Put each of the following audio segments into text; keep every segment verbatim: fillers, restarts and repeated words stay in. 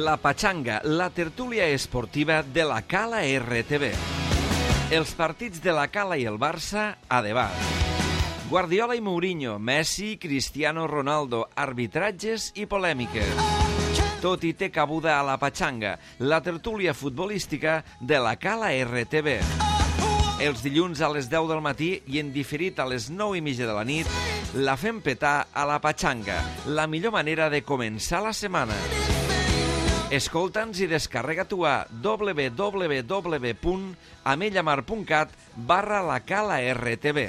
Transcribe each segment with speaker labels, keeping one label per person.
Speaker 1: La Pachanga, la tertúlia esportiva de la Cala R T V. Els partits de la Cala i el Barça a debat. Guardiola i Mourinho, Messi, Cristiano Ronaldo, arbitratges i polèmiques. Tot hi té cabuda a La Pachanga, la tertúlia futbolística de la Cala R T V. Els dilluns a les deu del matí i en diferit a les nou i mitja de la nit, la fem petar a La Pachanga, la millor manera de començar la setmana. Escolta'ns i descarrega-t'ho a w w w punt amellamar punt cat barra la Cala R T V.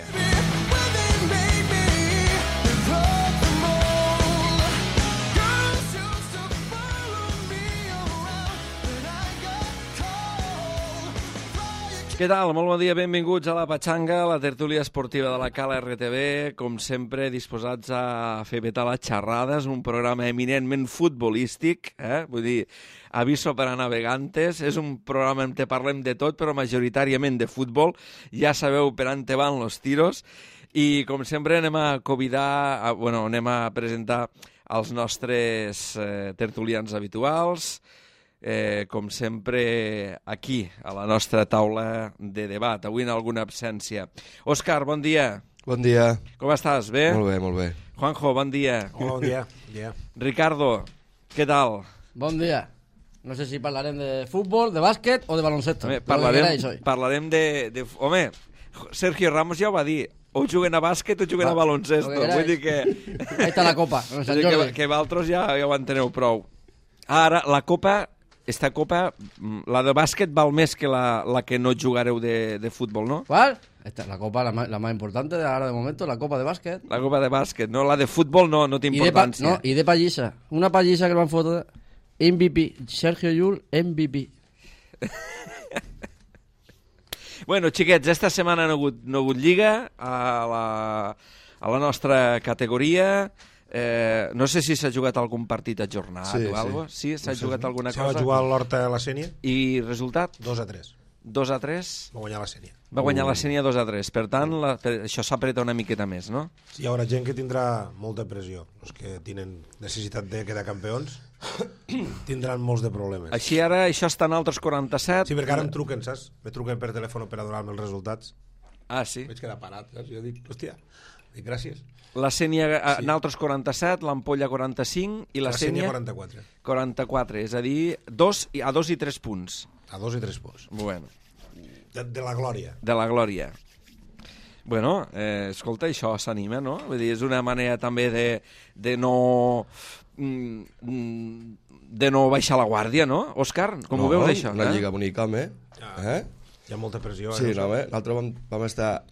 Speaker 1: Què tal? Molt bon dia, benvinguts a La Pachanga, la tertúlia esportiva de la Cala R T V. Com sempre, disposats a fer petar les xerrades, un programa eminentment futbolístic, eh? Vull dir, aviso per a navegantes. És un programa en què parlem de tot, però majoritàriament de futbol. Ja sabeu per on van los tiros. I, com sempre, anem a convidar, a, bueno, anem a presentar els nostres eh, tertulians habituals. Eh, com sempre, aquí, a la nostra taula de debat. Avui en alguna absència. Òscar, bon dia.
Speaker 2: Bon dia.
Speaker 1: Com estàs? Bé?
Speaker 2: Molt bé, molt bé.
Speaker 1: Juanjo, bon dia.
Speaker 3: Hola, bon dia. dia.
Speaker 1: Ricardo, què tal?
Speaker 4: Bon dia. No sé si parlarem de futbol, de bàsquet o de baloncesto.
Speaker 1: Home, parlarem, parlarem de, de... Home, Sergio Ramos ja ho va dir. O juguen a bàsquet o juguen Va, a baloncesto. Vull dir que...
Speaker 4: Ahí està la copa. No sé,
Speaker 1: que, que vosaltres ja, ja ho enteneu prou. Ara, la copa... Esta copa, la de bàsquet val més que la, la que no jugareu de, de futbol, ¿no?
Speaker 4: ¿Cuál? Esta, la copa, la más, la más importante de ahora de momento, la copa de bàsquet.
Speaker 1: La copa de bàsquet, no? La de futbol no, no té importància.
Speaker 4: No, i de pallissa. Una pallissa que el van fotre M V P. Sergio Llull, M V P.
Speaker 1: Bueno, xiquets, esta setmana no ha hagut, no ha hagut lliga a la, a la nostra categoria. Eh, no sé si s'ha jugat algun partit ajornat sí, o alguna cosa. Sí, s'ha sí, jugat sí. alguna cosa.
Speaker 3: S'ha jugat l'Horta a la Sènia.
Speaker 1: I resultat?
Speaker 3: dos a tres.
Speaker 1: dos a tres?
Speaker 3: Va guanyar la Sènia.
Speaker 1: Va guanyar uh. la Sènia dos a tres. Per tant, la, per, això s'apreta una miqueta més, no?
Speaker 3: Sí, hi haurà gent que tindrà molta pressió. Els que tenen necessitat de quedar campions tindran molts de problemes.
Speaker 1: Així ara, això està en altres quaranta-set.
Speaker 3: Sí, perquè ara em truquen, saps? Me truquen per telèfon per a donar-me els resultats.
Speaker 1: Ah, sí?
Speaker 3: Vaig quedar parat, saps? Jo dic, hòstia, dic gràcies.
Speaker 1: La Sènia sí. en altres quaranta-set, l'Ampolla quaranta-cinc i la, la Sènia
Speaker 3: quaranta-quatre.
Speaker 1: quaranta-quatre, és a dir, dos, a dos i tres punts.
Speaker 3: A dos i tres punts.
Speaker 1: Bueno.
Speaker 3: De, de la glòria.
Speaker 1: De la glòria. Bueno, eh, escolta, això s'anima, no? Vull dir, és una manera també de, de no... de no baixar la guàrdia, no? Òscar, com
Speaker 2: no,
Speaker 1: ho veus, això?
Speaker 2: Una
Speaker 1: eh?
Speaker 2: lliga bonica, home.
Speaker 3: Ah, eh? Hi ha molta pressió.
Speaker 2: Sí,
Speaker 3: eh?
Speaker 2: no, home. L'altre vam, vam estar...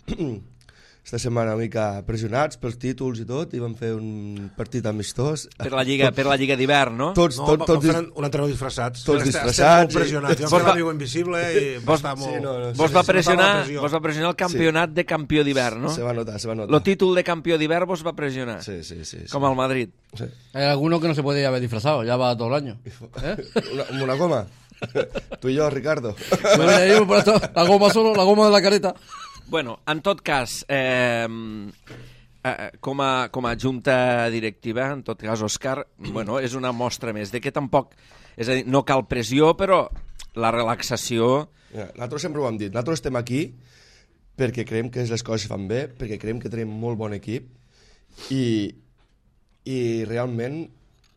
Speaker 2: esta setmana una mica pressionats pels títols i tot, i vam fer un partit amistós.
Speaker 1: Per la lliga,
Speaker 2: tot,
Speaker 1: per la lliga d'hivern, no?
Speaker 2: Tots,
Speaker 3: no,
Speaker 2: tots, tots,
Speaker 3: tots un entrenador disfressats.
Speaker 2: Tots disfressats.
Speaker 3: Estem molt pressionats.
Speaker 2: I...
Speaker 3: Jo vam fer l'amigo invisible i va estar molt...
Speaker 2: Sí, no, no,
Speaker 1: vos,
Speaker 2: sí,
Speaker 1: va
Speaker 2: sí,
Speaker 1: pressionar,
Speaker 3: sí,
Speaker 1: vos va pressionar el campionat sí. de campió d'hivern, no?
Speaker 2: Se va notar, se va notar.
Speaker 1: El títol de campió d'hivern vos va pressionar.
Speaker 2: Sí, sí, sí.
Speaker 1: Com
Speaker 2: sí.
Speaker 1: al Madrid.
Speaker 2: Sí.
Speaker 4: Hay alguno que no se puede haber disfrazado, ya va todo el año. ¿Eh?
Speaker 2: Una, una goma. Tú y yo, Ricardo.
Speaker 4: La goma solo, la goma de la careta.
Speaker 1: Bueno, en tot cas, eh, eh, com, a, com a junta directiva, en tot cas, Òscar, bueno, és una mostra més de que tampoc, és a dir, no cal pressió, però la relaxació...
Speaker 2: Ja, nosaltres sempre ho hem dit, nosaltres estem aquí perquè creiem que les coses fan bé, perquè creiem que tenim molt bon equip i, i realment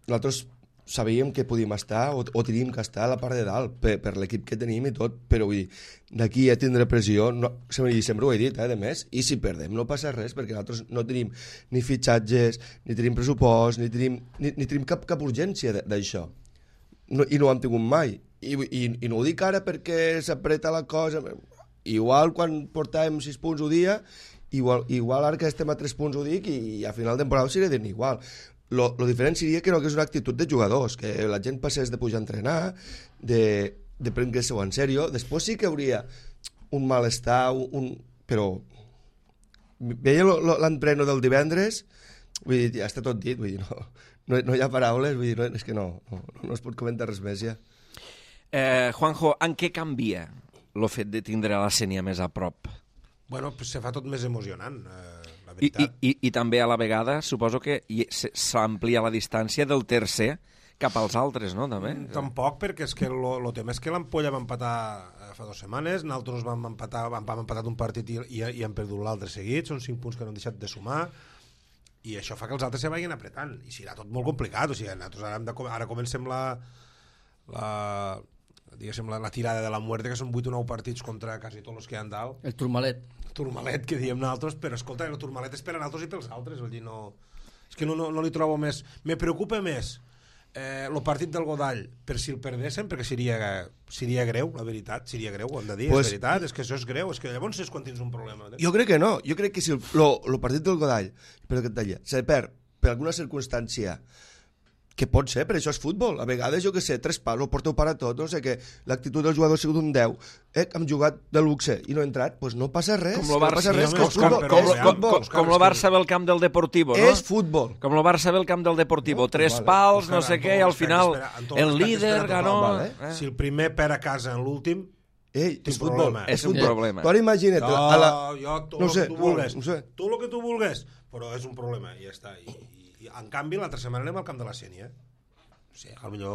Speaker 2: nosaltres sabíem que podíem estar o, o teníem que estar a la part de dalt per, per l'equip que tenim i tot, però vull dir, d'aquí a tindre pressió, no, sempre, sempre ho he dit, eh, de més, i si perdem no passa res, perquè nosaltres no tenim ni fitxatges, ni tenim pressupost, ni tenim, ni, ni tenim cap, cap urgència d'això, no, i no ho hem tingut mai, I, i, i no ho dic ara perquè s'apreta la cosa, igual quan portàvem sis punts ho dia, igual, igual ara que estem a tres punts ho dic, i, i a final de temporada ho seré dient igual. Lo, lo diferent seria que no que és una actitud de jugadors, que la gent passés de pujar a entrenar, de, de prendre-se-ho en sèrio. Després sí que hauria un malestar, un, un... però veia l'entreno del divendres, vull dir, ja està tot dit, vull dir, no, no, no hi ha paraules, vull dir, no, és que no, no, no es pot comentar res més ja.
Speaker 1: Eh, Juanjo, en què canvia el fet de tindre la Sènia més a prop?
Speaker 3: Bueno, pues se fa tot més emocionant, eh, la
Speaker 1: I,
Speaker 3: veritat.
Speaker 1: i, I també a la vegada suposo que s'amplia la distància del tercer, cap als altres, no? També.
Speaker 3: Mm, Tampoc, perquè és que el tema és que l'Ampolla va empatar eh, fa dues setmanes, nosaltres vam empatar, vam, vam empatat un partit i, i, i hem perdut l'altre seguit, són cinc punts que no han deixat de sumar, i això fa que els altres se vagin apretant, i serà tot molt complicat, o sigui, nosaltres ara, hem de, ara comencem la, la, diguéssim, la, la tirada de la muerte, que són vuit o nou partits contra quasi tots els que hi ha dalt.
Speaker 4: El turmalet.
Speaker 3: Turmalet, que diem nosaltres, però escolta, el turmalet és per a nosaltres i pels altres, vull dir, no... És que no, no, no li trobo més... Me preocupa més eh, el partit del Godall per si el perdéssim, perquè seria, seria greu, la veritat, seria greu, ho hem de dir, pues, és veritat, és que això és greu, és que llavors és quan tens un problema.
Speaker 2: Jo crec que no, jo crec que si el, lo, lo partit del Godall, però que et deia, se perd per alguna circumstància, que pot ser, però això és futbol. A vegades, jo que sé, tres pals, ho porteu para tot, no sé què, l'actitud del jugador ha sigut un deu, eh, hem jugat de luxe i no he entrat, doncs pues no passa res.
Speaker 1: Com el Barça,
Speaker 2: no passa res,
Speaker 3: sí,
Speaker 2: que és futbol.
Speaker 3: com,
Speaker 2: Com,
Speaker 3: com,
Speaker 2: és futbol.
Speaker 1: Com, com el Barça ve al camp del Deportivo, no?
Speaker 2: És futbol.
Speaker 1: Com el Barça ve al camp del Deportivo,
Speaker 2: No,
Speaker 1: tres
Speaker 2: vale.
Speaker 1: pals, no
Speaker 3: Espera,
Speaker 1: sé què, i
Speaker 3: Antón,
Speaker 1: al final
Speaker 3: espera, espera,
Speaker 1: el
Speaker 3: Antón,
Speaker 1: líder
Speaker 3: espera,
Speaker 1: ganó...
Speaker 2: vale.
Speaker 1: Eh?
Speaker 3: Si el primer perd a casa en l'últim,
Speaker 2: Ei,
Speaker 3: Té
Speaker 2: és futbol.
Speaker 3: problema.
Speaker 1: És un
Speaker 2: futbol.
Speaker 1: problema.
Speaker 2: Tu ara imagina't...
Speaker 3: jo,
Speaker 2: a la...
Speaker 3: jo tot
Speaker 2: no
Speaker 3: el
Speaker 2: sé,
Speaker 3: que tu
Speaker 2: no,
Speaker 3: vulgues,
Speaker 2: no sé.
Speaker 3: tot el que tu vulgues, però és un problema, i ja està. I, i, i en canvi, l'altra setmana anem al camp de la Sènia. O sigui, potser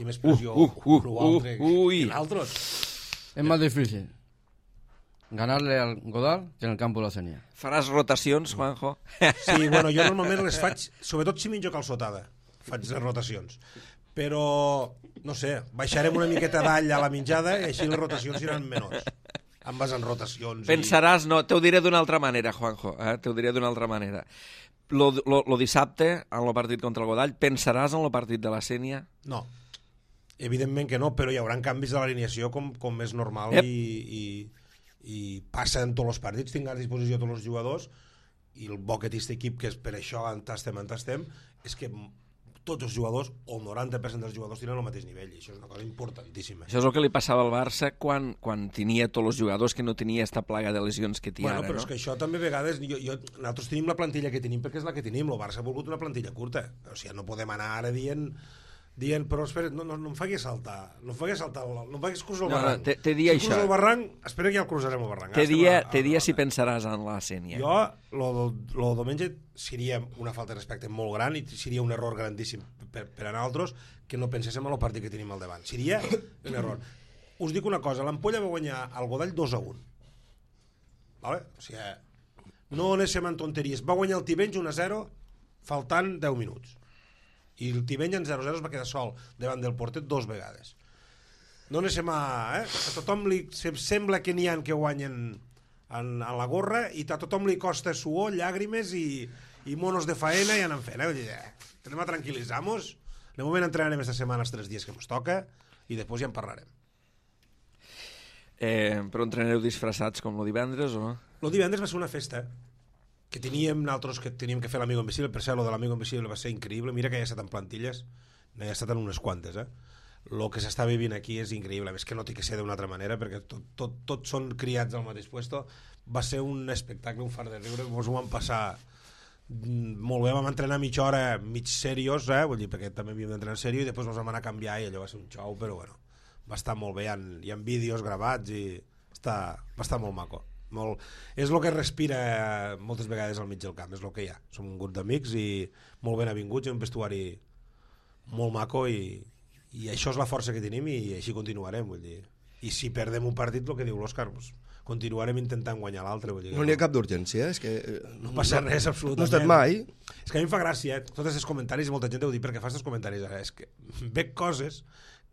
Speaker 3: té més pressió
Speaker 1: Uh, uh, uh,
Speaker 3: o altre
Speaker 1: uh, ui.
Speaker 3: que l'altre.
Speaker 4: Es más difícil ganarle al Godal que en el campo de la Senia.
Speaker 1: Faràs rotacions, Juanjo?
Speaker 3: Sí, bueno, jo normalment les faig, sobretot si menjo calçotada, faig les rotacions. Però, no sé, baixarem una miqueta d'all a la menjada i així les rotacions seran menors. Em vas en rotacions.
Speaker 1: Pensaràs, no, t'ho diré d'una altra manera, Juanjo, eh? t'ho diré d'una altra manera. Lo, lo, lo dissabte, en el partit contra el Godall, pensaràs en el partit de la Sènia?
Speaker 3: I... No, evidentment que no, però hi haurà canvis de l'alineació com, com és normal
Speaker 1: Yep.
Speaker 3: i, i, i passa en tots els partits, tinc a disposició tots els jugadors, i el bo que té aquest equip, que és per això entastem, entastem, és que tots els jugadors, o el noranta per cent dels jugadors, tenen el mateix nivell, i això és una cosa importantíssima.
Speaker 1: Això és el que li passava al Barça quan, quan tenia tots els jugadors, que no tenia esta plaga de lesions que té
Speaker 3: Bueno,
Speaker 1: ara,
Speaker 3: però
Speaker 1: no?
Speaker 3: és que això també a vegades... Jo, jo, nosaltres tenim la plantilla que tenim perquè és la que tenim. El Barça ha volgut una plantilla curta. O sigui, no podem anar ara dient... dient, però espera, no, no, no em faci saltar, no em faci saltar, el- no em faci cruzar el
Speaker 1: No, no,
Speaker 3: barranc.
Speaker 1: te- te dia
Speaker 3: si
Speaker 1: això.
Speaker 3: cruzo el barranc, espera que ja el cruzarem el barranc.
Speaker 1: Té
Speaker 3: Estem
Speaker 1: dia,
Speaker 3: a- a-
Speaker 1: té dia
Speaker 3: a-
Speaker 1: si pensaràs en la Sènia.
Speaker 3: Jo, lo, lo diumenge seria una falta de respecte molt gran i seria un error grandíssim per, per a nosaltres que no penséssim en el partit que tenim al davant. Seria un error. Us dic una cosa, l'Ampolla va guanyar el Godall dos a un. Vale? O sigui, no anéssim en tonteries. Va guanyar el Tivenys un a zero faltant deu minuts. I el Tiveny en zero a zero es va quedar sol davant del porter dos vegades. No anéssim a... Eh? A tothom li se- sembla que n'hi ha que guanyen en, en la gorra i a tothom li costa suor, llàgrimes i, i monos de faena i anem fent. Eh? Vull dir, eh, anem a tranquil·litzar-nos. De moment entrenarem esta setmana els tres dies que ens toca i després ja en parlarem.
Speaker 1: Eh, però entrenareu disfressats com el divendres o no?
Speaker 3: El divendres va ser una festa que teníem nosaltres que teníem que fer l'Amigo Invisible. Per cert, lo de l'Amigo Invisible va ser increïble. Mira que ja ha estat en plantilles, no ha estat en unes quantes, eh? El que s'està vivint aquí és increïble. És que no té que ser d'una altra manera, perquè tot, tot, tots són criats al mateix puesto. Va ser un espectacle, un far de riure. Ens ho vam passar mm, molt bé. Vam entrenar mitja hora, mig seriós, eh? Vull dir, perquè també havíem d'entrenar en sèrio, i després ens vam anar a canviar i allò va ser un xou, però bueno, va estar molt bé. Hi ha, hi ha vídeos gravats i està, va estar molt maco. Molt, és el que respira moltes vegades al mig del camp, és el que hi ha. Som un grup d'amics i molt ben avinguts, i un vestuari molt maco, i, i això és la força que tenim i així continuarem, vull dir. I si perdem un partit, el que diu l'Òscar, doncs, continuarem intentant guanyar l'altre, vull dir.
Speaker 2: No n'hi ha cap d'urgència, és que...
Speaker 3: No passa res, absolutament.
Speaker 2: No ha estat mai.
Speaker 3: És que a mi em fa gràcia, eh? Tots aquests comentaris, i molta gent deu dir perquè fas els comentaris ara, és que veig coses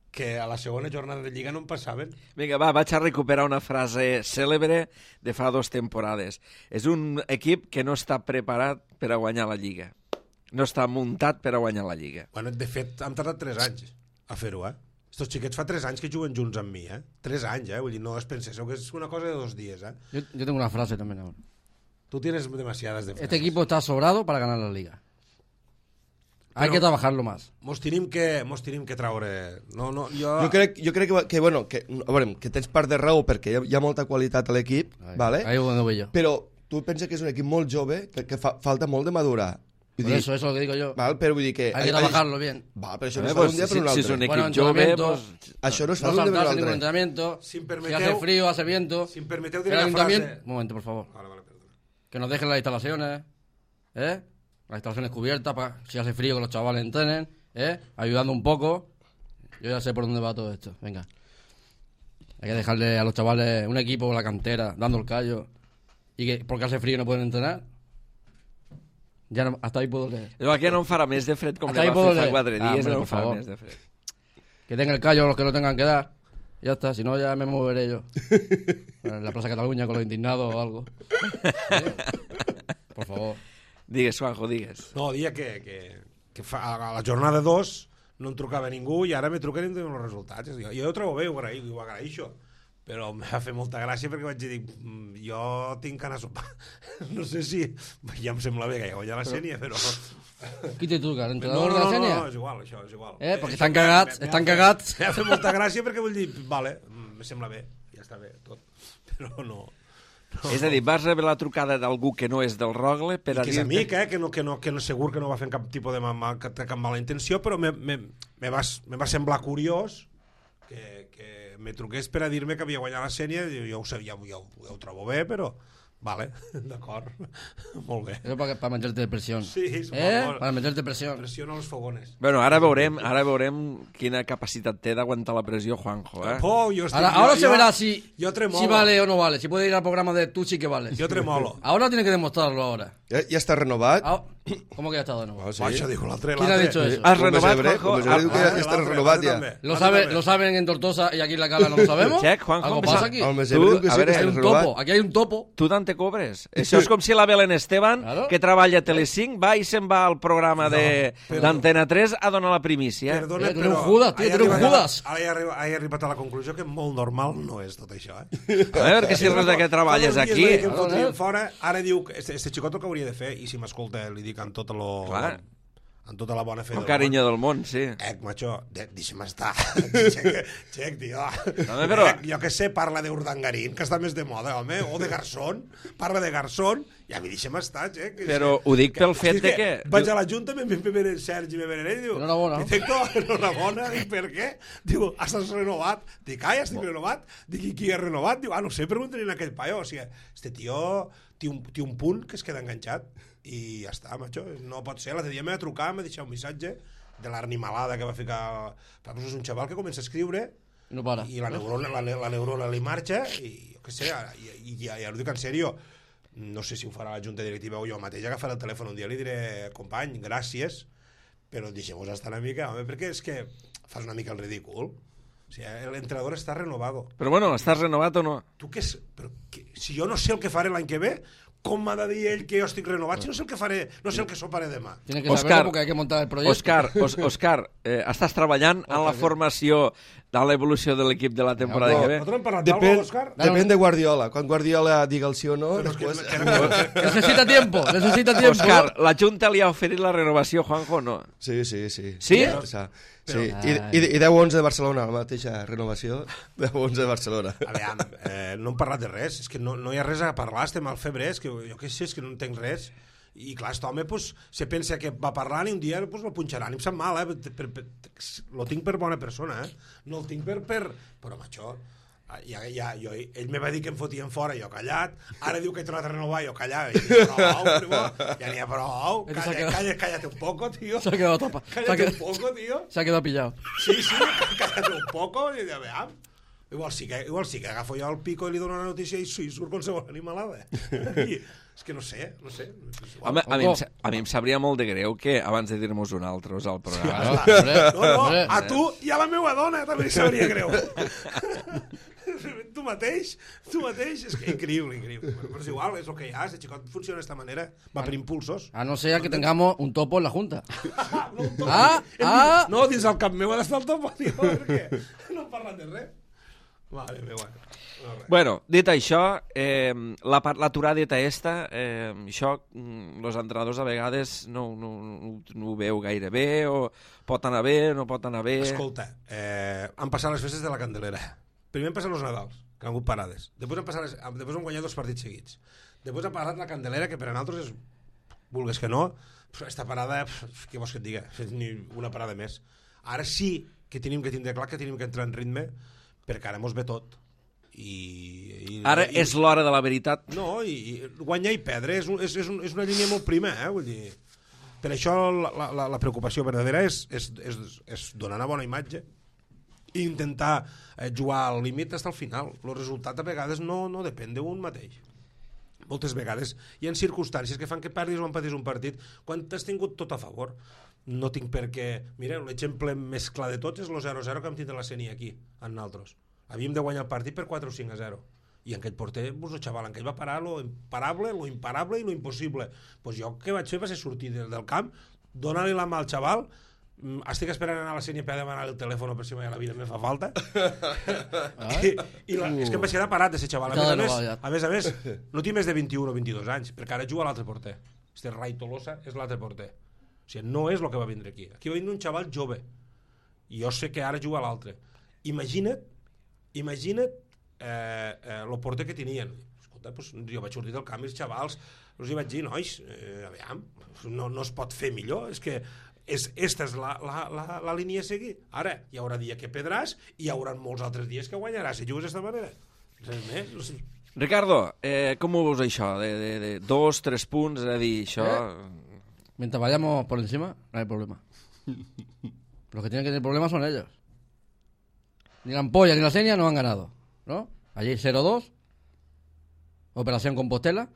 Speaker 3: que a la segona jornada de Lliga no en passaven.
Speaker 1: Vinga, va, vaig a recuperar una frase cèlebre de fa dues temporades. És un equip que no està preparat per a guanyar la Lliga. No està muntat per a guanyar la Lliga.
Speaker 3: Bueno, de fet, hem tardat tres anys a fer-ho, eh? Estos xiquets fa tres anys que juguen junts amb mi, eh? Tres anys, eh? Vull dir, no es penseu que és una cosa de dos dies, eh?
Speaker 4: Yo, yo tengo una frase también ahora.
Speaker 3: Tu tienes demasiadas de frases.
Speaker 4: Este equipo está sobrado para ganar la liga. Hay
Speaker 3: Pero-
Speaker 4: que trabajarlo más.
Speaker 3: Mos tenim que, mos tenim que traure... No, no, jo...
Speaker 2: Jo crec, jo crec que, que, bueno, que, a veure, que tens part de raó perquè hi ha, hi ha molta qualitat a l'equip,
Speaker 4: Ahí,
Speaker 2: vale?
Speaker 4: ahí es donde voy yo.
Speaker 2: Però tu pensa que és un equip molt jove, que, que fa, falta molt de madurar. Vull
Speaker 4: Por
Speaker 2: dir,
Speaker 4: eso, eso es lo que digo yo.
Speaker 2: val, però vull dir que...
Speaker 4: Hay que trabajarlo bien.
Speaker 2: Val, però això
Speaker 1: Eh,
Speaker 2: no es fa
Speaker 1: pues,
Speaker 2: d'un dia
Speaker 1: si,
Speaker 2: per un
Speaker 1: si
Speaker 2: altre.
Speaker 1: és un equip
Speaker 4: Bueno,
Speaker 1: jove,
Speaker 4: entrenamientos,
Speaker 1: pues,
Speaker 2: Això no es fa
Speaker 4: No
Speaker 2: d'un dia per
Speaker 4: saltarse ningún
Speaker 2: l'altre.
Speaker 4: entrenamiento.
Speaker 3: Si em
Speaker 4: Si
Speaker 3: permeteu-
Speaker 4: hace frío, hace viento.
Speaker 3: Si em permeteu
Speaker 4: El
Speaker 3: dir una
Speaker 4: ayuntamiento...
Speaker 3: frase...
Speaker 4: Un momento, por favor.
Speaker 3: Vale, vale, perdona.
Speaker 4: Que nos dejen las instalaciones. ¿Eh? Las instalaciones cubiertas para si hace frío que los chavales entrenen. ¿eh? Ayudando un poco. Yo ya sé por dónde va todo esto. Venga. Hay que dejarle a los chavales un equipo, la cantera, dando el callo. Y que porque hace frío no pueden entrenar. Ja no, hasta ahí puedo leer.
Speaker 1: No, aquí no em farà més de fred com
Speaker 4: Hasta
Speaker 1: li
Speaker 4: ahí
Speaker 1: va
Speaker 4: puedo
Speaker 1: fer fa
Speaker 4: leer.
Speaker 1: quatre
Speaker 4: Ah,
Speaker 1: dies,
Speaker 4: hombre,
Speaker 1: no
Speaker 4: por
Speaker 1: em farà
Speaker 4: favor.
Speaker 1: més de fred.
Speaker 4: Que den el callo los que no tengan que dar. Ya está, si no ya me moveré yo. En la Plaza Cataluña con los indignados o algo. Por favor.
Speaker 1: Digues, Juanjo, digues.
Speaker 3: No, dia que, que, que fa, a la jornada dos no em trucava ningú i ara me truquen i em donen els resultats. Jo, jo ho trobo bé, ho agraï, ho agraïxo. Però em va fer molta gràcia perquè vaig dir, "Mm, jo tinc anar a sopar." No sé si... Ja em sembla bé que ja guanya la Sènia, però...
Speaker 4: Qui te truca?
Speaker 3: No,
Speaker 4: ¿L'entrenador
Speaker 3: no,
Speaker 4: de la
Speaker 3: no,
Speaker 4: Sènia?
Speaker 3: no, és igual, això, és igual.
Speaker 4: Eh, perquè
Speaker 3: Això
Speaker 4: estan
Speaker 3: m'ha-
Speaker 4: cagats,
Speaker 3: m'ha
Speaker 4: estan
Speaker 3: fet-
Speaker 4: cagats.
Speaker 3: M'ha fet molta gràcia perquè vull dir, vale, me sembla bé, ja està bé, tot. Però no... no
Speaker 1: És a dir, vas rebre la trucada d'algú que no és del Rogle per a
Speaker 3: que és
Speaker 1: dir-te...
Speaker 3: amic, eh? que, no, que, no, que no segur que no va fer cap tipus de mal, cap, cap mala intenció, però me, me, me, va, me va semblar curiós que, que me truqués per a dir-me que havia guanyat la Sènia. Jo, jo, ho, sé, ja, ja, ho, ja ho trobo bé, però vale, d'acord, molt bé.
Speaker 4: Eso para, para meterte presión.
Speaker 3: Sí, és
Speaker 4: ¿Eh?
Speaker 3: molt,
Speaker 4: Para meterte presión.
Speaker 3: pressiona els fogones.
Speaker 1: Bueno, ara veurem, ara veurem quina capacitat té d'aguantar la pressió Juanjo, eh?
Speaker 3: Oh, jo estic,
Speaker 4: Ahora,
Speaker 3: jo,
Speaker 4: ahora se
Speaker 3: jo,
Speaker 4: verá si,
Speaker 3: jo tremolo.
Speaker 4: si vale o no vale. Si puede ir al programa de tú sí que vale.
Speaker 3: Jo tremolo.
Speaker 4: Ahora tiene que demostrarlo ahora.
Speaker 2: Ja, ja està renovat?
Speaker 4: Ah, ¿Cómo que ya está de nuevo?
Speaker 2: Ah, sí.
Speaker 3: Va, això diu l'altre.
Speaker 4: ¿Quién ha
Speaker 3: l'altre.
Speaker 4: dicho eso?
Speaker 1: Has
Speaker 2: Com
Speaker 1: renovat,
Speaker 2: Besebre,
Speaker 1: Juanjo?
Speaker 2: com Besebre diu que ja,
Speaker 3: Ah,
Speaker 2: ja està
Speaker 3: l'altre,
Speaker 2: renovat
Speaker 3: l'altre
Speaker 2: ja.
Speaker 3: també.
Speaker 4: Lo,
Speaker 3: L'altre
Speaker 4: sabe,
Speaker 3: també.
Speaker 4: lo saben en Tortosa y aquí en la Cala no lo sabemos.
Speaker 1: Check, Juanjo,
Speaker 4: Algo
Speaker 1: em
Speaker 4: pasa
Speaker 1: sap-
Speaker 4: aquí.
Speaker 2: El
Speaker 1: Tu,
Speaker 2: Besebre diu que
Speaker 1: a
Speaker 2: sí
Speaker 1: veure,
Speaker 2: que
Speaker 4: Hay
Speaker 2: està
Speaker 4: un
Speaker 2: renovat.
Speaker 4: topo, aquí hay un topo.
Speaker 1: Tu tant te cobres? Això és com si la Belén Esteban,
Speaker 4: Claro.
Speaker 1: que treballa a Telecinc, va i se'n va al programa de
Speaker 3: però-
Speaker 1: d'Antena tres a donar la primícia.
Speaker 3: Perdona,
Speaker 4: Eh, tu eres
Speaker 3: però...
Speaker 4: un Judas, tio,
Speaker 3: he
Speaker 4: tu eres un
Speaker 3: arribat a-
Speaker 4: Judas.
Speaker 3: Ara he arribat, he arribat a la conclusió que molt normal no és tot això, eh?
Speaker 1: A veure, que si res de que treballes
Speaker 3: Fa dos dies
Speaker 1: aquí...
Speaker 3: va dir que em
Speaker 4: Claro,
Speaker 3: fotrien
Speaker 4: eh?
Speaker 3: fora, ara diu que este, este xicot el que hauria de fer, i si m'escolta li dic amb tota, lo,
Speaker 1: Clar.
Speaker 3: amb tota la bona fe
Speaker 1: Con
Speaker 3: del
Speaker 1: carinyo del món, sí.
Speaker 3: món. Ec, macho, de- deixa'm estar. Xec, xec, tio.
Speaker 1: També, però-
Speaker 3: Ec, jo que sé, parla d'Urdangarín, que està més de moda, home, o de Garzón, parla de Garzón, i a mi deixa'm estar, xec.
Speaker 1: Però ho dic pel fet
Speaker 3: Hosti,
Speaker 1: de que-
Speaker 3: Vaig a la Junta, me ve ve el Sergi, me ve ell, diu...
Speaker 4: Enhorabona.
Speaker 3: Directo, enhorabona, dic, per què? Diu, estàs renovat? Dic, ai, estic renovat? Dic, i qui és renovat? Diu, ah, no sé, pregunten a aquell paio. O sigui, este tio té un, té un punt que es queda enganxat i ja està, macho. No pot ser. L'altre dia m'ha trucat, m'ha deixat un missatge de l'arnimalada que va ficar... Però és un xaval que comença a escriure
Speaker 4: Y no para.
Speaker 3: i la neurona, la, ne- la neurona li marxa i jo què sé, i, i, i, ja ho dic en sèrio, no sé si ho farà la junta directiva o jo mateix agafaré el telèfon un dia i li diré, company, gràcies, però deixem-vos estar una mica, home, perquè és que fas una mica el ridícul. O sigui, l'entrenador està renovado.
Speaker 1: Però bueno, estàs renovat o no?
Speaker 3: Tu què és? Però que, si jo no sé el que faré l'any que ve, com m'ha de dir ell que jo estic renovat si no sé el que faré, no sé el que soparé demà?
Speaker 4: Tiene que
Speaker 1: Oscar,
Speaker 4: saberlo porque hay que montar el proyecto.
Speaker 1: Òscar, Os, Òscar, eh, estàs treballant en la formació de l'evolució de l'equip de la temporada
Speaker 2: No,
Speaker 1: que ve?
Speaker 3: Nosaltres hem parlat
Speaker 2: Depèn,
Speaker 3: d'algú, Òscar?
Speaker 2: depèn de Guardiola. Quan Guardiola diga el sí o no,
Speaker 3: Però és que-
Speaker 2: després...
Speaker 3: que- que-
Speaker 4: Necesita tiempo, necesita tiempo.
Speaker 1: Òscar, la Junta li ha oferit la renovació, Juanjo, o no?
Speaker 2: Sí, sí, sí.
Speaker 1: Sí?
Speaker 2: O sea, sí. I, i, I deu onze de Barcelona, la mateixa renovació. deu onze de Barcelona.
Speaker 3: A veure, eh, no hem parlat de res, és que no, no hi ha res a parlar, estem al febrer, és que jo què sé, és que no entenc res. I clar, aquest home pues, se pensa que va parlant i un dia pues, lo punxaran, i em sap mal, eh? Per, per, per, lo tinc per bona persona, eh? No el tinc per... per... Però, macho, ja, ja, jo, ell me va dir que em fotien fora, jo callat, ara diu que he tornat a renovar, jo callat, i dic, prou, primo, ja n'hi ha prou,
Speaker 4: Este se ha
Speaker 3: calla,
Speaker 4: quedado-
Speaker 3: calla, cállate un poco, tío,
Speaker 4: Se ha quedado tapa. Se ha
Speaker 3: cállate un
Speaker 4: quedado,
Speaker 3: poco, tío.
Speaker 4: se ha quedado pillado.
Speaker 3: Sí, sí, cállate un poco, i ja veam. Igual sí, que, igual sí que agafo jo el pico i li dono una notícia i, i surt qualsevol animalada. I, és que no sé, no sé. És igual.
Speaker 1: Home, a mi, em, sa- a mi em sabria molt de greu que abans de dir-nos un altre al programa...
Speaker 4: Claro, hombre,
Speaker 3: No, no,
Speaker 4: hombre.
Speaker 3: a tu i a la meva dona també li sabria greu. tu mateix, tu mateix, és que increïble, increïble. Bueno, però és igual, és el que hi ha, si xicot funciona d'esta manera, va per impulsos.
Speaker 4: A no ser que tengamos un topo en la Junta.
Speaker 3: no, un topo.
Speaker 4: Ah,
Speaker 3: Hem
Speaker 4: ah.
Speaker 3: dit, no, dins el cap meu ha d'estar el topo, tio, per què? No hem parlat de res. Vale, bé, bueno. No, res.
Speaker 1: Bueno, dit això, eh, la par- l'aturadeta esta, eh, això, mm, los entrenadors a vegades no, no, no, no ho veu gaire bé, o pot anar bé, no pot anar bé...
Speaker 3: Escolta, eh, han passat les festes de la Candelera. Primer han passat els Nadals, que han hagut parades. Després han, passat les, després han guanyat dos partits seguits. Després ha parat la Candelera, que per a nosaltres és, vulgues que no, esta parada, què vols que et diga? És ni una parada més. Ara sí que tenim que tindre clar que tenim que entrar en ritme, perquè ara mos ve tot. I, i,
Speaker 1: Ara
Speaker 3: i,
Speaker 1: és l'hora de la veritat.
Speaker 3: No, i, i guanyar i perdre és, un, és, és, un, és una línia molt prima, eh? Vull dir, Per això la, la, la preocupació verdadera és, és, és, és donar una bona imatge i intentar eh, jugar al límit fins al final. El resultat a vegades no, no depèn d'un mateix. Moltes vegades hi ha circumstàncies que fan que perdis o empatis un partit quan t'has tingut tot a favor. No tinc per què... Mireu, l'exemple més clar de tots és el zero a zero que hem tingut la Sénia aquí, amb nosaltres. Havíem de guanyar el partit per quatre o cinc a zero. I en aquell porter, pues, el xaval, en aquell va parar lo imparable, lo imparable i lo impossible. Pues jo el que vaig fer va ser sortir del, del camp, donar-li la mà al xaval, estic esperant anar a la Sénia per demanar el telèfon per si mai a la vida me fa falta. Ah? I, i la, uh. és que em vaig quedar parat de ser xaval. A més a més, a més, a més, no té més de vint-i-un o vint-i-dos anys, perquè ara juga l'altre porter. Este Rai Tolosa és l'altre porter. O sigui, no és el que va vindre aquí. Aquí va vindre un xaval jove. I jo sé que ara juga l'altre. Imagina't, imagina't eh, eh, el porter que tenien. Escolta, pues, jo vaig sortir del camp i els xavals, els hi vaig dir, nois, eh, aviam, no, no es pot fer millor, és que és, esta és la, la, la, la línia a seguir. Ara, hi haurà dia que pedràs i hi haurà molts altres dies que guanyaràs si jugues d'aquesta manera. Res més.
Speaker 1: Ricardo, eh, com ho veus això? De, de, de dos, tres punts, és a dir, això...
Speaker 4: ¿Eh? Mientras vayamos por encima, no hay problema. Los que tienen que tener problemas son ellos. Ni la Ampolla ni la Sénia no han ganado, ¿no? Allí cero dos, Operación Compostela,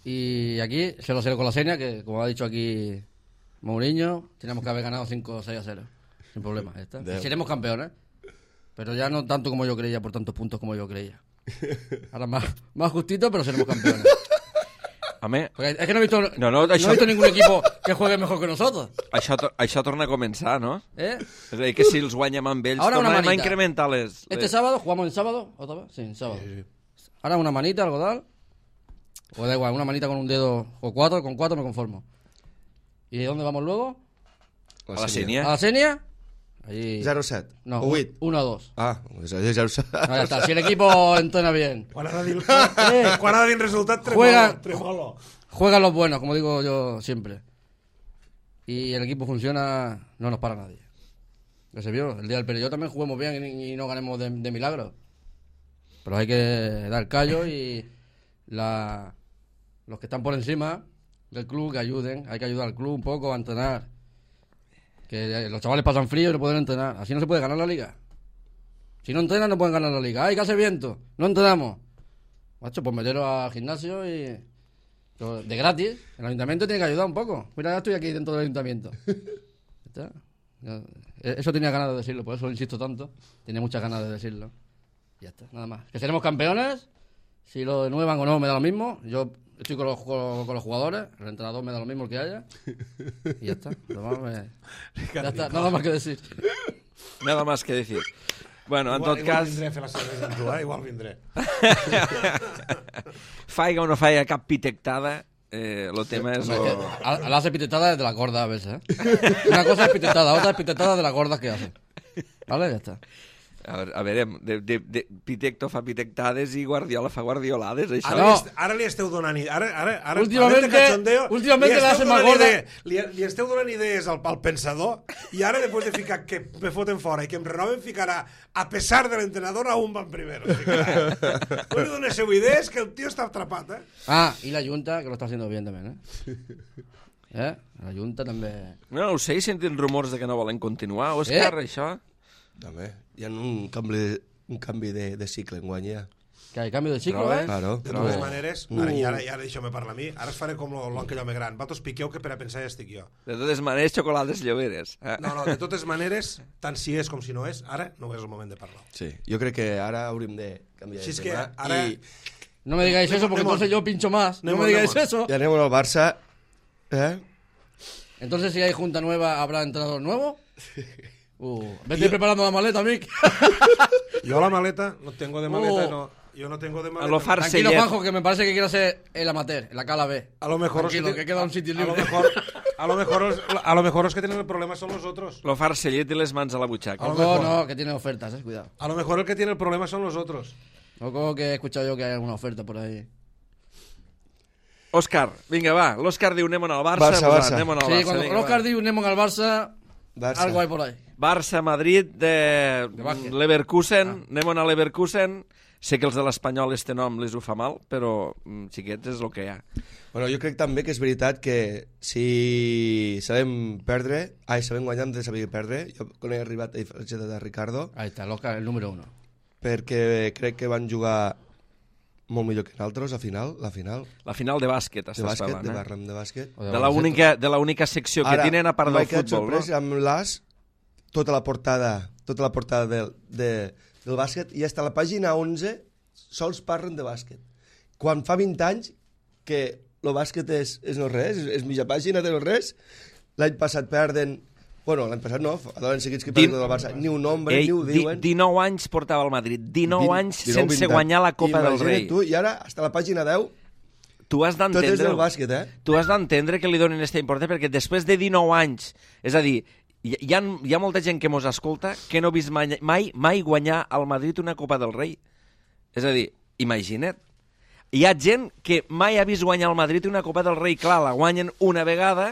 Speaker 4: y aquí cero cero con la Sénia, que como ha dicho aquí Mourinho, tenemos que haber ganado cinco o seis a cero, sin problema. Ya está. Y seremos campeones, pero ya no tanto como yo creía, por tantos puntos como yo creía. Ahora más, más justito, pero seremos campeones.
Speaker 1: Home,
Speaker 4: Porque es que no he visto,
Speaker 1: no, no,
Speaker 4: no
Speaker 1: això...
Speaker 4: he visto ningún equipo que juegue mejor que nosotros.
Speaker 1: Això, to això torna a començar, no?
Speaker 4: ¿Eh?
Speaker 1: És a dir, que si els guanyem amb ells,
Speaker 4: Ahora una
Speaker 1: tornarem a
Speaker 4: manita.
Speaker 1: incrementar les...
Speaker 4: Este
Speaker 1: les...
Speaker 4: sábado, ¿jugamos el sábado? ¿Otra vez? Sí, el sábado.
Speaker 3: Sí, sí.
Speaker 4: Ahora una manita, algo tal. O da igual, una manita con un dedo o cuatro, con cuatro me conformo. ¿Y de dónde vamos luego?
Speaker 1: A la Sénia.
Speaker 4: ¿A la Sénia? Allí...
Speaker 2: zero set.
Speaker 4: No,
Speaker 2: O vuit.
Speaker 4: uno a dos.
Speaker 2: Ah, és zero set.
Speaker 4: No, ya está. Si el equipo entrena bien,
Speaker 3: Quan ha de dir, eh, quan ha de dir resultat, tremolo.
Speaker 4: Juega-
Speaker 3: tremolo.
Speaker 4: juegan los buenos, como digo yo siempre. Y el equipo funciona, no nos para nadie. Ya se vio, el día del Perelló también juguemos bien y, y no ganemos de, de milagro. Pero hay que dar callo y la, los que están por encima del club que ayuden. Hay que ayudar al club un poco a entrenar. Que los chavales pasan frío y no pueden entrenar. Así no se puede ganar la liga. Si no entrenan no pueden ganar la liga. ¡Ay, que hace viento! No entrenamos. Macho, pues meteros al gimnasio y... de gratis. El ayuntamiento tiene que ayudar un poco. Mira, ya estoy aquí dentro del ayuntamiento. ¿Está? Eso tenía ganas de decirlo, por eso insisto tanto. Tenía muchas ganas de decirlo. Ya está, nada más. Que seremos campeones. Si lo denuevan o no me da lo mismo. Yo estoy con los, con, con los jugadores. El entrenador me da lo mismo el que haya. Y ya está. Lo demás me... ya está, nada más que decir.
Speaker 1: Nada más que decir. Bueno, en
Speaker 3: igual,
Speaker 1: tot
Speaker 3: igual
Speaker 1: cas...
Speaker 3: vindré a fer la cervesa amb tu, eh? Igual vindré.
Speaker 1: Faiga o no faiga cap pitectada, eh, el tema és...
Speaker 4: Hombre,
Speaker 1: Lo...
Speaker 4: que la hace pitetada desde la gorda a veces, ¿eh? Una cosa es pitetada, otra es pitetada de las gordas que hace. ¿Vale? Ya está.
Speaker 1: A veure, a veure de, de, de, Pitecto fa pitectades i Guardiola fa guardiolades, això.
Speaker 3: Ara,
Speaker 4: No.
Speaker 3: li, est, ara li esteu donant... Ara, ara, ara,
Speaker 4: Últimamente-
Speaker 3: parlant de cachondeo,
Speaker 4: últimamente
Speaker 3: li
Speaker 4: la
Speaker 3: esteu
Speaker 4: hace más
Speaker 3: donant
Speaker 4: gorda.
Speaker 3: idea- Li, li esteu donant idees al, al pensador i ara, després de ficar que me foten fora i que em renoven, ficarà a pesar de l'entrenador a un van primero. No li doneu idees que el tio està atrapat, eh?
Speaker 4: Ah, y la Junta, que lo está haciendo bien también, ¿eh? ¿Eh? La Junta también...
Speaker 1: No, no ho sé, senten rumors de que no volen continuar. Òscar,
Speaker 4: Eh?
Speaker 1: això...
Speaker 2: També. Hi ha un canvi, un canvi de, de cicle en guany, ja.
Speaker 4: Que hay cambio de ciclo,
Speaker 1: Trobes?
Speaker 4: ¿eh?
Speaker 2: Claro.
Speaker 3: De
Speaker 2: No.
Speaker 3: totes maneres, ara, i ara, i ara deixeu-me parlar a mi, ara es faré com l'oncle home gran. Vosaltres piqueu que per a pensar ja estic jo.
Speaker 1: De totes maneres, xocolades lloberes. Eh?
Speaker 3: No, no, de totes maneres, tant si és com si no és, ara no és el moment de parlar.
Speaker 2: Sí, jo crec que ara hauríem de canviar
Speaker 3: Si
Speaker 2: de
Speaker 3: és que
Speaker 2: tema.
Speaker 3: ara...
Speaker 2: I,
Speaker 4: No me digáis eso porque
Speaker 3: Nemo.
Speaker 4: entonces yo pincho más. No
Speaker 3: Nemo,
Speaker 4: me digáis
Speaker 3: Nemo.
Speaker 4: eso.
Speaker 2: i anem al Barça. Eh?
Speaker 4: Entonces si hay Junta nueva, ¿habrá entrenador nuevo? Uh, vete preparando la maleta, Mick.
Speaker 3: Jo la maleta, no tengo de maleta,
Speaker 4: Oh.
Speaker 3: no. Yo no tengo de
Speaker 1: A
Speaker 3: maleta.
Speaker 1: lo
Speaker 4: Tranquilo,
Speaker 1: farcellet.
Speaker 4: Juanjo, que me parece que quiere ser el amateur, el Acala B.
Speaker 3: A lo mejor
Speaker 4: Tranquilo,
Speaker 3: os
Speaker 4: que queda un sitio
Speaker 3: a lo
Speaker 4: libre.
Speaker 3: mejor, a lo mejor, os- a lo mejor los que tienen el problema son los otros.
Speaker 1: Lo farcellet i les mans a la butxaca.
Speaker 3: A lo
Speaker 4: Ojo,
Speaker 3: mejor.
Speaker 4: no, que tiene ofertas, eh, cuidado.
Speaker 3: A lo mejor el que tiene el problema son los otros.
Speaker 4: Ojo, que he escuchado yo que hay alguna oferta por ahí.
Speaker 1: Òscar, vinga, va. L'Òscar diu anem al Barça.
Speaker 2: Barça,
Speaker 1: pues,
Speaker 2: Barça.
Speaker 1: Anem al
Speaker 4: Sí,
Speaker 1: Barça.
Speaker 4: cuando
Speaker 1: vinga,
Speaker 4: Oscar
Speaker 1: va.
Speaker 4: diu Nemo al Barça,
Speaker 2: Barça.
Speaker 4: algo hay por ahí.
Speaker 1: Barça, Madrid, de
Speaker 4: Que baje.
Speaker 1: Leverkusen. Anem a Leverkusen. Sé que els de l'Espanyol este nom les ho fa mal, però mm, xiquets és el que hi ha.
Speaker 2: Bueno, jo crec també que és veritat que si sabem perdre, ai, sabem guanyar, hem de saber perdre. Jo quan he arribat a diferència de Ricardo,
Speaker 4: Ahí está, Loca, el número uno.
Speaker 2: perquè crec que van jugar molt millor que nosaltres a final, la final.
Speaker 1: La final de bàsquet,
Speaker 2: De
Speaker 1: estàs
Speaker 2: bàsquet,
Speaker 1: parlant,
Speaker 2: de
Speaker 1: eh?
Speaker 2: Barram de bàsquet.
Speaker 4: O
Speaker 1: De la única, de la única secció que
Speaker 2: Ara,
Speaker 1: tenen a part del
Speaker 2: m'he quedat
Speaker 1: futbol,
Speaker 2: sorprès
Speaker 1: no?
Speaker 2: amb l'As, tota la portada, tota la portada del, de, del bàsquet, i hasta la pàgina onze sols parlen de bàsquet. Quan fa vint anys que el bàsquet és, és no res, és, és mitja pàgina de no res, l'any passat perden, bueno, l'any passat no, a l'any seguits que
Speaker 1: Din-
Speaker 2: perden del Barça, ni un nombre,
Speaker 1: Ei,
Speaker 2: ni ho
Speaker 1: di-
Speaker 2: diuen.
Speaker 1: dinou anys portava el Madrid, dinou
Speaker 2: Vint-
Speaker 1: anys
Speaker 2: dinou,
Speaker 1: sense
Speaker 2: vint anys.
Speaker 1: guanyar la Copa del
Speaker 2: Imagina't
Speaker 1: Rei.
Speaker 2: Tu, I ara, hasta la pàgina deu,
Speaker 1: Tu has
Speaker 2: tot és
Speaker 1: d'entendre
Speaker 2: del bàsquet, eh?
Speaker 1: tu has d'entendre que li donin aquesta importància perquè després de dinou anys, és a dir, hi, hi, ha, hi ha molta gent que mos escolta que no ha vist mai, mai, mai guanyar al Madrid una Copa del Rei. És a dir, imagina't. Hi ha gent que mai ha vist guanyar al Madrid una Copa del Rei. Clar, la guanyen una vegada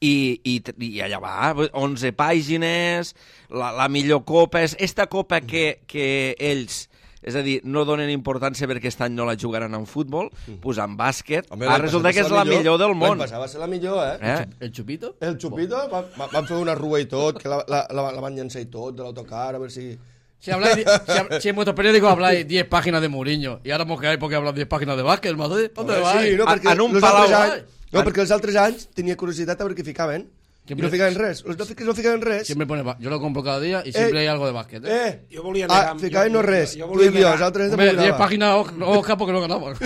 Speaker 1: i, i, i allà va, onze pàgines, la, la millor copa. És esta copa que, que ells... És a dir, no donen importància perquè aquest any no la jugaran en futbol, doncs en bàsquet,
Speaker 2: Home,
Speaker 1: ara
Speaker 2: l'any
Speaker 1: resulta
Speaker 2: passat
Speaker 1: que
Speaker 2: va
Speaker 1: és
Speaker 2: ser
Speaker 1: la millor del món.
Speaker 2: L'any passat va ser la millor, eh?
Speaker 1: Eh?
Speaker 4: ¿El chupito?
Speaker 2: El Chupito, va, va, van fer una rua i tot, que la, la, la, la van llançar i tot, de l'autocar, a veure si...
Speaker 4: Si, habláis, si, hab- si en vuestros periódicos habláis diez páginas de Mourinho y ahora os quedáis porque hablan diez páginas de básquet, el Madrid, ¿dónde
Speaker 2: Home,
Speaker 4: vais?
Speaker 2: sí, no,
Speaker 1: A-
Speaker 2: perquè
Speaker 1: en un
Speaker 2: els
Speaker 1: palau-
Speaker 2: altres anys, no,
Speaker 1: en-
Speaker 2: perquè els altres anys tenia curiositat a veure què ficaven.
Speaker 4: Que
Speaker 2: I no ficaven res. Els no, fic- no ficaven res.
Speaker 4: Siempre pone, ba- yo lo compro cada día y siempre hay algo de básquet. ¿eh?
Speaker 2: Eh,
Speaker 3: Jo volia
Speaker 2: ah,
Speaker 3: negar...
Speaker 2: ficaven no res.
Speaker 3: Jo, jo,
Speaker 2: Tu
Speaker 3: volia
Speaker 2: i jo,
Speaker 3: negar,
Speaker 2: els altres
Speaker 4: Hombre,
Speaker 2: de
Speaker 4: diez páginas, ojo, ojo, porque no ganamos.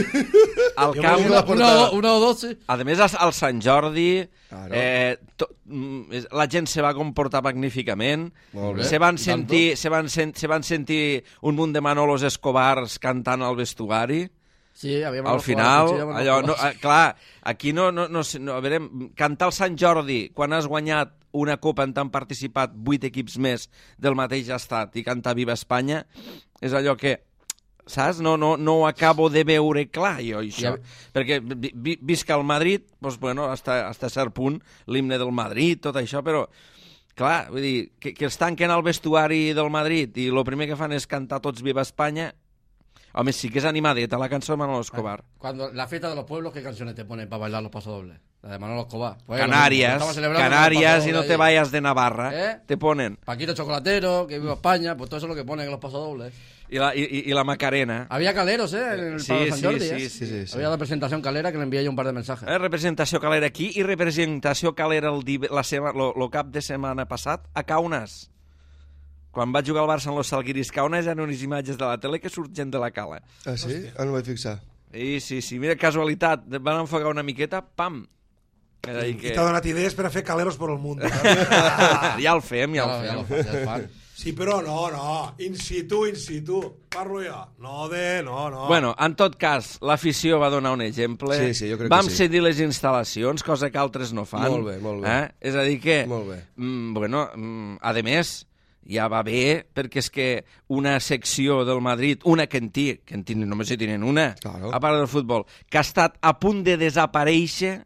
Speaker 1: Al
Speaker 3: Jo
Speaker 1: camp,
Speaker 3: volia
Speaker 2: la
Speaker 4: Una,
Speaker 2: portada.
Speaker 4: o- una o dos, sí.
Speaker 1: a més, al Sant Jordi,
Speaker 2: Claro.
Speaker 1: eh, to, mm, és- la gent se va comportar magníficament,
Speaker 2: Molt bé.
Speaker 1: se van,
Speaker 4: I
Speaker 1: sentir, se, van sen, se van sentir un munt de Manolos Escobars cantant al vestuari.
Speaker 4: Sí, había
Speaker 1: Al
Speaker 4: manos
Speaker 1: final,
Speaker 4: jugadas, cuchillas,
Speaker 1: allò,
Speaker 4: manos
Speaker 1: no,
Speaker 4: jugadas.
Speaker 1: eh, clar, aquí no, no, no, sé, no, a veure, cantar al Sant Jordi quan has guanyat una copa en t'han participat vuit equips més del mateix estat i cantar Viva Espanya, és allò que, saps? No, no, no ho acabo de veure clar, jo, això.
Speaker 4: Ja-
Speaker 1: Perquè vi, vi, visca el Madrid, doncs, bueno, hasta, hasta cert punt, l'himne del Madrid, tot això, però, clar, vull dir, que, que els tanquen al vestuari del Madrid i el primer que fan és cantar tots Viva Espanya. Home, sí que és animadeta la cançó de Manolo Escobar.
Speaker 4: Cuando la fiesta de los pueblos, ¿qué canciones te ponen para bailar los pasodobles? La de Manolo Escobar. Pues, lo
Speaker 1: Canarias,
Speaker 4: mismo, estamos celebrando
Speaker 1: Canarias
Speaker 4: los
Speaker 1: y no te
Speaker 4: pasodobles
Speaker 1: vayas de Navarra,
Speaker 4: ¿Eh?
Speaker 1: te ponen.
Speaker 4: ahí. Paquito Chocolatero, que viva España, pues todo eso es lo que ponen en los pasodobles.
Speaker 1: Y la, y, y la Macarena.
Speaker 4: Había caleros, ¿eh? En el
Speaker 1: Sí,
Speaker 4: Pablo San
Speaker 1: sí,
Speaker 4: Jordi,
Speaker 1: sí,
Speaker 4: ¿eh?
Speaker 1: sí,
Speaker 2: sí, sí.
Speaker 4: Había la presentación calera que le envié yo un par de mensajes.
Speaker 1: Eh, representació calera aquí i representació calera el, div- la sema, lo, lo cap de setmana passat a Kaunas. Quan va jugar el Barça en los Salguiris Kaunas hi ha unes imatges de la tele que surten de la cala.
Speaker 2: Ah, sí? Ah, no m'he fixat.
Speaker 1: I sí, sí, mira, casualitat, van enfocar una miqueta, pam. És a dir
Speaker 3: I
Speaker 1: que...
Speaker 3: t'ha donat idees per a fer caleros per al món.
Speaker 1: Ja el fem, ja el
Speaker 4: Ya, ya
Speaker 1: fem.
Speaker 4: lo- ya es fan.
Speaker 3: Sí, però no, no. In situ, in situ. Parlo jo. No de... No, no.
Speaker 1: Bueno, en tot cas, l'afició va donar un exemple.
Speaker 2: Sí, sí, jo crec
Speaker 1: Vam
Speaker 2: que sí.
Speaker 1: cedir les instal·lacions, cosa que altres no fan.
Speaker 2: Molt bé, molt bé.
Speaker 1: Eh? És a dir que...
Speaker 2: Molt bé.
Speaker 1: Mm, bueno, mm, a més, ja va bé, perquè és que una secció del Madrid, una que en té, que en tenen, només hi tenen una,
Speaker 2: Claro.
Speaker 1: a part del futbol, que ha estat a punt de desaparèixer,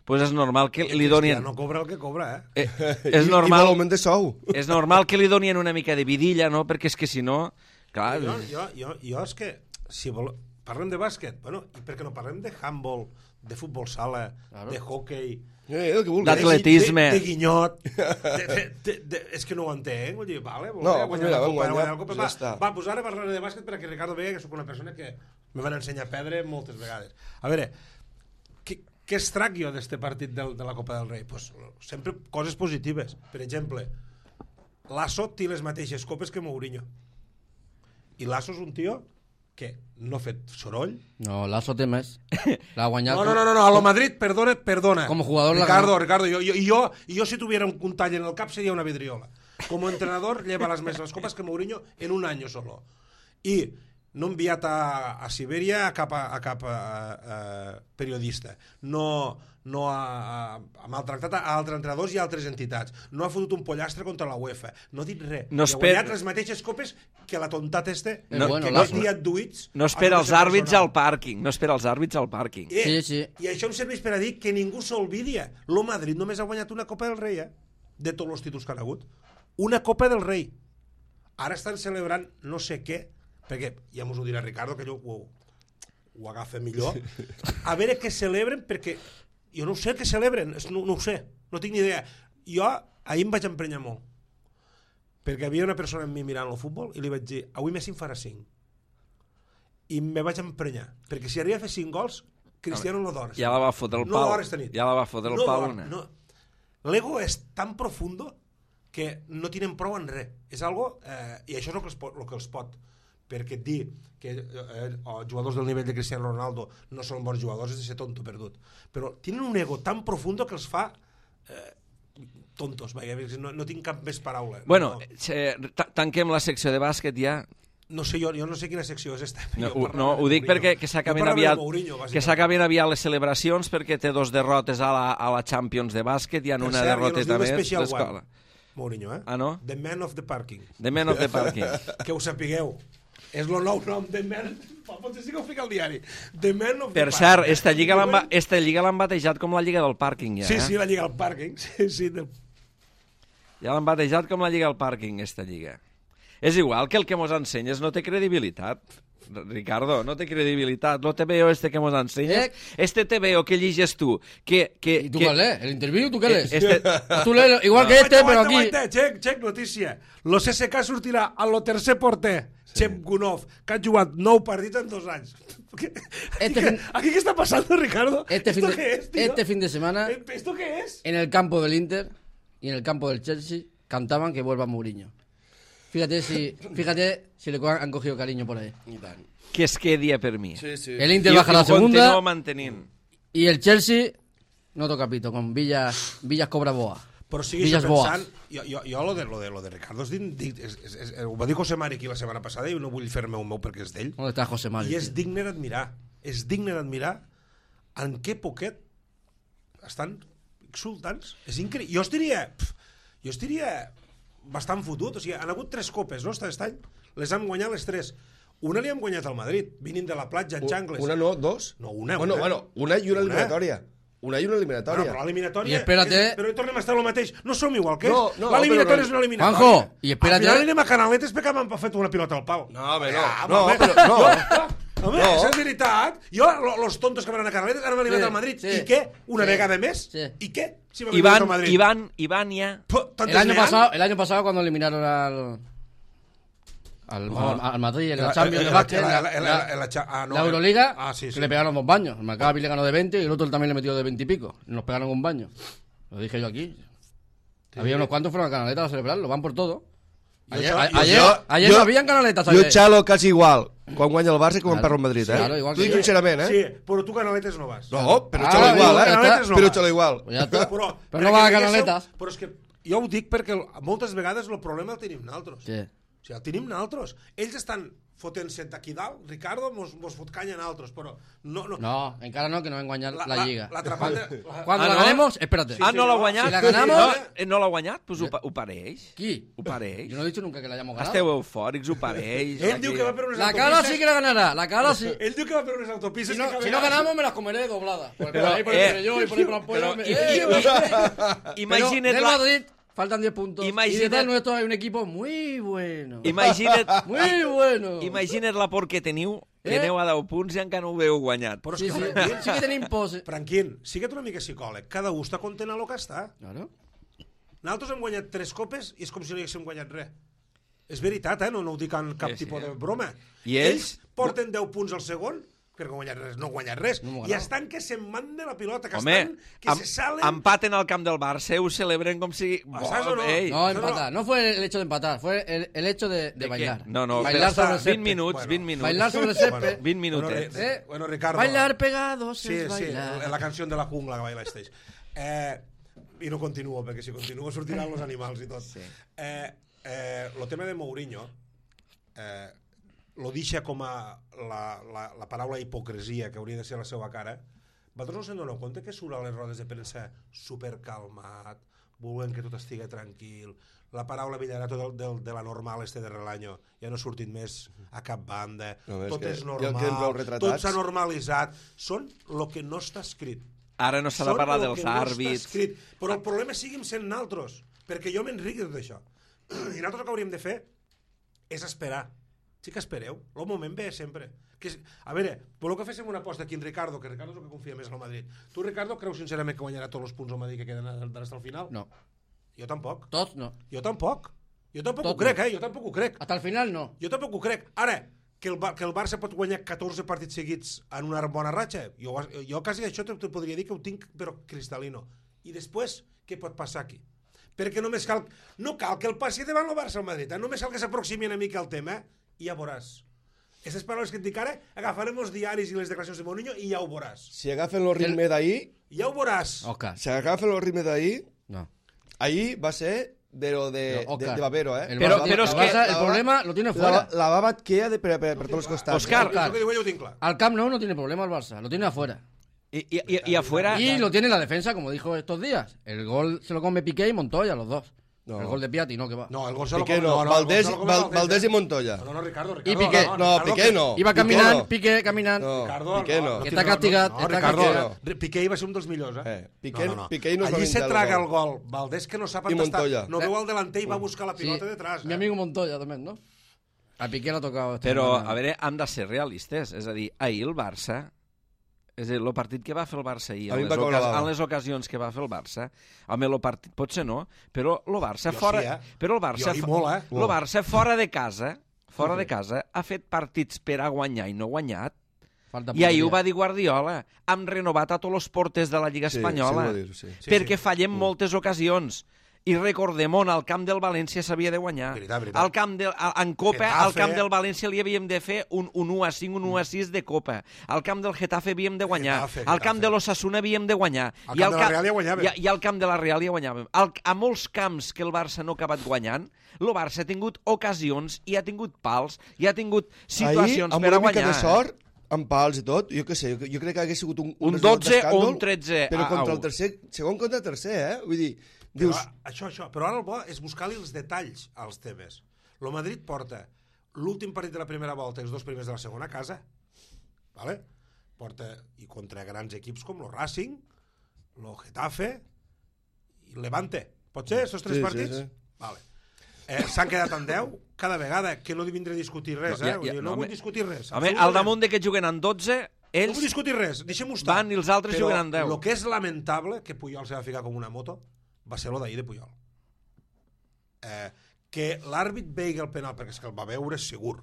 Speaker 1: pues és normal que li donin...
Speaker 3: No cobra el que cobra, eh?
Speaker 1: Eh,
Speaker 2: I,
Speaker 1: és
Speaker 2: I
Speaker 1: normal...
Speaker 2: vol augment de sou.
Speaker 1: És normal que li donin una mica de vidilla, no? Perquè és que si no... Clar,
Speaker 3: Jo, jo, jo, jo és que, si vol... parlem de bàsquet, bueno, i per què no parlem de handball, de futbol sala,
Speaker 4: Claro.
Speaker 3: de hockey,
Speaker 2: Eh, el que vulguis.
Speaker 1: D'atle- Atletisme.
Speaker 3: de, de guinyot, de, de, de, de, és que no ho entenc, vull dir, vale, vol
Speaker 2: No,
Speaker 3: no,
Speaker 2: pues
Speaker 3: guanyar
Speaker 2: mira,
Speaker 3: la
Speaker 2: vam
Speaker 3: copa,
Speaker 2: guanyar,
Speaker 3: guanyar la copa,
Speaker 2: pues
Speaker 3: va,
Speaker 2: ja està.
Speaker 3: va, pues ara parlaré de bàsquet perquè Ricardo vegi que sóc una persona que me van ensenyar a perdre moltes vegades. A veure, què, què extrac jo d'este partit del, de la Copa del Rei? Pues, sempre coses positives. Per exemple, Lasso té les mateixes copes que Mourinho. I Lasso és un tio que no ha fet soroll.
Speaker 4: No, Lasso té més. La ha guanyat.
Speaker 3: No, no, no, no, no, a lo Madrid, perdona, perdona.
Speaker 4: Como jugador la
Speaker 3: Ricardo,
Speaker 4: ganó.
Speaker 3: Ricardo, yo, yo, yo, yo si tuviera un, un tall en el cap sería una vidriola. Como entrenador lleva las mesmas copas que Mourinho en un año solo. I no ha enviat a, a Sibèria a cap, a, a cap a, a, periodista. No, no ha, ha maltractat a altres entrenadors i a altres entitats. No ha fotut un pollastre contra la UEFA. No ha dit res.
Speaker 1: No
Speaker 3: I ha
Speaker 1: espera-
Speaker 3: guanyat les mateixes copes que la tontat este,
Speaker 4: No, bueno,
Speaker 3: que no
Speaker 4: Lasso.
Speaker 3: li ha duits.
Speaker 1: no espera
Speaker 3: a
Speaker 1: els
Speaker 3: tota esa
Speaker 1: àrbits
Speaker 3: persona.
Speaker 1: al pàrquing, no espera els àrbits al pàrquing.
Speaker 3: Eh,
Speaker 4: Sí, sí.
Speaker 3: I això em serveix per a dir que ningú s'olvidia. Lo Madrid només ha guanyat una Copa del Rei, eh? De tots els títols que han hagut. Una Copa del Rei. Ara estan celebrant no sé què perquè ja mos ho dirà Ricardo, que ell ho, ho agafa millor, a veure què celebren, perquè jo no ho sé què celebren, no, no ho sé, no tinc ni idea. Jo ahir em vaig emprenyar molt, perquè havia una persona amb mi mirant el futbol i li vaig dir, avui Messi en farà cinc. I me vaig emprenyar, perquè si arriba a fer cinc gols, Cristiano no d'hora.
Speaker 1: Ja la va fotre el
Speaker 3: no
Speaker 1: pal. Ja la va fotre el
Speaker 3: no
Speaker 1: pal una.
Speaker 3: No. L'ego és tan profundo que no tenen prou en res. És algo, eh, i això és el que els pot, el que els pot perquè et dir que eh, oh, jugadors del nivell de Cristiano Ronaldo no són bons jugadors és de ser tonto perdut. Però tenen un ego tan profundo que els fa eh, tontos. Vaja, no, no tinc cap més paraula.
Speaker 1: Bueno,
Speaker 3: no,
Speaker 1: eh, tanquem la secció de bàsquet ja.
Speaker 3: No sé, jo, jo no sé quina secció és esta.
Speaker 1: No, ho, no ho dic perquè que s'acaben aviat, Mourinho, que s'acaben aviat les celebracions, perquè té dos derrotes a la, a la Champions de bàsquet i en una
Speaker 3: cert,
Speaker 1: derroteta més d'escola.
Speaker 3: Mourinho, eh?
Speaker 1: Ah, no?
Speaker 3: The Man of the Parking.
Speaker 1: The Man of the Parking.
Speaker 3: Que ho sapigueu. És el nou nom, The Man... Potser sí que ho fica al diari. The Man of the
Speaker 1: per
Speaker 3: Parking.
Speaker 1: Per cert, esta lliga l'han esta lliga l'han batejat com la lliga del pàrquing, ja.
Speaker 3: Sí,
Speaker 1: eh?
Speaker 3: sí, la lliga del pàrquing. Sí, sí. Del...
Speaker 1: Ja l'han batejat com la lliga del pàrquing, esta lliga. És igual que el que mos ensenyes no té credibilitat, Ricardo, no té credibilitat. Lo T V O este que mos ensenyes, este T V O que lliges tu, que... que
Speaker 4: ¿Y tú
Speaker 1: que...
Speaker 4: cuál lees? ¿El interview tú qué lees?
Speaker 1: Este...
Speaker 4: Tú lees igual que este, pero aquí...
Speaker 3: Check, check, notícia. Lo C S K sortirà a lo tercer porter, sí. Chep Gunov, que ha jugat nou partits en dos anys.
Speaker 4: Este
Speaker 3: fin...
Speaker 4: fin...
Speaker 3: ¿Aquí qué está pasando, Ricardo?
Speaker 4: Este, fin de...
Speaker 3: qué es, tío?
Speaker 4: este fin de semana...
Speaker 3: ¿Esto qué es?
Speaker 4: En el campo del Inter y en el campo del Chelsea cantaban que vuelva Mourinho. Fíjate si, fíjate si le han cogido cariño por ahí.
Speaker 1: Que es quedi per mi.
Speaker 2: Sí, sí.
Speaker 4: El Inter
Speaker 1: I,
Speaker 4: baja
Speaker 1: i
Speaker 4: la segunda
Speaker 1: mantenint.
Speaker 4: y el Chelsea no toca pito con Villas, Villas Cobra Boa.
Speaker 3: Però sigui
Speaker 4: Villas
Speaker 3: això pensant,
Speaker 4: Boas.
Speaker 3: jo, jo, jo lo, de, lo, de, lo de Ricardo és, dic, és, és, és, ho va dir José Mari aquí la setmana passada i no vull fer-me un meu perquè és d'ell.
Speaker 4: ¿Dónde está José Mari?
Speaker 3: I és digne d'admirar. És digne d'admirar en què poquet estan exultants. És increïble. Jo estaria... Pf, jo estaria bastant fotut. O sigui, han hagut tres copes, no?, aquest any. Les han guanyat les tres. Una li hem guanyat al Madrid, vinint de la platja en xangles.
Speaker 2: Una no, dos?
Speaker 3: No, una.
Speaker 2: Bueno,
Speaker 3: una.
Speaker 2: bueno, una i una,
Speaker 3: Una.
Speaker 2: eliminatòria. Una i una eliminatòria.
Speaker 3: No, però l'eliminatòria...
Speaker 4: I espérate...
Speaker 3: És, però tornem a estar el mateix. No som igual que és.
Speaker 2: No, no,
Speaker 3: l'eliminatòria
Speaker 2: però no.
Speaker 3: és una eliminatòria.
Speaker 4: Juanjo, i espérate...
Speaker 3: Al final anem a Canaletes perquè m'han fet una pilota al pal.
Speaker 2: No, home, no.
Speaker 3: Ah,
Speaker 2: no,
Speaker 3: home,
Speaker 2: però, no.
Speaker 3: Jo, home,
Speaker 2: No.
Speaker 3: és veritat. Jo, lo- los tontos que van a Canaletes han eliminat
Speaker 4: Sí,
Speaker 3: al Madrid.
Speaker 4: sí.
Speaker 3: I què? Una
Speaker 4: Sí.
Speaker 3: vegada més?
Speaker 4: Sí.
Speaker 3: I què? Si m'han eliminat
Speaker 1: Iván,
Speaker 3: al Madrid.
Speaker 1: Iván, Iván ya...
Speaker 3: Puh, tantes
Speaker 4: El año,
Speaker 3: n'hi han?
Speaker 4: pasado, el año pasado cuando eliminaron al... Al, al, al Madrid en la
Speaker 3: La-
Speaker 4: Champions
Speaker 3: la-
Speaker 4: de básquet,
Speaker 3: la-
Speaker 4: la,
Speaker 3: la- la-
Speaker 4: la-
Speaker 3: la- la cha- ah, no,
Speaker 4: la
Speaker 3: eh.
Speaker 4: Euroliga,
Speaker 3: Ah, sí,
Speaker 4: que
Speaker 3: sí.
Speaker 4: le pegaron dos baños. El Maccabi le ganó de veinte y el otro también le metió de veinte y pico. Nos pegaron un baño. Lo dije yo aquí. Había unos cuantos fueron a Canaletas a celebrarlo, van por todo. Ayer,
Speaker 3: Jo-
Speaker 4: a-
Speaker 3: jo-
Speaker 4: ayer,
Speaker 2: jo-
Speaker 4: ayer
Speaker 2: jo-
Speaker 4: no habían Canaletas.
Speaker 2: Jo
Speaker 4: ayer.
Speaker 2: xalo quasi igual quan guanya el Barça que quan
Speaker 4: Claro.
Speaker 2: perd el Madrid, eh?
Speaker 4: Claro, igual
Speaker 2: T'ho
Speaker 4: que
Speaker 2: dic
Speaker 4: jo.
Speaker 2: sincerament, eh?
Speaker 3: Sí, però tu Canaletes no vas.
Speaker 2: No, però
Speaker 4: Ah,
Speaker 2: xalo igual,
Speaker 4: ja
Speaker 2: eh?
Speaker 3: Canaletes no
Speaker 2: Però
Speaker 3: vas.
Speaker 2: xalo igual.
Speaker 4: Pues ya está.
Speaker 3: Però,
Speaker 4: Pero no va a
Speaker 3: perquè
Speaker 4: Canaletas.
Speaker 3: diguéssiu- Però és que jo ho dic perquè el- moltes vegades el problema el tenim nosaltres.
Speaker 4: Sí.
Speaker 3: O sigui, el tenim nosaltres. Ells estan fotent-se d'aquí dalt, Ricardo mos, mos fot canya a nosaltres, però no... No,
Speaker 4: No, encara no, que nos va a engañar la, liga.
Speaker 3: La, la, la, la,
Speaker 4: Cuando
Speaker 1: Ah,
Speaker 4: la
Speaker 1: ¿no?
Speaker 4: ganemos, espérate.
Speaker 1: Ah, no l'ha
Speaker 3: no.
Speaker 1: guanyat?
Speaker 4: Si la ganamos-
Speaker 1: No, eh, no l'ha guanyat? Pues ho, pa- ho pareix.
Speaker 4: ¿Qui?
Speaker 1: Ho pareix.
Speaker 4: Yo no he dicho nunca que la hayamos ganado.
Speaker 1: Esteu eufòrics, ho pareix.
Speaker 3: Ell diu que va per unes
Speaker 4: La
Speaker 3: autopistes...
Speaker 4: cara sí que la ganará, la cara sí.
Speaker 3: Ell diu que va per unes autopistes...
Speaker 4: Si no,
Speaker 3: que
Speaker 4: si no ganamos, me las comeré dobladas. Porque
Speaker 1: Pero,
Speaker 4: por ahí por
Speaker 1: eh,
Speaker 4: entre yo y por ahí por la
Speaker 1: pero,
Speaker 4: polla.
Speaker 1: i-
Speaker 4: eh,
Speaker 1: i-
Speaker 4: eh.
Speaker 1: Imagina't
Speaker 4: Pero del
Speaker 1: la...
Speaker 4: Madrid faltan diez puntos.
Speaker 1: Imagina't-
Speaker 4: Y detrás nuestro hay un equipo muy bueno.
Speaker 1: Imagina't,
Speaker 4: Muy bueno.
Speaker 1: imagina't la por que teniu, que
Speaker 4: Eh?
Speaker 1: aneu a deu punts i encara no ho heu guanyat.
Speaker 3: Però és
Speaker 4: Sí,
Speaker 3: que,
Speaker 4: sí,
Speaker 3: Franquín,
Speaker 4: sí que tenéis pose.
Speaker 3: Franquín, sigue't una mica psicòleg. Cada un està content a lo que està.
Speaker 4: Claro.
Speaker 3: Nosaltres hem guanyat tres copes i és com si no haguéssim guanyat res. És veritat, eh? No, no ho dic en cap
Speaker 1: Sí, sí,
Speaker 3: tipus
Speaker 1: eh?
Speaker 3: de broma.
Speaker 1: I ells?
Speaker 3: porten deu punts al segon, perquè no han guanyat res, no han guanyat res.
Speaker 4: No hem
Speaker 3: I
Speaker 4: ganat.
Speaker 3: estan que se'n manden la pilota, que
Speaker 1: Home,
Speaker 3: estan, que
Speaker 1: em,
Speaker 3: se salen...
Speaker 1: empaten al camp del Barça, ho celebren com si...
Speaker 3: ¿Saps o no?
Speaker 1: Ei,
Speaker 4: No,
Speaker 3: no,
Speaker 4: empatar. No fue el hecho de empatar, fue el, el hecho de, de,
Speaker 1: ¿de
Speaker 4: bailar.
Speaker 1: qué? No, no,
Speaker 4: Bailar
Speaker 1: però
Speaker 4: sobre el
Speaker 1: vint
Speaker 4: césped.
Speaker 1: minuts,
Speaker 3: Bueno,
Speaker 1: vint minuts.
Speaker 4: Bailar sobre el césped.
Speaker 1: vint
Speaker 3: Bueno,
Speaker 1: minutets.
Speaker 3: Ri-
Speaker 4: Eh,
Speaker 3: bueno, Ricardo...
Speaker 4: Bailar pegados
Speaker 3: Sí,
Speaker 4: es
Speaker 3: sí,
Speaker 4: bailar.
Speaker 3: la canció de la jungla que baila este. Eh, I no continuo, perquè si continuo sortiran els animals i tot.
Speaker 1: Sí.
Speaker 3: Eh, eh, lo tema de Mourinho, eh, lo deixa com a la, la, la paraula hipocresia, que hauria de ser la seva cara. Vosaltres no se'n doneu compte que surt a les rodes de premsa supercalmat, volent que tot estigui tranquil, la paraula Villarato del, del, de la normal este de Relaño ja no ha sortit més a cap banda,
Speaker 2: No, és
Speaker 3: tot
Speaker 2: que
Speaker 3: és
Speaker 2: ja el queden prou
Speaker 3: normal,
Speaker 2: retratats.
Speaker 3: tot s'ha normalitzat, són el que no està escrit.
Speaker 1: Ara no s'ha de
Speaker 3: Són
Speaker 1: parlar
Speaker 3: lo
Speaker 1: dels
Speaker 3: que no està
Speaker 1: àrbits.
Speaker 3: escrit. Però el problema siguin sent naltros, perquè jo m'enric d'això. I nosaltres el que hauríem de fer és esperar Sí que espereu, el moment ve sempre. Que és, a veure, voleu que féssim una aposta aquí en Ricardo, que Ricardo és el que confia més en el Madrid. Tu, Ricardo, creus sincerament que guanyarà tots els punts al Madrid que queden d'ara al final?
Speaker 4: No.
Speaker 3: Jo tampoc.
Speaker 4: Tots no.
Speaker 3: Jo tampoc. Jo tampoc
Speaker 4: Tot
Speaker 3: ho crec,
Speaker 4: no.
Speaker 3: eh? Jo tampoc ho crec.
Speaker 4: Hasta el final no.
Speaker 3: Jo tampoc ho crec. Ara, que el, que el Barça pot guanyar catorze partits seguits en una bona ratxa, jo, jo quasi això te, te podria dir que ho tinc, però cristal·lino. I després, què pot passar aquí? Perquè només cal... No cal que el passi davant el Barça al Madrid, eh? Només cal que s'aproximi una mica al tema i ja veuràs. Aquestes paraules que et dic ara, agafarem els diaris i les declaracions de Mourinho i ja ho veuràs.
Speaker 2: Si agafen el ritme d'ahir...
Speaker 3: Ja ho veuràs.
Speaker 4: Oscar.
Speaker 2: Si agafen el ritme d'ahir...
Speaker 4: No.
Speaker 2: Ahir va ser de lo de,
Speaker 4: No,
Speaker 2: de,
Speaker 4: Oscar.
Speaker 2: de Babero, eh?
Speaker 4: El
Speaker 1: Però-
Speaker 4: Barça-
Speaker 1: però
Speaker 4: el
Speaker 1: és
Speaker 4: Barça,
Speaker 1: que-
Speaker 4: el problema lo tiene
Speaker 2: La,
Speaker 4: fuera.
Speaker 2: la baba et queda de, per, per, per tots els costats.
Speaker 1: Oscar.
Speaker 3: Això que diu ell ho tinc clar.
Speaker 4: Al Camp Nou no tiene problema el Barça, lo tiene afuera.
Speaker 1: Y, y, y, y afuera...
Speaker 4: Y lo tiene la defensa, como dijo estos días. El gol se lo come Piqué y Montoya, los dos.
Speaker 2: No.
Speaker 4: El gol de Piatti, no, que va.
Speaker 3: No, el gol se lo
Speaker 2: Piqué
Speaker 3: come-
Speaker 2: no,
Speaker 3: el
Speaker 2: Valdés,
Speaker 3: gol se lo come
Speaker 2: Val,
Speaker 3: Valdés,
Speaker 2: Valdés
Speaker 3: eh?
Speaker 2: i Montoya.
Speaker 3: No, no, Ricardo, Ricardo.
Speaker 4: Y Piqué.
Speaker 2: No,
Speaker 3: Ricardo,
Speaker 2: Piqué no.
Speaker 4: Iba
Speaker 2: Piqué
Speaker 4: caminant,
Speaker 2: no.
Speaker 4: Piqué caminant.
Speaker 2: No.
Speaker 3: Ricardo,
Speaker 2: Piqué no.
Speaker 4: Que està castigat,
Speaker 3: No,
Speaker 4: està
Speaker 3: Ricardo,
Speaker 2: castigat.
Speaker 3: no. Piqué va ser un dels millors, eh?
Speaker 2: Eh, Piqué-
Speaker 3: no, no, no.
Speaker 2: Piqué no es va
Speaker 3: Allí se
Speaker 2: menjar el
Speaker 3: traga
Speaker 2: gol.
Speaker 3: el gol. Valdés que no sap
Speaker 2: I
Speaker 3: on està.
Speaker 2: Montoya.
Speaker 3: No veu el delanter i va buscar la
Speaker 4: Sí,
Speaker 3: pilota detrás.
Speaker 4: mi
Speaker 3: Eh?
Speaker 4: amigo Montoya también, ¿no? A Piqué le ha tocado. esta
Speaker 1: Però,
Speaker 4: semana.
Speaker 1: a veure, hem de ser realistes. És a dir, ahir el Barça... És a dir, el partit que va fer el Barça ahir,
Speaker 2: A mi
Speaker 1: en
Speaker 2: em
Speaker 1: les,
Speaker 2: va caure la
Speaker 1: ocas
Speaker 2: bava.
Speaker 1: en les ocasions que va fer el Barça, home, el partit potser no, però el Barça
Speaker 3: Jo
Speaker 1: fora...
Speaker 3: sí, eh?
Speaker 1: Però el Barça,
Speaker 3: Jo i
Speaker 1: fo-
Speaker 3: molt, eh?
Speaker 1: el Barça fora de casa, fora de casa, ha fet partits per a guanyar i no guanyat.
Speaker 4: Falta
Speaker 1: I ahir
Speaker 4: punteria.
Speaker 1: ho va dir Guardiola. Hem renovat a tots els porters de la Lliga
Speaker 2: Sí,
Speaker 1: Espanyola.
Speaker 2: sí, ho va dir, sí.
Speaker 3: Sí,
Speaker 1: perquè
Speaker 3: sí.
Speaker 1: fallem moltes ocasions. I recordem on al camp del València s'havia de guanyar.
Speaker 3: Veritat, veritat.
Speaker 1: Al camp de, a- en Copa,
Speaker 3: Getafe.
Speaker 1: al camp del València li havíem de fer un, un u a cinc, un u a sis de Copa. Al camp del Getafe havíem de guanyar.
Speaker 3: Getafe,
Speaker 1: Al camp
Speaker 3: Getafe.
Speaker 1: de l'Osasuna havíem de guanyar.
Speaker 3: Al camp de la Real ja guanyàvem.
Speaker 1: I, I al camp de la Real ja guanyàvem. Al, a molts camps que el Barça no ha acabat guanyant, el Barça ha tingut ocasions i ha tingut pals i ha tingut situacions
Speaker 2: Ahir, amb
Speaker 1: per a
Speaker 2: una mica
Speaker 1: guanyar.
Speaker 2: de sort, amb pals i tot, jo què sé, jo, jo crec que hagués sigut un,
Speaker 1: Un
Speaker 2: resultat
Speaker 1: dotze o
Speaker 2: d'escàndol,
Speaker 1: un tretze
Speaker 2: però
Speaker 1: a-
Speaker 2: contra
Speaker 1: a
Speaker 2: el
Speaker 1: u.
Speaker 2: tercer, segon contra el tercer, eh? Vull dir,
Speaker 3: Però,
Speaker 2: dius,
Speaker 3: això, això. Però ara el bo és buscar-li els detalls als temes. El Madrid porta l'últim partit de la primera volta i els dos primers de la segona a casa, vale? Porta, i contra grans equips com el Racing, el Getafe i el Levante. Pot ser, aquests tres
Speaker 2: Sí, sí,
Speaker 3: partits?
Speaker 2: sí.
Speaker 3: Vale. Eh, S'han quedat en deu cada vegada, que no vindré a discutir res,
Speaker 1: No,
Speaker 3: eh?
Speaker 1: ja,
Speaker 3: Vull
Speaker 1: ja,
Speaker 3: dir,
Speaker 1: no,
Speaker 3: no, vull
Speaker 1: home.
Speaker 3: discutir res.
Speaker 1: Home, al
Speaker 3: absolutament.
Speaker 1: damunt de que juguen en dotze,
Speaker 3: No
Speaker 1: ells
Speaker 3: vull discutir res, deixem-ho estar.
Speaker 1: van i els altres
Speaker 3: Però
Speaker 1: juguen en deu.
Speaker 3: el que és lamentable, que Puyol se va ficar com una moto, va ser lo d'ahir de Puyol. Eh, que l'àrbit veigui el penal, perquè és que el va veure segur,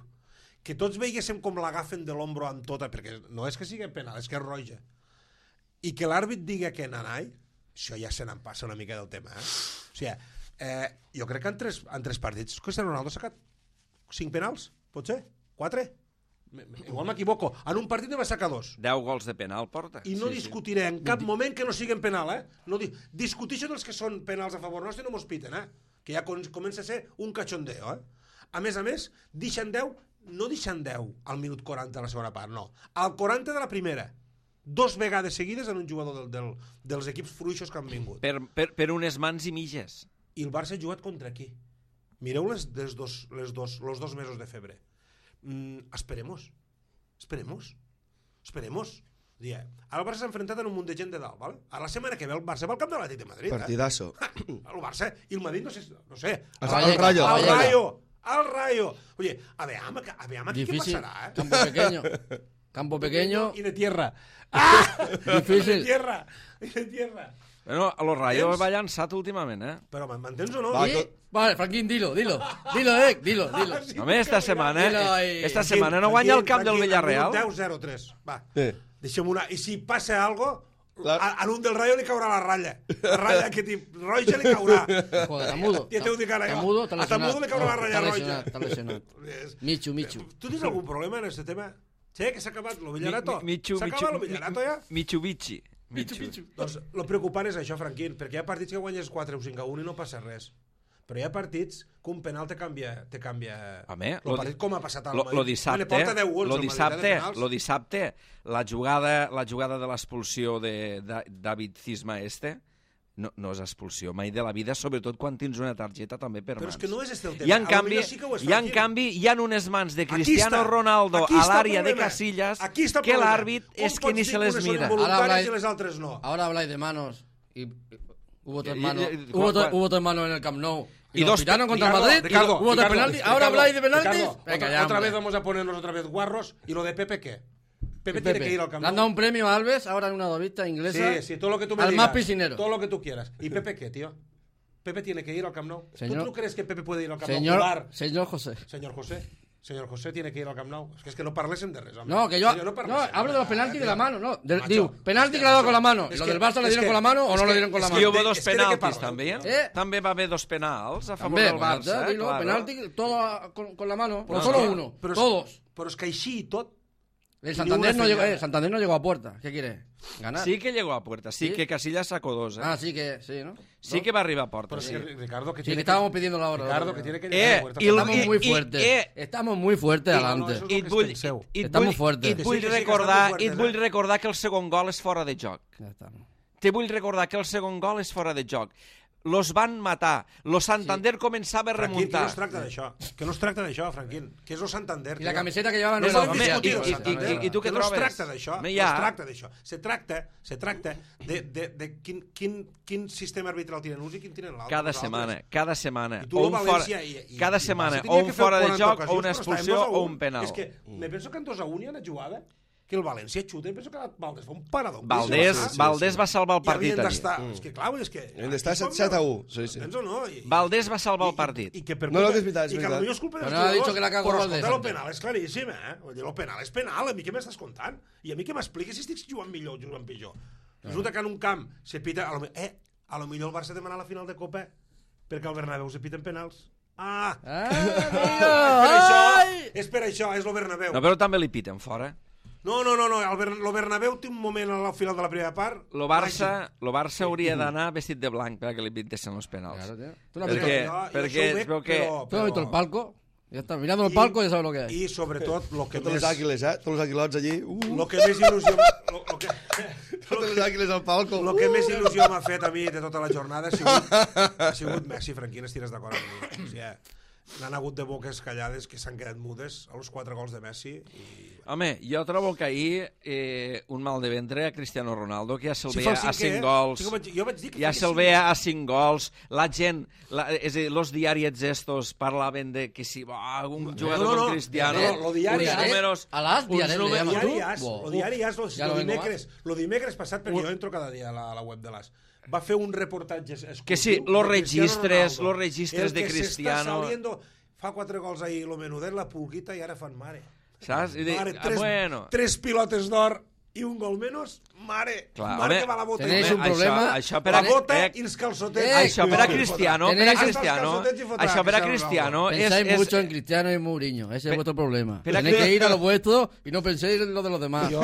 Speaker 3: que tots veiguéssim com l'agafen de l'ombro amb tota, perquè no és que sigui penal, és que és roja, i que l'àrbit digui que nanai, això ja se n'en passa una mica del tema, eh? O sigui, eh, jo crec que en tres, en tres partits Cristiano Ronaldo ha sacat cinc penals, pot ser? Quatre? Me- me- Igual m'equivoco. En un partit ne va sacar dos.
Speaker 1: deu gols de penal porta.
Speaker 3: I no sí, discutiré en cap moment que no siguin penal, eh? No di discuteixo dels que són penals a favor nostre i no mos piten, eh? Que ja com comença a ser un cachondeo, eh? A més a més, deixen deu, no deixen deu al minut quaranta de la segona part, no. Al quaranta de la primera. Dos vegades seguides en un jugador del, del, dels equips fruixos que han vingut.
Speaker 1: Per, per, per unes mans i mitges.
Speaker 3: I el Barça ha jugat contra qui? Mireu les, les dos, les dos, los dos mesos de febre. Mm, esperemos. Esperemos. Esperemos. Dia, ara el Barça s'ha enfrontat en un munt de gent de dalt, ¿vale? A la setmana que ve el Barça va al camp de l'Atlètic de Madrid.
Speaker 2: partidazo.
Speaker 3: Eh? El Barça i el Madrid, no sé, no sé.
Speaker 2: El,
Speaker 4: Rayo,
Speaker 2: el Rayo.
Speaker 3: Al
Speaker 2: el
Speaker 4: Rayo.
Speaker 3: Rayo. Al Rayo. Oye, a ver, a ver, a ver aquí qué
Speaker 4: Difícil.
Speaker 3: pasará, ¿eh?
Speaker 4: Campo pequeño. Campo pequeño.
Speaker 3: Y de tierra. ¡Ah!
Speaker 4: Difícil.
Speaker 3: De tierra. Y de tierra.
Speaker 1: Bueno, a los Rayos
Speaker 3: Tens?
Speaker 1: va llançat últimament, eh?
Speaker 3: Però m'entens o no?
Speaker 2: Va,
Speaker 4: ¿Sí?
Speaker 2: to-
Speaker 4: Vale, Franquín, dilo, dilo. Dilo, eh, dilo, dilo.
Speaker 1: Home, esta setmana,
Speaker 4: Dilo ahí.
Speaker 1: eh, esta setmana no guanya el camp del Villarreal.
Speaker 3: deu zero tres. Va.
Speaker 2: Sí.
Speaker 3: Deixem una... I si passa algo,
Speaker 2: La-
Speaker 3: a, a l'un del Rayo li caurà la ratlla. La ratlla que ti roja li caurà.
Speaker 4: Joder, está mudo.
Speaker 3: Ja t'ho dic ara,
Speaker 4: Está
Speaker 3: jo.
Speaker 4: mudo, está
Speaker 3: A
Speaker 4: lesionado.
Speaker 3: Tamudo li caurà la ratlla
Speaker 4: Está
Speaker 3: roja.
Speaker 4: lesionado, está lesionado.
Speaker 3: És-
Speaker 4: Michu, Michu.
Speaker 3: Tu tens algun problema en aquest tema? Sí, que s'ha acabat lo Villarato?
Speaker 1: Mi- Michu,
Speaker 3: S'ha
Speaker 1: Michu,
Speaker 3: acabat lo Villarato ja?
Speaker 1: Mitsubishi. Michu.
Speaker 3: Doncs el preocupant és això, Franquín, perquè hi ha partits que guanyes quatre o cinc a un i no passa res. Però hi ha partits que un penal te canvia... Te canvia
Speaker 1: Home,
Speaker 3: el
Speaker 1: lo
Speaker 3: partit,
Speaker 1: di-
Speaker 3: com ha passat al
Speaker 1: Lo,
Speaker 3: Madrid.
Speaker 1: lo dissabte,
Speaker 3: Me ne porta deu gols,
Speaker 1: lo
Speaker 3: el Madrid, eh, de
Speaker 1: dissabte,
Speaker 3: penals.
Speaker 1: lo dissabte, la jugada, la jugada de l'expulsió de, de David Cisma este, no, no és expulsió mai de la vida, sobretot quan tens una targeta també per
Speaker 3: Però
Speaker 1: mans.
Speaker 3: és que no és este el tema.
Speaker 1: I en
Speaker 3: A lo
Speaker 1: canvi,
Speaker 3: millor sí que ho és,
Speaker 1: i en
Speaker 3: Franquín.
Speaker 1: canvi hi ha unes mans de
Speaker 3: Aquí
Speaker 1: Cristiano
Speaker 3: està.
Speaker 1: Ronaldo
Speaker 3: Aquí
Speaker 1: a
Speaker 3: està el
Speaker 1: l'àrea de
Speaker 3: problema.
Speaker 1: Casillas
Speaker 3: Aquí està el
Speaker 1: que
Speaker 3: problema.
Speaker 1: l'àrbit
Speaker 3: Com
Speaker 1: és que
Speaker 3: pots
Speaker 1: ni
Speaker 3: dir
Speaker 1: se les
Speaker 3: unes són
Speaker 1: mira.
Speaker 3: involuntàries
Speaker 4: Ahora habláis-
Speaker 3: i les altres no.
Speaker 4: Ahora habláis de manos y y hubo tres
Speaker 1: Y- y-
Speaker 4: manos,
Speaker 1: y-
Speaker 4: hubo,
Speaker 1: ¿cuál-
Speaker 4: tres-
Speaker 1: cuál?
Speaker 4: hubo tres manos en el Camp Nou
Speaker 1: Y dos
Speaker 4: pitaron contra el
Speaker 3: Ricardo,
Speaker 4: Madrid,
Speaker 3: Ricardo,
Speaker 4: y hubo otro
Speaker 3: Ricardo,
Speaker 4: penalti.
Speaker 3: Ricardo,
Speaker 4: Ahora habláis de penaltis.
Speaker 3: Ricardo,
Speaker 4: Venga,
Speaker 3: otra,
Speaker 4: ya,
Speaker 3: otra
Speaker 4: hombre.
Speaker 3: vez vamos a ponernos otra vez guarros. ¿Y lo de Pepe qué? Pepe,
Speaker 4: Y
Speaker 3: tiene
Speaker 4: Pepe,
Speaker 3: que ir al Camp
Speaker 4: le han
Speaker 3: Nou.
Speaker 4: dado un premio a Alves, ahora en una dovista inglesa.
Speaker 3: Sí, sí, todo lo que tú me
Speaker 4: al
Speaker 3: digas.
Speaker 4: más piscinero.
Speaker 3: Todo lo que tú quieras. ¿Y Pepe qué, tío? Pepe tiene que ir al Camp Nou.
Speaker 4: Señor-
Speaker 3: ¿Tú, ¿Tú crees que Pepe puede ir al Camp Nou?
Speaker 4: Señor,
Speaker 3: Jugar?
Speaker 4: señor José.
Speaker 3: Señor José. Señor José tiene que ir al Camp Nou. Es que, es que no parlesen de res, home.
Speaker 4: No, que yo
Speaker 3: Señor,
Speaker 4: no,
Speaker 3: parlesen
Speaker 4: hablo de los penaltis de la mano, no. De,
Speaker 3: Macho,
Speaker 4: digo, penalti
Speaker 3: es
Speaker 4: que le ha dado con la
Speaker 3: macho,
Speaker 4: mano.
Speaker 3: es
Speaker 4: ¿Lo
Speaker 3: que-
Speaker 4: del Barça le
Speaker 3: es
Speaker 4: dieron
Speaker 3: que-
Speaker 4: con la mano o
Speaker 3: es
Speaker 4: no
Speaker 3: que-
Speaker 4: le dieron con la
Speaker 3: es
Speaker 1: I
Speaker 3: que
Speaker 1: hi
Speaker 4: mano?
Speaker 1: va
Speaker 3: de-
Speaker 1: dos
Speaker 3: és que de què
Speaker 1: penaltis,
Speaker 3: parles,
Speaker 1: també.
Speaker 3: tio?
Speaker 4: Eh?
Speaker 1: També va haver dos penals a favor
Speaker 4: También,
Speaker 1: del
Speaker 4: bueno,
Speaker 1: Barça.
Speaker 4: te digo,
Speaker 1: claro.
Speaker 4: penalti, todo con, con la mano.
Speaker 3: Però
Speaker 4: No
Speaker 3: és
Speaker 4: solo
Speaker 3: que-
Speaker 4: uno,
Speaker 3: però és-
Speaker 4: todos.
Speaker 3: Però és que així i tot...
Speaker 4: El
Speaker 3: Ni
Speaker 4: Santander
Speaker 3: una
Speaker 4: no, llegó,
Speaker 3: señal.
Speaker 4: eh, Santander no llegó a puerta. ¿Qué quiere? ¿Ganar?
Speaker 1: Sí que llegó a puerta, sí,
Speaker 4: ¿Sí?
Speaker 1: que Casillas sacó dos, eh?
Speaker 4: Ah, sí que sí, ¿no?
Speaker 1: Sí que va arriba a puerta,
Speaker 3: Però és
Speaker 1: sí.
Speaker 3: que Ricardo, que
Speaker 4: Sí,
Speaker 3: tiene
Speaker 4: que estábamos pidiendo la hora.
Speaker 3: Ricardo, que tiene que llegar
Speaker 1: Eh,
Speaker 3: a puerta.
Speaker 1: y el-
Speaker 4: Estamos
Speaker 1: i-
Speaker 4: muy
Speaker 1: i-
Speaker 4: fuertes.
Speaker 1: eh,
Speaker 4: Estamos muy fuertes
Speaker 3: i- no, no,
Speaker 4: adelante.
Speaker 3: eso-
Speaker 1: I et
Speaker 3: que
Speaker 1: vull,
Speaker 3: penseu.
Speaker 1: i et
Speaker 4: Estamos
Speaker 1: vull,
Speaker 4: fuertes.
Speaker 1: i et
Speaker 3: Que
Speaker 1: vull
Speaker 3: sí, que sí, que
Speaker 1: recordar,
Speaker 3: estamos
Speaker 1: i et
Speaker 3: fuertes,
Speaker 1: vull
Speaker 3: eh?
Speaker 1: recordar que el segon gol és fora de joc.
Speaker 4: Ya estamos.
Speaker 1: Te vull recordar que el segon gol és fora de joc. Los van matar. Lo Santander començava a
Speaker 3: Franquín, que no
Speaker 1: remuntar.
Speaker 3: es tracta d'això. Que no es tracta d'això, Franquín. Que és el Santander.
Speaker 4: Y la
Speaker 3: tio.
Speaker 4: camiseta que llevaban
Speaker 3: No
Speaker 4: no era
Speaker 3: podem
Speaker 1: Home,
Speaker 3: discutir
Speaker 1: i-
Speaker 3: el
Speaker 1: i-
Speaker 3: Santander.
Speaker 1: i- i tu què
Speaker 3: que no es
Speaker 1: trobes?
Speaker 3: tracta d'això.
Speaker 1: Home,
Speaker 3: No
Speaker 1: ja.
Speaker 3: es tracta d'això. Se tracta, se tracta de, de, de quin, quin, quin sistema arbitral tenen uns i quin tenen l'altre.
Speaker 1: Cada
Speaker 3: nosaltres.
Speaker 1: setmana, cada setmana.
Speaker 3: I tu,
Speaker 1: O
Speaker 3: el
Speaker 1: un fora,
Speaker 3: València... I, i,
Speaker 1: cada
Speaker 3: i el
Speaker 1: setmana,
Speaker 3: Barça
Speaker 1: o
Speaker 3: tenia
Speaker 1: un
Speaker 3: que fer
Speaker 1: fora de
Speaker 3: quaranta
Speaker 1: joc, o
Speaker 3: ocasions,
Speaker 1: una
Speaker 3: però estàvem
Speaker 1: expulsió,
Speaker 3: dos a
Speaker 1: o
Speaker 3: un.
Speaker 1: un penal.
Speaker 3: És que me penso que en dos a un hi ha una jugada que el València xuta i penso que el Valdés fa un parador.
Speaker 1: Valdés,
Speaker 3: Sí, sí, sí.
Speaker 1: Valdés va salvar el
Speaker 3: I
Speaker 1: partit
Speaker 3: havien
Speaker 1: allí.
Speaker 3: d'estar... És que, clar, és que...
Speaker 2: Hem d'estar
Speaker 3: aquí som
Speaker 2: set a
Speaker 3: jo.
Speaker 2: u, sí, sí.
Speaker 3: Entens o no? I,
Speaker 1: Valdés va salvar el
Speaker 3: i-
Speaker 1: partit.
Speaker 3: I, i que per
Speaker 2: No, no, que és veritat, és
Speaker 3: I que
Speaker 2: veritat.
Speaker 3: potser és culpa dels
Speaker 4: Però no ha
Speaker 3: jugadors.
Speaker 4: dicho que la cagó
Speaker 3: Però
Speaker 4: Valdés,
Speaker 3: escolta, el
Speaker 4: antes.
Speaker 3: penal és claríssim, eh? Vull dir, el penal és penal. A mi què m'estàs contant? I a mi què m'expliques si estic jugant millor o jugant pitjor? Resulta que en un camp se pita... A lo, me- eh, a lo millor el Barça demana la final de Copa perquè al Bernabéu se piten penals. Ah!
Speaker 4: Ah,
Speaker 3: és per
Speaker 4: amigo,
Speaker 3: això,
Speaker 4: ay.
Speaker 3: és per això, és el Bernabéu.
Speaker 1: No, però també li piten fora.
Speaker 3: No, no, no, no, el, Ber el Bernabéu té un moment al final de la primera part...
Speaker 1: Lo Barça, lo Barça hauria d'anar vestit de blanc perquè li pitessin els penals.
Speaker 4: Claro, tío. ¿Tú no has
Speaker 1: Perquè,
Speaker 4: visto-
Speaker 3: jo- jo
Speaker 1: perquè
Speaker 3: això ho
Speaker 1: es veu
Speaker 3: veig,
Speaker 1: que...
Speaker 3: però-
Speaker 4: ¿Tú no has visto el palco? Ya está, mirando el
Speaker 3: I-
Speaker 4: palco ya sabes lo que hay.
Speaker 3: I sobretot, el que
Speaker 2: Totes
Speaker 3: més...
Speaker 2: les àguiles, eh? Tots els aguilots allí. Uh,
Speaker 3: Lo que més il·lusió... Lo, lo que,
Speaker 2: totes les àguiles al palco.
Speaker 3: el que més il·lusió m'ha fet a mi de tota la jornada ha sigut, ha sigut Messi, Franquín, estires d'acord amb mi. O sigui, n'han hagut de boques callades que s'han quedat mudes a los quatre gols de Messi. I...
Speaker 1: Home, jo trobo que ahir eh, un mal de ventre a Cristiano Ronaldo, que ja se'l
Speaker 3: Si
Speaker 1: veia
Speaker 3: fa el
Speaker 1: a
Speaker 3: cinquè,
Speaker 1: cinc gols,
Speaker 3: sí que vaig- jo vaig dir que
Speaker 1: ja
Speaker 3: feia
Speaker 1: se'l
Speaker 3: cinc.
Speaker 1: veia a cinc gols, la gent, la, és a dir, los diaris estos parlaven de que si va un jugador
Speaker 3: no, no,
Speaker 1: com Cristiano,
Speaker 3: no, no, lo diari
Speaker 1: uns
Speaker 3: és-
Speaker 1: números...
Speaker 4: a las
Speaker 1: uns
Speaker 4: diaris le
Speaker 1: números-
Speaker 4: llaman.
Speaker 3: Diari
Speaker 4: tu?
Speaker 3: As,
Speaker 4: Bo.
Speaker 3: lo diari As, lo,
Speaker 4: Ja
Speaker 3: lo
Speaker 4: lo vengo
Speaker 3: dimecres, lo dimecres passat, perquè jo entro cada dia a la, a la web de l'As, va fer un reportatge exclusiu.
Speaker 1: Que sí, los
Speaker 3: de Cristiano
Speaker 1: registres,
Speaker 3: Ronaldo.
Speaker 1: los registres
Speaker 3: El
Speaker 1: de
Speaker 3: que s'està
Speaker 1: Cristiano.
Speaker 3: saliendo, fa quatre gols ahir, lo menudet, la pulguita, i ara fan mare.
Speaker 1: Saps? I dic,
Speaker 3: Mare,
Speaker 1: ah,
Speaker 3: tres,
Speaker 1: bueno...
Speaker 3: tres pilotes d'or i un gol menys, mare,
Speaker 1: Clar,
Speaker 3: mare
Speaker 1: home,
Speaker 3: que va la bota.
Speaker 4: tenéis
Speaker 3: Home,
Speaker 4: un problema.
Speaker 1: Això, això per
Speaker 3: la
Speaker 1: a,
Speaker 3: bota
Speaker 1: eh,
Speaker 3: i els calçotets.
Speaker 4: eh,
Speaker 1: això per a
Speaker 3: Ai,
Speaker 1: Cristiano,
Speaker 3: fotrà.
Speaker 1: per a
Speaker 4: Tenéis-
Speaker 1: Cristiano,
Speaker 3: Hasta els calçotets hi fotrà
Speaker 1: això per a
Speaker 3: Cristiano
Speaker 1: Cristiano
Speaker 3: Ronaldo.
Speaker 1: és...
Speaker 4: Pensáis
Speaker 1: és
Speaker 4: mucho en Cristiano y Mourinho, ese es vuestro problema.
Speaker 1: pero
Speaker 4: Tenéis
Speaker 1: que-
Speaker 4: que ir a lo vuestro y no penséis en lo de los demás.
Speaker 3: Jo,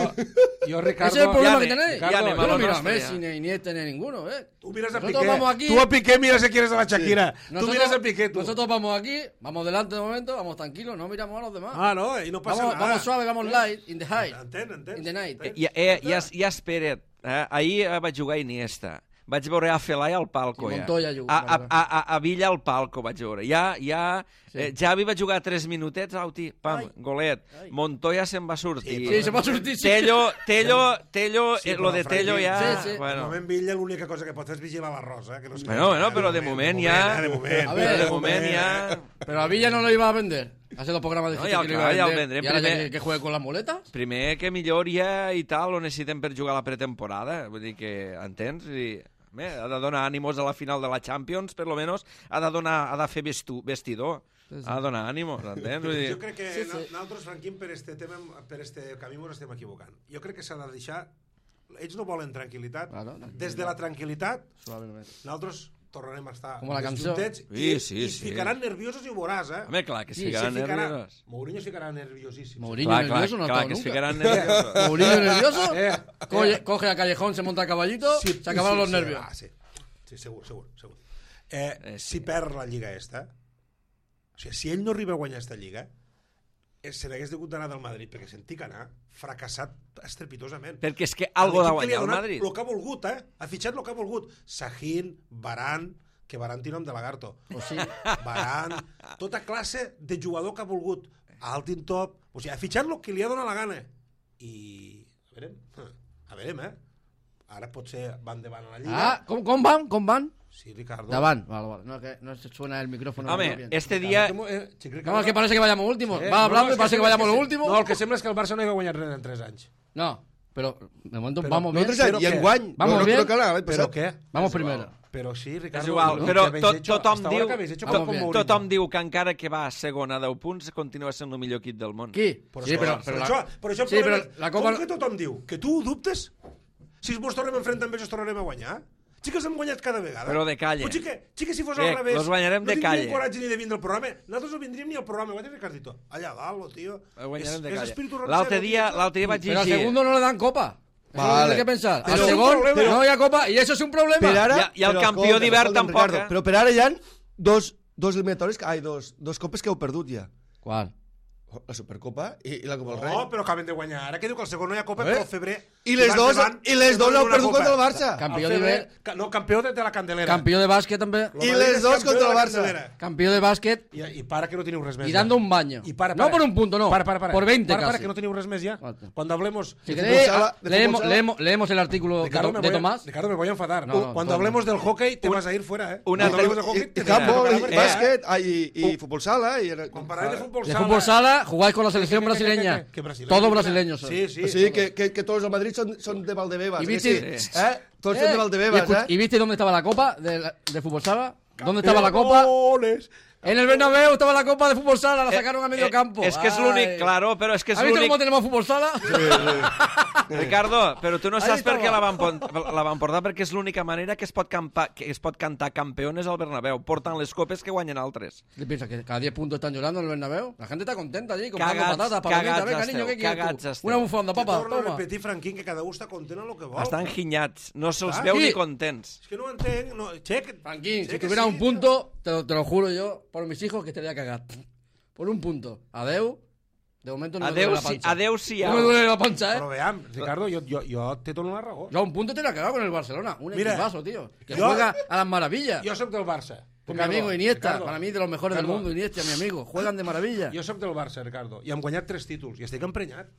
Speaker 3: jo Ricardo...
Speaker 4: Ese es el problema
Speaker 1: ya
Speaker 4: que
Speaker 1: ne-
Speaker 4: tenéis.
Speaker 1: ya anem a
Speaker 4: Yo no
Speaker 1: lo
Speaker 4: miro a
Speaker 1: nostre,
Speaker 4: Messi,
Speaker 1: ja.
Speaker 4: ni a Iniesta, ni a ninguno, ¿eh?
Speaker 3: Tú miras a
Speaker 4: Nosotros
Speaker 3: Piqué.
Speaker 4: vamos aquí-
Speaker 3: Tú a Piqué miras si quieres a la Shakira. Tú
Speaker 4: Nosotros-
Speaker 3: miras a Piqué, tú.
Speaker 4: Nosotros vamos aquí, vamos delante de momento, vamos tranquilos, no miramos a los demás.
Speaker 3: Ah, no, i no passa
Speaker 4: vamos,
Speaker 3: nada.
Speaker 4: vamos suave, vamos light, in the high,
Speaker 3: Entén, entén.
Speaker 4: in the night.
Speaker 1: I, eh, ja, ja espera't, eh? Ahir eh, vaig jugar a Iniesta, vaig veure a Felai al palco,
Speaker 4: I
Speaker 1: ja.
Speaker 4: Montoya juga,
Speaker 1: A, a,
Speaker 4: vale.
Speaker 1: a, a, a Villa al palco vaig veure. Ja, ja,
Speaker 4: Sí.
Speaker 1: eh, Javi va jugar tres minutets, auti, pam,
Speaker 4: Ai.
Speaker 1: golet.
Speaker 4: Ai.
Speaker 1: Montoya se'n va sortir.
Speaker 4: Sí, se va a sortir, sí.
Speaker 1: Tello, Tello, Tello,
Speaker 3: Sí,
Speaker 1: eh,
Speaker 3: però
Speaker 1: lo de
Speaker 3: Franquín,
Speaker 1: Tello ja...
Speaker 4: sí, sí.
Speaker 3: De
Speaker 1: Bueno,
Speaker 3: moment, Villa, l'única cosa que pot fer és vigilar l'arròs, eh? Que no es
Speaker 1: bueno, bueno, però de moment ja...
Speaker 3: De moment,
Speaker 4: A
Speaker 1: Però
Speaker 4: ver,
Speaker 1: de moment ja...
Speaker 4: Pero a Villa no lo iba a vender. Hace dos programas de
Speaker 1: No,
Speaker 4: que
Speaker 1: ya,
Speaker 4: lo iba a
Speaker 1: claro, ya
Speaker 4: vender.
Speaker 1: lo vendré
Speaker 4: y ahora ya
Speaker 1: primer.
Speaker 4: que, que juegue con las muletas.
Speaker 1: Primer que milloria i tal, ho necessitem per jugar a la pretemporada. Vull dir que, entens? I, bé, ha de donar ànimos a la final de la Champions, per lo menos. Ha de, donar, ha de fer vestu, vestidor.
Speaker 4: Sí, sí.
Speaker 1: Ha de donar ànimos, entens? Vull dir,
Speaker 3: Jo crec que
Speaker 4: Sí,
Speaker 3: sí,
Speaker 4: sí.
Speaker 3: sí. nosaltres, Franquín, per este tema, per este camí ens estem equivocant. Jo crec que s'ha de deixar... Ells no volen tranquil·litat.
Speaker 4: Claro, tranquil·litat.
Speaker 3: Des de la tranquil·litat,
Speaker 4: Suavemente.
Speaker 3: nosaltres tornarem a estar
Speaker 4: Com la cançó.
Speaker 3: juntets
Speaker 1: Sí,
Speaker 3: i,
Speaker 1: sí,
Speaker 3: i es
Speaker 1: sí.
Speaker 3: ficaran nerviosos i ho veuràs, eh?
Speaker 1: home, clar, que es
Speaker 4: Sí,
Speaker 1: ficaran
Speaker 3: Se ficarà-
Speaker 1: nerviosos.
Speaker 3: Mourinho es ficarà nerviosíssim.
Speaker 4: Mourinho
Speaker 1: Clar, clar,
Speaker 4: nervioso no ha
Speaker 1: clar,
Speaker 4: estado
Speaker 1: que es
Speaker 4: nunca.
Speaker 1: ficaran nerviosos.
Speaker 4: Mourinho nervioso,
Speaker 3: Eh,
Speaker 4: coge, coge a Callejón, se monta a caballito,
Speaker 3: Sí,
Speaker 4: se acabaron
Speaker 3: sí,
Speaker 4: los
Speaker 3: sí,
Speaker 4: nervios.
Speaker 3: ah, sí. sí, segur, segur, segur. Eh,
Speaker 1: Eh, sí.
Speaker 3: Si perd la Lliga esta, o sigui, si ell no arriba a guanyar esta Lliga, eh, se n'hagués degut d'anar del Madrid, perquè sentí que anar fracassat estrepitosament.
Speaker 1: Perquè és que algo de
Speaker 3: L'equip que li ha
Speaker 1: guanyar el
Speaker 3: donat
Speaker 1: Madrid.
Speaker 3: El que ha volgut, eh? Ha fitxat el que ha volgut. Sahin, Varane, que Varane té nom de lagarto.
Speaker 4: O sí.
Speaker 3: Varane, tota classe de jugador que ha volgut. Alt in top. O sigui, ha fitxat el que li ha donat la gana. I... A veurem. A veurem, eh? Ara potser van davant a la Lliga.
Speaker 4: Ah, com, com van? Com van?
Speaker 3: Sí, Ricardo.
Speaker 4: Davant. Vale, vale. No, que no se suena el micrófono.
Speaker 1: Home, este día...
Speaker 3: Eh, xic, Ricardo.
Speaker 4: No, es que parece que vayamos últimos.
Speaker 3: Eh,
Speaker 4: Va hablando
Speaker 3: no,
Speaker 4: y parece que
Speaker 3: sembla
Speaker 4: vayamos
Speaker 3: que
Speaker 4: los
Speaker 3: se-
Speaker 4: últimos.
Speaker 3: No, el que sembla és que el Barça no hi ha guanyat res en tres anys.
Speaker 4: No, pero de momento
Speaker 3: Però
Speaker 4: vamos bien.
Speaker 2: Nosaltres
Speaker 3: Però
Speaker 2: i
Speaker 3: què?
Speaker 2: enguany.
Speaker 4: Vamos
Speaker 2: no, no,
Speaker 4: bien.
Speaker 2: no cal anar l'any
Speaker 3: Però
Speaker 2: passat.
Speaker 3: què?
Speaker 4: Vamos
Speaker 3: És igual.
Speaker 4: primero.
Speaker 3: Però sí, Ricardo.
Speaker 1: És igual,
Speaker 3: lo
Speaker 1: però
Speaker 3: que habéis
Speaker 1: tot,
Speaker 3: hecho-
Speaker 1: tothom,
Speaker 3: hasta ahora
Speaker 1: diu,
Speaker 3: que habéis hecho
Speaker 4: Vamos
Speaker 3: con
Speaker 4: bien.
Speaker 3: Mourinho.
Speaker 1: tothom diu que encara que va a segona a deu punts continua sent el millor equip del món.
Speaker 4: Qui?
Speaker 3: Però
Speaker 4: Sí,
Speaker 3: això,
Speaker 4: però,
Speaker 3: però,
Speaker 4: però,
Speaker 3: això,
Speaker 4: la...
Speaker 3: però això el
Speaker 4: sí,
Speaker 3: problema
Speaker 4: però
Speaker 3: és-
Speaker 4: la Copa...
Speaker 3: Com que tothom diu? Que tu ho dubtes? Si vos tornem a enfrontar amb ells, tornarem a guanyar? Sí que els hem guanyat cada vegada.
Speaker 1: Però de calle.
Speaker 3: Pues sí que, sí que si fos
Speaker 1: Bé,
Speaker 3: al revés...
Speaker 1: los guanyarem de
Speaker 3: no
Speaker 1: calle.
Speaker 3: tindríem coratge ni de vindre al programa. Nosaltres no vindríem ni al programa. Ho ha dit Ricardito. Allà dalt, lo tío.
Speaker 1: El guanyarem de
Speaker 3: És- és
Speaker 1: calle.
Speaker 3: espíritu
Speaker 1: L'altre
Speaker 3: roncero,
Speaker 1: dia,
Speaker 3: tío.
Speaker 1: l'altre dia vaig
Speaker 4: Pero al
Speaker 1: llegir...
Speaker 4: segundo no le dan copa. Eso
Speaker 2: Vale.
Speaker 4: es lo que pensar.
Speaker 2: Pero
Speaker 4: al
Speaker 2: es un
Speaker 4: segundo
Speaker 3: problema.
Speaker 4: no hi ha copa y eso es un problema.
Speaker 2: Per ara...
Speaker 1: I a- i el
Speaker 2: però
Speaker 1: campió
Speaker 2: escolta'm,
Speaker 1: d'hivern
Speaker 2: escolta'm,
Speaker 1: tampoc,
Speaker 2: Ricardo,
Speaker 1: eh?
Speaker 2: Però per ara hi ha dos, dos eliminatòries, ai, dos, dos copes que heu perdut ja.
Speaker 4: ¿Cuál?
Speaker 2: La Supercopa i, i la Copa del Rei.
Speaker 3: No, però acaben de guanyar. Ara que diu que el segon no hi ha copa,
Speaker 2: Eh?
Speaker 3: però el febrer...
Speaker 2: I les
Speaker 3: vas
Speaker 2: dos,
Speaker 3: davant,
Speaker 2: i les dos
Speaker 3: donen
Speaker 2: l'heu
Speaker 3: una
Speaker 2: perdut
Speaker 3: copa.
Speaker 2: contra el Barça.
Speaker 4: Campió
Speaker 3: El
Speaker 4: de
Speaker 3: febrer-
Speaker 4: ver-
Speaker 3: ca- No, campió de, de la Candelera.
Speaker 4: Campeón de básquet también.
Speaker 3: Lo
Speaker 2: I
Speaker 3: Madrid
Speaker 2: les
Speaker 3: és
Speaker 2: dos
Speaker 3: campió
Speaker 2: contra
Speaker 3: de
Speaker 2: el
Speaker 3: la
Speaker 2: Barça.
Speaker 3: Candelera.
Speaker 4: Campeón de básquet
Speaker 3: I, I para que no teniu res més.
Speaker 4: y
Speaker 3: ja.
Speaker 4: dando un baño.
Speaker 3: Y para,
Speaker 4: No
Speaker 3: para.
Speaker 4: por un punto, no.
Speaker 3: Para, para, para.
Speaker 4: Por veinte
Speaker 3: para, para,
Speaker 4: casi.
Speaker 3: que no teniu res més ja.
Speaker 4: Falta.
Speaker 3: Cuando hablemos...
Speaker 4: Si
Speaker 2: de
Speaker 4: queréis,
Speaker 2: fútbol sala- de
Speaker 4: leemos,
Speaker 2: fútbol sala.
Speaker 4: leemos, leemos el artículo de,
Speaker 3: Ricardo,
Speaker 4: To-
Speaker 3: me
Speaker 4: de
Speaker 3: voy a-
Speaker 4: Tomás.
Speaker 3: Ricardo, me voy a enfadar.
Speaker 4: No, no,
Speaker 3: Cuando
Speaker 4: todo
Speaker 3: hablemos
Speaker 4: mal.
Speaker 3: del hockey, te vas a ir fuera, ¿eh?
Speaker 1: Una
Speaker 3: Cuando
Speaker 1: altra-
Speaker 3: hablemos del hockey, te
Speaker 2: I
Speaker 3: tendrás que
Speaker 2: handball,
Speaker 3: parar,
Speaker 2: i
Speaker 3: perquè-
Speaker 2: bàsquet, ai, i, i futbol sala. I...
Speaker 3: Quan parlaré de futbol
Speaker 4: De
Speaker 3: sala...
Speaker 4: fútbol sala, jugáis con la selección
Speaker 3: ¿Qué, qué, qué,
Speaker 4: brasileña.
Speaker 3: qué, qué, qué brasileño?
Speaker 4: Todos brasileños. son.
Speaker 3: Sí, sí.
Speaker 2: O sigui que, que, que tots els Madrid són, són de Valdebebas.
Speaker 4: I
Speaker 2: eh,
Speaker 4: viste-
Speaker 2: sí? Eh? Tots són
Speaker 4: Eh,
Speaker 2: de
Speaker 4: ¿y,
Speaker 2: Valdebebas,
Speaker 4: escuch-
Speaker 2: eh?
Speaker 4: ¿Y viste dónde estaba la copa de, la- de fútbol sala? ¿Dónde estaba la copa?
Speaker 3: Campeones.
Speaker 4: En el Bernabéu estaba la copa de fútbol sala, la sacaron a medio
Speaker 1: Eh,
Speaker 4: campo.
Speaker 1: És que és
Speaker 4: Ay.
Speaker 1: l'únic, claro, però és que és
Speaker 4: ¿Has visto
Speaker 1: l'únic...
Speaker 4: cómo tenemos fútbol sala?
Speaker 1: Ricardo, però tu no
Speaker 4: Ahí
Speaker 1: saps per què
Speaker 4: estava.
Speaker 1: la van, pon- la van portar, perquè és l'única manera que es pot, campa, que es pot cantar campeones al Bernabéu, portant les copes que guanyen altres.
Speaker 4: ¿Qué piensas? ¿Que cada diez puntos están llorando en el Bernabéu? La gente está contenta allí, comprando
Speaker 1: Cagats-
Speaker 4: patatas, palomitas.
Speaker 1: cagats
Speaker 4: Venga,
Speaker 1: esteu,
Speaker 4: niño, ¿qué quieres
Speaker 1: cagats
Speaker 4: tú?
Speaker 1: esteu.
Speaker 4: Una bufanda,
Speaker 3: Que
Speaker 4: papá,
Speaker 3: torno a
Speaker 4: toma.
Speaker 3: repetir, Franquín, que cada un està content en el que vol.
Speaker 1: Estan ginyats, no se'ls
Speaker 3: Ah,
Speaker 1: veu
Speaker 4: sí.
Speaker 1: ni contents.
Speaker 3: És que no ho entenc. No, check.
Speaker 4: Franquín,
Speaker 3: Sé
Speaker 4: si
Speaker 3: que
Speaker 4: tuviera
Speaker 3: sí,
Speaker 4: un punto, te lo, te lo juro yo, por mis hijos, que estaría cagado. Por un punto. Adeu. De momento no me
Speaker 1: Adeu,
Speaker 4: duele la
Speaker 1: si,
Speaker 4: pancha.
Speaker 1: adeu siau.
Speaker 4: No me duele la pancha,
Speaker 3: Però
Speaker 4: ¿eh?
Speaker 3: veam, Ricardo, jo, jo, jo te dono la raó.
Speaker 4: Yo a un punto te la cagado con el Barcelona. Un
Speaker 3: Mira,
Speaker 4: equipazo, tío. Que
Speaker 3: yo-
Speaker 4: juega a las maravillas.
Speaker 3: Jo soc del Barça.
Speaker 4: Con mi amigo Iniesta,
Speaker 3: Ricardo,
Speaker 4: para mí de los mejores del
Speaker 3: Ricardo,
Speaker 4: mundo, Iniesta, mi amigo. Juegan de maravilla.
Speaker 3: Jo sóc del Barça, Ricardo, i hem guanyat tres títols, i estic emprenyat,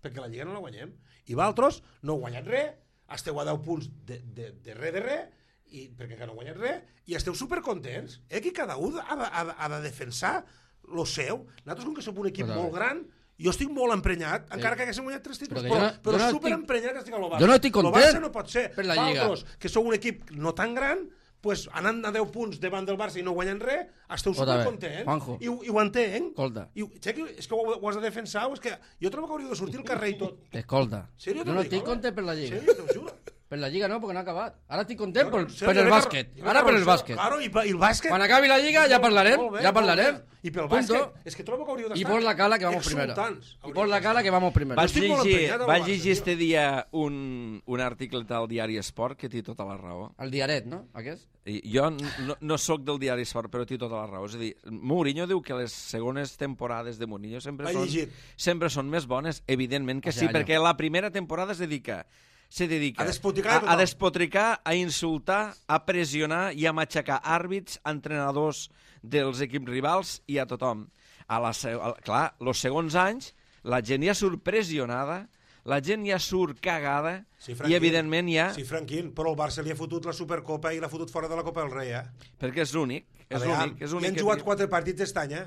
Speaker 3: perquè la Lliga no la guanyem. I vosaltres no heu guanyat res, esteu a deu punts de, de, de res de res, i, perquè que no heu guanyat res, i esteu supercontents. Eh, que cada un ha de, ha de, ha de defensar lo seu. Nosaltres, com que som un equip
Speaker 4: Però,
Speaker 3: molt gran, jo estic molt emprenyat, sí. encara que haguéssim guanyat tres títols,
Speaker 4: Però
Speaker 3: però,
Speaker 4: que
Speaker 3: però,
Speaker 4: jo no-
Speaker 3: però
Speaker 4: jo no
Speaker 3: superemprenyat que estic a lo Barça.
Speaker 4: jo no estic
Speaker 3: Lo
Speaker 4: content
Speaker 3: Barça no pot ser.
Speaker 4: per la Lliga.
Speaker 3: Vosaltres, que sou un equip no tan gran, pues, anant a deu punts davant del Barça i no guanyant res, esteu
Speaker 4: Escolta, bé,
Speaker 3: supercontents.
Speaker 4: Juanjo.
Speaker 3: I, ho- I ho entenc.
Speaker 4: Escolta.
Speaker 3: I, ho- sé que, és que ho, ho has de defensar, o és que jo trobo que hauríeu de sortir al carrer i tot.
Speaker 4: Escolta.
Speaker 3: Serio,
Speaker 4: Yo
Speaker 3: t'ho
Speaker 4: no
Speaker 3: dic,
Speaker 4: estoy
Speaker 3: home?
Speaker 4: contento por la Liga.
Speaker 3: Serio, t'ho juro.
Speaker 4: Per la Lliga no, porque no ha acabat. Ara estic content per,
Speaker 3: Serio,
Speaker 4: per el
Speaker 3: jo
Speaker 4: bàsquet.
Speaker 3: veig que-
Speaker 4: Ara per el
Speaker 3: jo-
Speaker 4: bàsquet.
Speaker 3: Claro, i, pa- i el bàsquet...
Speaker 4: Quan acabi la Lliga ja parlarem,
Speaker 3: Molt bé,
Speaker 4: ja
Speaker 3: molt
Speaker 4: parlarem.
Speaker 3: bé. I pel
Speaker 4: Punto.
Speaker 3: bàsquet, és que trobo que hauríeu d'estar...
Speaker 4: Y por la cala que vamos primero.
Speaker 3: exultants.
Speaker 4: Y por la cala que vamos primero.
Speaker 1: Vaig
Speaker 3: estic molt
Speaker 1: llegir,
Speaker 3: emprenyat al
Speaker 1: vaig
Speaker 3: Barça,
Speaker 1: llegir
Speaker 3: tio.
Speaker 1: este dia un, un article del diari Esport que té tota la raó.
Speaker 4: El diaret, no? Aquest?
Speaker 1: I jo no, no sóc del diari Esport, però té tota la raó. És a dir, Mourinho diu que les segones temporades de Mourinho sempre,
Speaker 3: L'he
Speaker 1: són,
Speaker 3: llegit.
Speaker 1: sempre són més bones. Evidentment que
Speaker 4: O sea,
Speaker 1: sí,
Speaker 4: allò.
Speaker 1: perquè la primera temporada es dedica se dedica
Speaker 3: A despotricar
Speaker 1: a,
Speaker 3: a tothom.
Speaker 1: a despotricar, a insultar, a pressionar i a matxacar àrbits, entrenadors dels equips rivals i a tothom. A la, se- a, clar, els segons anys, la gent ja surt pressionada, la gent ja surt cagada
Speaker 3: Sí,
Speaker 1: i,
Speaker 3: Franquín.
Speaker 1: evidentment, ja...
Speaker 3: Sí, Franquín, però el Barça li ha fotut la Supercopa i l'ha fotut fora de la Copa del Rei, eh?
Speaker 1: Perquè és l'únic. És
Speaker 3: A veure,
Speaker 1: l'únic. És
Speaker 3: I
Speaker 1: l'únic
Speaker 3: han
Speaker 1: que
Speaker 3: jugat
Speaker 1: té.
Speaker 3: quatre partits aquest any, eh?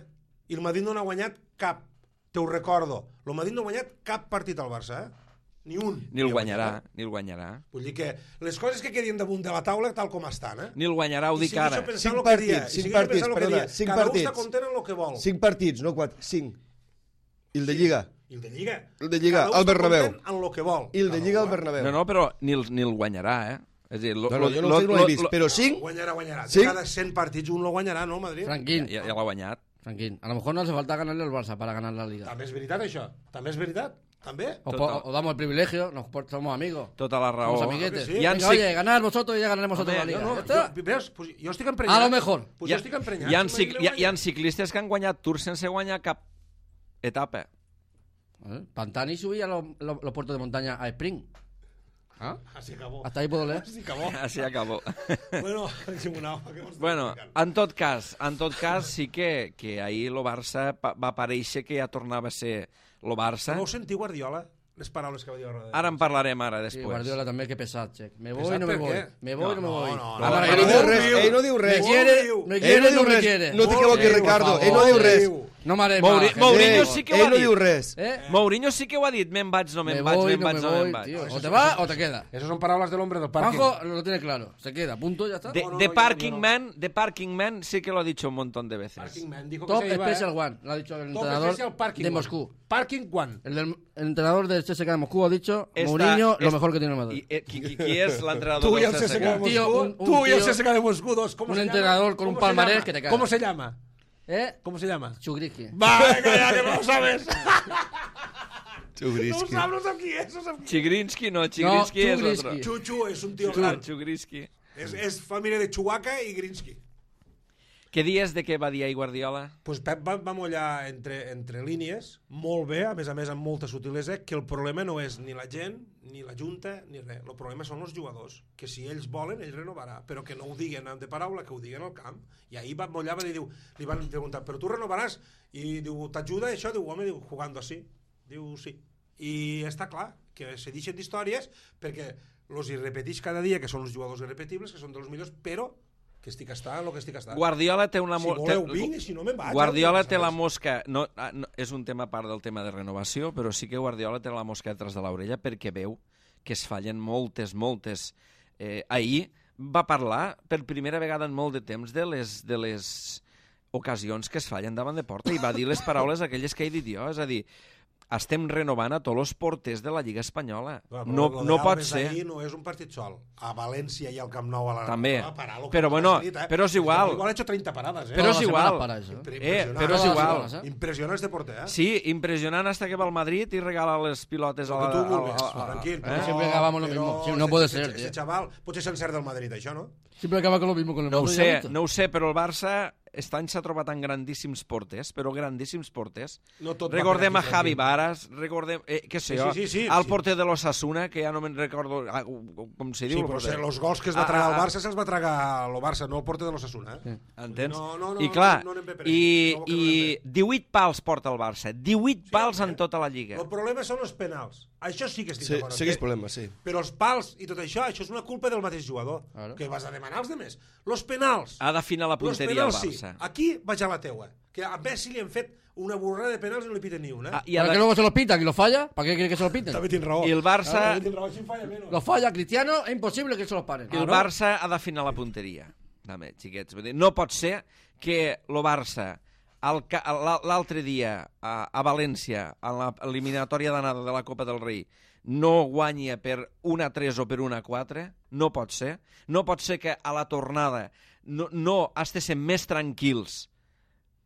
Speaker 3: I el Madrid no n'ha guanyat cap. Te ho recordo. El Madrid no ha guanyat cap partit al Barça, eh? Ni un.
Speaker 1: Ni el
Speaker 3: ha
Speaker 1: guanyarà,
Speaker 3: guanyat, eh?
Speaker 1: ni el guanyarà.
Speaker 3: Vull dir que les coses que quedin damunt de la taula tal com estan, eh?
Speaker 1: Ni el guanyarà, ho
Speaker 3: I
Speaker 1: dic
Speaker 3: segueixo
Speaker 1: ara.
Speaker 3: pensant
Speaker 2: Cinc
Speaker 3: lo que dia,
Speaker 2: partits,
Speaker 3: i
Speaker 2: cinc
Speaker 3: segueixo
Speaker 2: partits,
Speaker 3: pensant lo que
Speaker 2: perdona,
Speaker 3: dia.
Speaker 2: cinc
Speaker 3: Cada un
Speaker 2: partits.
Speaker 3: està content en el que vol.
Speaker 2: Cinc partits, no quatre, cinc. I el de Lliga.
Speaker 3: I el de Lliga.
Speaker 2: El de Lliga,
Speaker 3: Cada un
Speaker 2: al
Speaker 3: està
Speaker 2: Bernabéu.
Speaker 3: content en lo que vol.
Speaker 2: I el de
Speaker 3: Cada
Speaker 2: Lliga
Speaker 3: un,
Speaker 2: al
Speaker 3: eh?
Speaker 2: Bernabéu.
Speaker 1: No, no, però ni el, ni el guanyarà, eh? És a dir, lo,
Speaker 2: No, no,
Speaker 1: lo,
Speaker 2: jo no,
Speaker 1: lo,
Speaker 2: sé, no l'he vist, però cinc...
Speaker 3: Guanyarà, guanyarà.
Speaker 2: Sí?
Speaker 3: De cada cent partits un lo guanyarà, no, el Madrid?
Speaker 4: Franquín,
Speaker 1: ja, ja l'ha guanyat.
Speaker 4: Franquín. A lo mejor no hace falta ganarle al Barça para ganar la Liga.
Speaker 3: També és veritat, això. També és veritat. També.
Speaker 4: O,
Speaker 1: Total.
Speaker 4: po- o damos el privilegio, nos por- somos amigos.
Speaker 1: Tota la raó.
Speaker 4: Somos amiguetes.
Speaker 3: sí.
Speaker 1: Hi ha
Speaker 4: Venga,
Speaker 1: cic-
Speaker 4: oye, ganar vosotros y ya ganaremos nosotros la
Speaker 1: Home,
Speaker 4: Liga.
Speaker 3: No, no,
Speaker 4: Ya está.
Speaker 3: jo, veus, pues, jo estic emprenyat.
Speaker 4: A lo mejor.
Speaker 3: Pues
Speaker 1: hi
Speaker 3: jo
Speaker 1: ha,
Speaker 3: estic emprenyat.
Speaker 1: hi, ha,
Speaker 3: si
Speaker 1: cic-
Speaker 3: Madrid
Speaker 1: hi, ha,
Speaker 3: no
Speaker 1: hi ha
Speaker 3: guanya.
Speaker 1: ciclistes que han guanyat tours sense guanyar cap etapa.
Speaker 4: ¿Eh? Pantani subía los, los, los puertos de montaña a sprint. ¿Ah?
Speaker 3: Así acabó.
Speaker 4: Hasta ahí puedo leer.
Speaker 3: Así acabó.
Speaker 1: Així acabó.
Speaker 3: Bueno, Simonau, què m'estàs
Speaker 1: bueno,
Speaker 3: explicant?
Speaker 1: en tot cas, en tot cas sí que, que ahir el Barça pa- va aparèixer que ja tornava a ser el Barça.
Speaker 3: No ho sentiu, Guardiola? les paraules que va dir a roda de
Speaker 1: Ara en parlarem ara,
Speaker 4: Sí,
Speaker 1: després.
Speaker 4: Guardiola també, que pesat, Check. Me voy,
Speaker 3: Pesat
Speaker 4: no me
Speaker 3: per
Speaker 4: voy.
Speaker 3: què?
Speaker 4: Me voy, no, me
Speaker 3: No,
Speaker 4: voy.
Speaker 3: no, no,
Speaker 4: Ah,
Speaker 3: no,
Speaker 4: vale,
Speaker 3: no,
Speaker 2: Ell no
Speaker 4: me
Speaker 2: diu
Speaker 4: voy.
Speaker 2: res, ell no diu
Speaker 4: Me
Speaker 2: res.
Speaker 4: quiere,
Speaker 3: Molt
Speaker 4: me
Speaker 2: Ell
Speaker 4: quiere,
Speaker 2: no
Speaker 4: no
Speaker 2: diu
Speaker 4: me
Speaker 2: res.
Speaker 4: quiere.
Speaker 2: No t'equivoquis,
Speaker 3: Molt
Speaker 2: Ricardo.
Speaker 3: bé,
Speaker 2: Ell no diu
Speaker 3: molt
Speaker 2: res.
Speaker 3: bé.
Speaker 4: No m'haré
Speaker 1: Mouri-
Speaker 4: más.
Speaker 1: Mourinho
Speaker 2: Ell-
Speaker 1: sí que ho ha
Speaker 2: Ell no
Speaker 1: dit.
Speaker 2: diu res.
Speaker 4: ¿Eh?
Speaker 1: Mourinho sí que ho ha dit, me'n vaig, no me'n
Speaker 4: Me
Speaker 1: vaig,
Speaker 4: voy,
Speaker 1: me'n
Speaker 4: no
Speaker 1: vaig,
Speaker 4: me
Speaker 1: no me'n
Speaker 4: voy,
Speaker 1: vaig.
Speaker 4: tío. O te vas o te queda.
Speaker 3: Esas son palabras del hombre del parque.
Speaker 4: Juanjo lo tiene claro. Se queda, punto, ya está.
Speaker 1: De,
Speaker 3: No, no,
Speaker 1: de
Speaker 3: no,
Speaker 1: Parking
Speaker 3: yo no.
Speaker 1: Man, de Parking Man sí que lo ha dicho un montón de veces.
Speaker 3: Parking Man dijo que
Speaker 4: Top
Speaker 3: se iba,
Speaker 4: Special
Speaker 3: ¿eh?
Speaker 4: One, lo ha dicho el
Speaker 3: Top
Speaker 4: entrenador
Speaker 3: Special Parking
Speaker 4: de
Speaker 3: One.
Speaker 4: Moscú.
Speaker 3: Parking One.
Speaker 4: El, del, el entrenador del C S K de Moscú ha dicho,
Speaker 1: Esta-
Speaker 4: Mourinho, lo
Speaker 1: es-
Speaker 4: mejor que tiene el Madrid.
Speaker 1: I, eh, qui, qui, qui és l'entrenador
Speaker 3: Tú y
Speaker 1: del
Speaker 3: el C S K de
Speaker 1: C S K?
Speaker 4: Un tío,
Speaker 3: Moscú.
Speaker 4: un- un
Speaker 3: Tú y el
Speaker 4: tío-
Speaker 3: C S K de Moscú dos. ¿Cómo
Speaker 4: un
Speaker 3: se
Speaker 4: entrenador
Speaker 3: llama?
Speaker 4: con un
Speaker 3: ¿Cómo se
Speaker 4: palmarés
Speaker 3: llama?
Speaker 4: que te cagas.
Speaker 3: ¿Cómo se llama?
Speaker 4: ¿Eh?
Speaker 3: ¿Cómo se llama?
Speaker 4: Chugriski.
Speaker 3: Va, venga, ya que no lo sabes. No
Speaker 2: Chugriski.
Speaker 3: sabes, no sabes quién es. No sabes quién
Speaker 1: Chigrinsky, no, Chigrinsky
Speaker 4: No,
Speaker 1: és
Speaker 4: Chugriski.
Speaker 1: otro.
Speaker 3: es. Chuchu es un tío
Speaker 1: Chu-
Speaker 3: gran.
Speaker 1: Chugrinsky.
Speaker 3: Es, es familia de Chewbacca y Grinsky.
Speaker 1: Què dies de què va dir ahir Guardiola?
Speaker 3: Pues Pep va, va mollar entre, entre línies, molt bé, a més a més amb molta sutilesa, que el problema no és ni la gent, ni la junta, ni res. El problema són els jugadors, que si ells volen, ell renovarà, però que no ho diguen de paraula, que ho diguen al camp. I ahir va mollar, va dir, diu, li van preguntar, però tu renovaràs? I diu, t'ajuda això? Diu, home, diu, jugando así. Diu, sí. I està clar, que se deixen d'històries, perquè los hi repeteix cada dia, que són els jugadors irrepetibles, que són dels millors, però que estic estant el que estic estant.
Speaker 1: Guardiola té una...
Speaker 3: Si
Speaker 1: mo-
Speaker 3: voleu
Speaker 1: té-
Speaker 3: vinc i si no me'n vaig.
Speaker 1: Guardiola
Speaker 3: eh?
Speaker 1: té la mosca... No, ah, no, és un tema a part del tema de renovació, però sí que Guardiola té la mosca detrás de l'orella perquè veu que es fallen moltes, moltes... Eh, ahir va parlar per primera vegada en molt de temps de les, de les ocasions que es fallen davant de porta i va dir les paraules aquelles que he dit jo, és a dir, estem renovant a tots els porters de la Lliga Espanyola.
Speaker 3: Clar,
Speaker 1: no
Speaker 3: però lo
Speaker 1: no
Speaker 3: de
Speaker 1: pot
Speaker 3: Alves
Speaker 1: ser...
Speaker 3: ahir no és un partit sol. A València i al Camp Nou a la...
Speaker 1: També.
Speaker 3: Va parar lo que
Speaker 1: Però
Speaker 3: ha
Speaker 1: bueno,
Speaker 3: escrit, eh?
Speaker 1: però és igual.
Speaker 3: Igual ha hecho treinta paradas, eh?
Speaker 1: Però
Speaker 4: Toda
Speaker 1: és
Speaker 4: la
Speaker 1: igual.
Speaker 4: semana para eso.
Speaker 3: Impre-
Speaker 1: Eh,
Speaker 3: impressionant.
Speaker 1: però és
Speaker 4: Todas las
Speaker 1: igual.
Speaker 4: semanas, ¿eh?
Speaker 3: Impressionant este porter, eh?
Speaker 1: Sí, impressionant hasta que va al Madrid i regala les pilotes a
Speaker 3: El
Speaker 1: la...
Speaker 3: que tu
Speaker 1: a la-
Speaker 3: vulguis,
Speaker 1: a- a-
Speaker 3: tranquil.
Speaker 1: eh?
Speaker 3: però-
Speaker 4: Siempre acabamos lo
Speaker 3: però
Speaker 4: mismo. Sí, no
Speaker 3: ese-
Speaker 4: puede
Speaker 3: ese-
Speaker 4: ser,
Speaker 3: Ese
Speaker 4: tío.
Speaker 3: chaval potser se'n cert del Madrid, això, no?
Speaker 4: Siempre acaba con lo mismo con el
Speaker 1: No ho
Speaker 4: Madrid,
Speaker 1: sé,
Speaker 4: ¿ya viste?
Speaker 1: no ho sé, però el Barça aquest any s'ha trobat en grandíssims porters, però grandíssims porters.
Speaker 3: No tot va
Speaker 1: Recordem
Speaker 3: per
Speaker 1: a
Speaker 3: aquí,
Speaker 1: Javi
Speaker 3: tranquil.
Speaker 1: Varas, recordem, eh, què sé
Speaker 3: Sí,
Speaker 1: jo,
Speaker 3: sí, sí, sí,
Speaker 1: el
Speaker 3: sí.
Speaker 1: porter de l'Osasuna, que ja no me'n recordo ah, com se diu.
Speaker 3: Sí,
Speaker 1: el
Speaker 3: però
Speaker 1: porter.
Speaker 3: els gols que es va
Speaker 1: Ah,
Speaker 3: tragar
Speaker 1: ah,
Speaker 3: al
Speaker 1: ah.
Speaker 3: Barça se'ls va tragar el Barça, no el porter de l'Osasuna, eh?
Speaker 1: Entens?
Speaker 3: No, no, no,
Speaker 1: I clar,
Speaker 3: no anem bé per
Speaker 1: i,
Speaker 3: aquí. No, que no
Speaker 1: i
Speaker 3: anem bé.
Speaker 1: divuit pals porta el Barça, divuit pals
Speaker 3: home.
Speaker 1: en tota la Lliga.
Speaker 3: El problema són els penals. Això sí que estic
Speaker 2: Sí,
Speaker 3: d'acord.
Speaker 2: sí que és
Speaker 3: Que-
Speaker 2: problema, sí.
Speaker 3: Però els pals i tot això, això és una culpa del mateix jugador.
Speaker 4: Claro.
Speaker 3: Que vas a demanar als demés. Los penals.
Speaker 1: Ha d'afinar la
Speaker 3: Los
Speaker 1: punteria al
Speaker 3: penals, sí.
Speaker 1: Barça.
Speaker 3: Aquí vaig a la teua. Que a Messi li han fet una borrada de penals i no li piten ni una.
Speaker 1: Ah, i,
Speaker 4: ¿Para
Speaker 1: ha
Speaker 4: qué
Speaker 1: de...
Speaker 4: luego se los pitan y los falla? ¿Para qué quiere que se los piten?
Speaker 3: També tens raó.
Speaker 1: I el Barça...
Speaker 3: També tens raó, així em falla menys.
Speaker 4: Los falla Cristiano, es imposible que se los paren.
Speaker 1: I el Barça ha d'afinar la punteria. Dame, xiquets. Vull dir, no pot ser que el Barça el ca- l'al- l'altre dia a, a València, a l'eliminatòria d'anada de la Copa del Rei, no guanya per un a tres o per un a quatre. No pot ser. No pot ser que a la tornada no, no estiguéssim més tranquils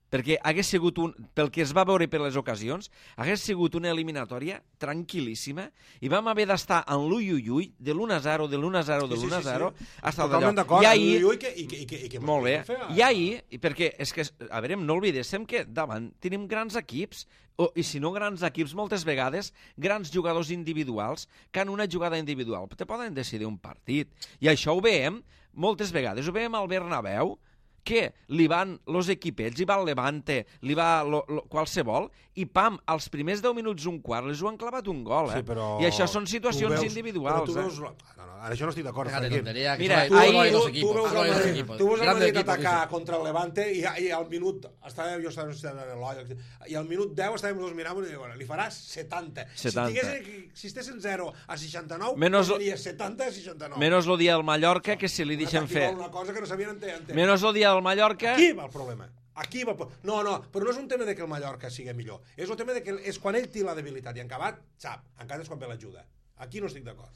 Speaker 1: perquè hagués sigut un, pel que es va veure per les ocasions, hagués sigut una eliminatòria tranquil·líssima i vam haver d'estar en l'ui ui ui de l'u a zero, de l'u a zero, de
Speaker 3: Sí, sí,
Speaker 1: l'u a
Speaker 3: sí,
Speaker 1: zero,
Speaker 3: sí.
Speaker 1: hasta el
Speaker 3: Totalment
Speaker 1: d'allò.
Speaker 3: d'acord.
Speaker 1: I
Speaker 3: Ui,
Speaker 1: ahir,
Speaker 3: ui, que, i, que, i, que, i que
Speaker 1: molt bé,
Speaker 3: fer,
Speaker 1: i ahir, i perquè és que, a veure, no oblidéssim que davant tenim grans equips, o, i si no grans equips, moltes vegades, grans jugadors individuals, que en una jugada individual te poden decidir un partit. I això ho veiem moltes vegades, ho veiem al Bernabéu, que li van los equipets, li va el Levante, li va lo, lo, qualsevol, i pam, als primers deu minuts, un quart, les ho han clavat un gol, eh?
Speaker 3: Sí, però
Speaker 1: I això són situacions
Speaker 3: tu veus-
Speaker 1: individuals,
Speaker 3: però tu veus,
Speaker 1: eh?
Speaker 3: no, no, ara això no estic d'acord.
Speaker 4: Déjate
Speaker 3: tranquil.
Speaker 4: tontería, que
Speaker 1: Mira,
Speaker 4: solo hay-
Speaker 1: ahí-
Speaker 4: solo hay dos
Speaker 3: Tu,
Speaker 4: equipos,
Speaker 3: tu veus
Speaker 4: solo hay
Speaker 3: el
Speaker 4: dos
Speaker 3: Madrid,
Speaker 4: equipos.
Speaker 3: tu veus el
Speaker 4: Grandes
Speaker 3: Madrid
Speaker 4: equipos,
Speaker 3: atacar
Speaker 4: dice.
Speaker 3: contra el Levante i, i al minut estava, jo estava en l'Olla i al minut deu estàvem dos mirant i diuen, li faràs setanta.
Speaker 1: setanta.
Speaker 3: Si, estigués, si estiguessin zero a seixanta-nou,
Speaker 1: Menos-
Speaker 3: seria setanta a seixanta-nou.
Speaker 1: Menos el dia del Mallorca, que si li
Speaker 3: Un
Speaker 1: deixen
Speaker 3: atac i
Speaker 1: fer...
Speaker 3: gol, una cosa que no sabien entendre.
Speaker 1: Menos el dia del Mallorca...
Speaker 3: Aquí va el problema. Aquí va el pro- No, no, però no és un tema de que el Mallorca sigui millor. És un tema de que és quan ell té la debilitat i en acabat, sap, encara és quan ve l'ajuda. Aquí no estic d'acord.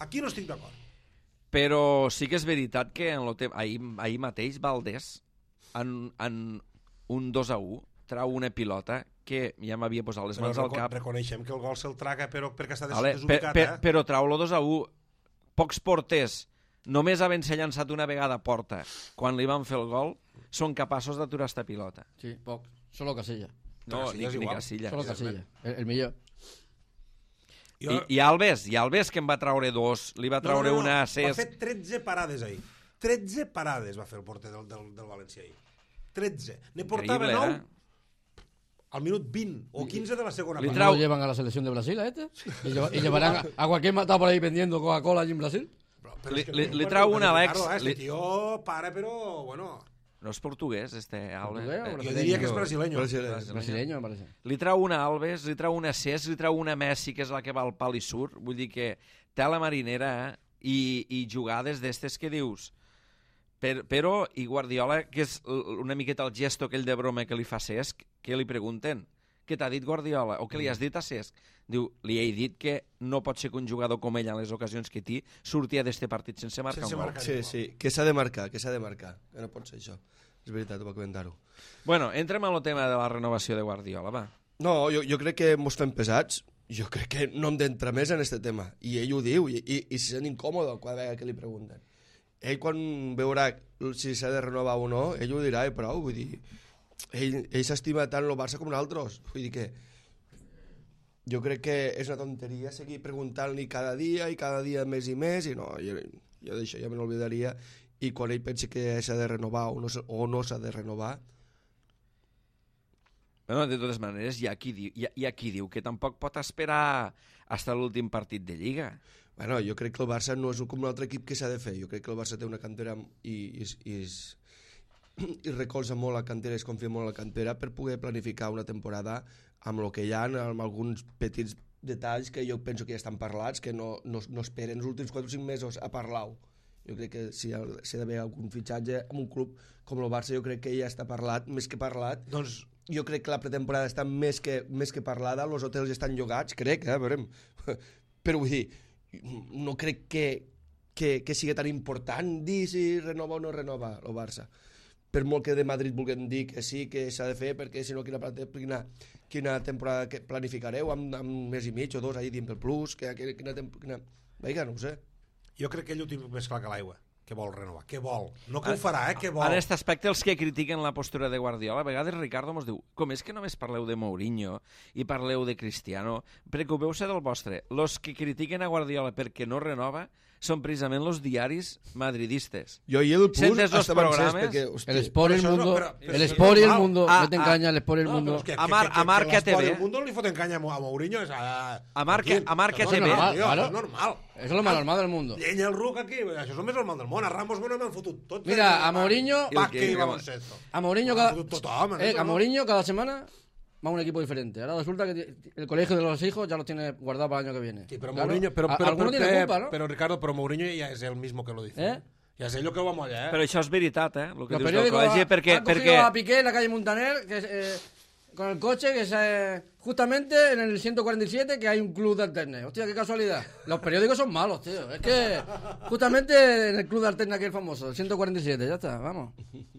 Speaker 3: Aquí no estic d'acord.
Speaker 1: Però sí que és veritat que en lo te... ahir, ahir mateix Valdés, en, en un dos a u, trau una pilota que ja m'havia posat les
Speaker 3: Però
Speaker 1: mans al
Speaker 3: reco-
Speaker 1: cap.
Speaker 3: reconeixem que el gol se'l traga però perquè està des
Speaker 1: Vale, per,
Speaker 3: desubicat,
Speaker 1: per,
Speaker 3: eh?
Speaker 1: però trau-lo dos a u. Pocs porters, només havent-se llançat una vegada a porta quan li van fer el gol, són capaços d'aturar esta pilota.
Speaker 4: Sí, poc. Solo Casilla.
Speaker 1: No,
Speaker 3: Casilla
Speaker 1: ni,
Speaker 3: és
Speaker 1: ni
Speaker 3: igual.
Speaker 1: Casilla.
Speaker 4: Solo Casilla. El, el millor.
Speaker 3: Jo...
Speaker 1: I, I Alves, i Alves que en va traure dos, li va traure
Speaker 3: no, no, no.
Speaker 1: una a
Speaker 3: Va
Speaker 1: Cesc.
Speaker 3: fer tretze parades ahir. tretze parades va fer el porter del, del, del València ahir. tretze. Ne portava
Speaker 1: Increïble,
Speaker 3: nou
Speaker 1: eh?
Speaker 3: al minut vint o quinze de la segona
Speaker 1: Li
Speaker 3: part.
Speaker 1: trau-
Speaker 4: ¿No lo llevan a la selección de Brasil a este? ¿Y, lleva- y llevarán a, a cualquier matado por ahí vendiendo Coca-Cola allí en Brasil?
Speaker 3: Però, però
Speaker 1: Li-
Speaker 3: és que
Speaker 1: li-
Speaker 3: no
Speaker 1: li
Speaker 3: pot
Speaker 1: trau
Speaker 3: dir,
Speaker 1: un Alex,
Speaker 3: Ricardo, eh, Este
Speaker 1: li-
Speaker 3: tio para, però, bueno...
Speaker 1: No és portuguès, este Alves.
Speaker 4: Portuguès o
Speaker 1: Eh,
Speaker 3: Jo
Speaker 4: brasileño?
Speaker 3: diria que és brasileño.
Speaker 2: Brasileño.
Speaker 4: Brasileño, me parece.
Speaker 1: Li trau una Alves, li trau una Cesc, li trau una Messi, que és la que va al pal i surt. Vull dir que té la marinera eh? I, i jugades d'estes que dius. Per, però, i Guardiola, que és l- una miqueta el gesto aquell de broma que li fa Cesc, que li pregunten què t'ha dit Guardiola o què li has dit a Cesc? Diu, li he dit que no pot ser que un jugador com ell en les ocasions que té sortia d'este partit sense marcar
Speaker 3: Sense
Speaker 1: un gol.
Speaker 3: marcar.
Speaker 2: Sí, sí, que s'ha de marcar, que s'ha de marcar. Que no pot ser això. És veritat, ho va comentar-ho.
Speaker 1: Bueno, entrem en el tema de la renovació de Guardiola, va.
Speaker 2: No, jo, jo crec que mos fem pesats. Jo crec que no hem d'entrar més en aquest tema. I ell ho diu, i, i, i se sent incòmode cada vegada que li pregunten. Ell, quan veurà si s'ha de renovar o no, ell ho dirà i prou. Vull dir, ell, ell s'estima tant el Barça com nosaltres. Vull dir que jo crec que és una tonteria seguir preguntant-li cada dia i cada dia més i més, i no, jo, jo d'això ja me n'oblidaria. I quan ell pensi que s'ha de renovar o no, s'ha- o no s'ha de renovar,
Speaker 1: Bueno, de totes maneres, hi ha, qui diu, hi, ha, hi ha qui diu que tampoc pot esperar fins a l'últim partit de Lliga.
Speaker 2: bueno, jo crec que el Barça no és com un altre equip que s'ha de fer. Jo crec que el Barça té una cantera i, i, i, i recolza molt la cantera, es confia molt en la cantera per poder planificar una temporada amb el que hi ha, amb alguns petits detalls que jo penso que ja estan parlats, que no, no, no esperen els últims quatre o cinc mesos a parlar-ho. Jo crec que si hi ha, si ha d'haver algun fitxatge en un club com el Barça, jo crec que ja està parlat, més que parlat.
Speaker 3: Doncs
Speaker 2: Jo crec que la pretemporada està més que, més que parlada, els hotels estan llogats, crec, eh, veurem. Però vull dir, no crec que, que, que sigui tan important dir si renova o no renova el Barça. Per molt que de Madrid vulguem dir que sí, que s'ha de fer, perquè si no, quina, quina, quina temporada que planificareu amb, amb un mes i mig o dos ahir dient pel plus, que, que, quina, quina... Vinga, no ho sé.
Speaker 3: jo crec que ell ho té més clar que l'aigua, que vol renovar, que vol. No que ho farà, eh, que vol.
Speaker 1: En aquest aspecte, els que critiquen la postura de Guardiola, a vegades Ricardo mos diu, com és que només parleu de Mourinho i parleu de Cristiano? Preocupeu-se del vostre. Los que critiquen a Guardiola perquè no renova són precisament los diaris madridistes.
Speaker 2: Jo i el plus
Speaker 1: Sentes los
Speaker 2: estaven encès
Speaker 1: programes?
Speaker 2: perquè, hosti,
Speaker 4: El Sport y el
Speaker 3: Pero eso no,
Speaker 4: mundo,
Speaker 3: pero- pero
Speaker 4: el
Speaker 3: eso no
Speaker 4: Sport y
Speaker 3: es
Speaker 4: el
Speaker 3: normal.
Speaker 4: mundo,
Speaker 1: Ah,
Speaker 4: meten
Speaker 1: ah,
Speaker 4: caña al Sport y el
Speaker 3: No,
Speaker 4: mundo.
Speaker 3: però és que,
Speaker 1: A Mar-
Speaker 3: que,
Speaker 1: a Marca
Speaker 3: que, que
Speaker 1: T V.
Speaker 3: el mundo li foten canya a Mourinho és a...
Speaker 1: A Marca-
Speaker 3: Tranquil,
Speaker 1: a Marca
Speaker 3: això
Speaker 1: T V.
Speaker 3: és normal, tio,
Speaker 4: Claro.
Speaker 3: això és normal.
Speaker 4: Eso es lo más normal del mundo.
Speaker 3: Llenya el ruc aquí, això és el més normal del món. A Ramos bueno, m'han fotut tots.
Speaker 4: Mira, a Mourinho-
Speaker 3: Bàsquet
Speaker 1: I
Speaker 3: i
Speaker 1: el que-
Speaker 3: baloncesto.
Speaker 4: A Mourinho
Speaker 3: M'han
Speaker 4: cada,
Speaker 3: fotut tothom,
Speaker 4: eh,
Speaker 3: això,
Speaker 4: a
Speaker 3: no?
Speaker 4: Mourinho cada semana va a un equipo diferente. Ahora resulta que ti- el colegio de los hijos ya los tiene guardado para el año que viene.
Speaker 3: Sí, pero
Speaker 4: Claro,
Speaker 3: Mourinho, pero,
Speaker 4: a-
Speaker 3: pero,
Speaker 4: alguno
Speaker 3: pero,
Speaker 4: tiene
Speaker 3: eh,
Speaker 4: culpa, ¿no?
Speaker 3: pero Ricardo, pero Mourinho ya es el mismo que lo dice.
Speaker 4: ¿Eh?
Speaker 3: Ya sé yo que vamos allá, eh.
Speaker 1: Però això és veritat, eh? El que
Speaker 4: Los
Speaker 1: dius del
Speaker 4: periódicos
Speaker 1: col·legi,
Speaker 4: ha-
Speaker 1: perquè...
Speaker 4: han cogido
Speaker 1: perquè...
Speaker 4: a Piqué en la calle Montaner que, eh, con el coche que se, justamente en el ciento cuarenta y siete que hay un club de alternes. Hostia, qué casualidad. Los periódicos son malos, tío. Es que justamente en el club de alternes aquel famoso, el ciento cuarenta y siete, ya está, vamos.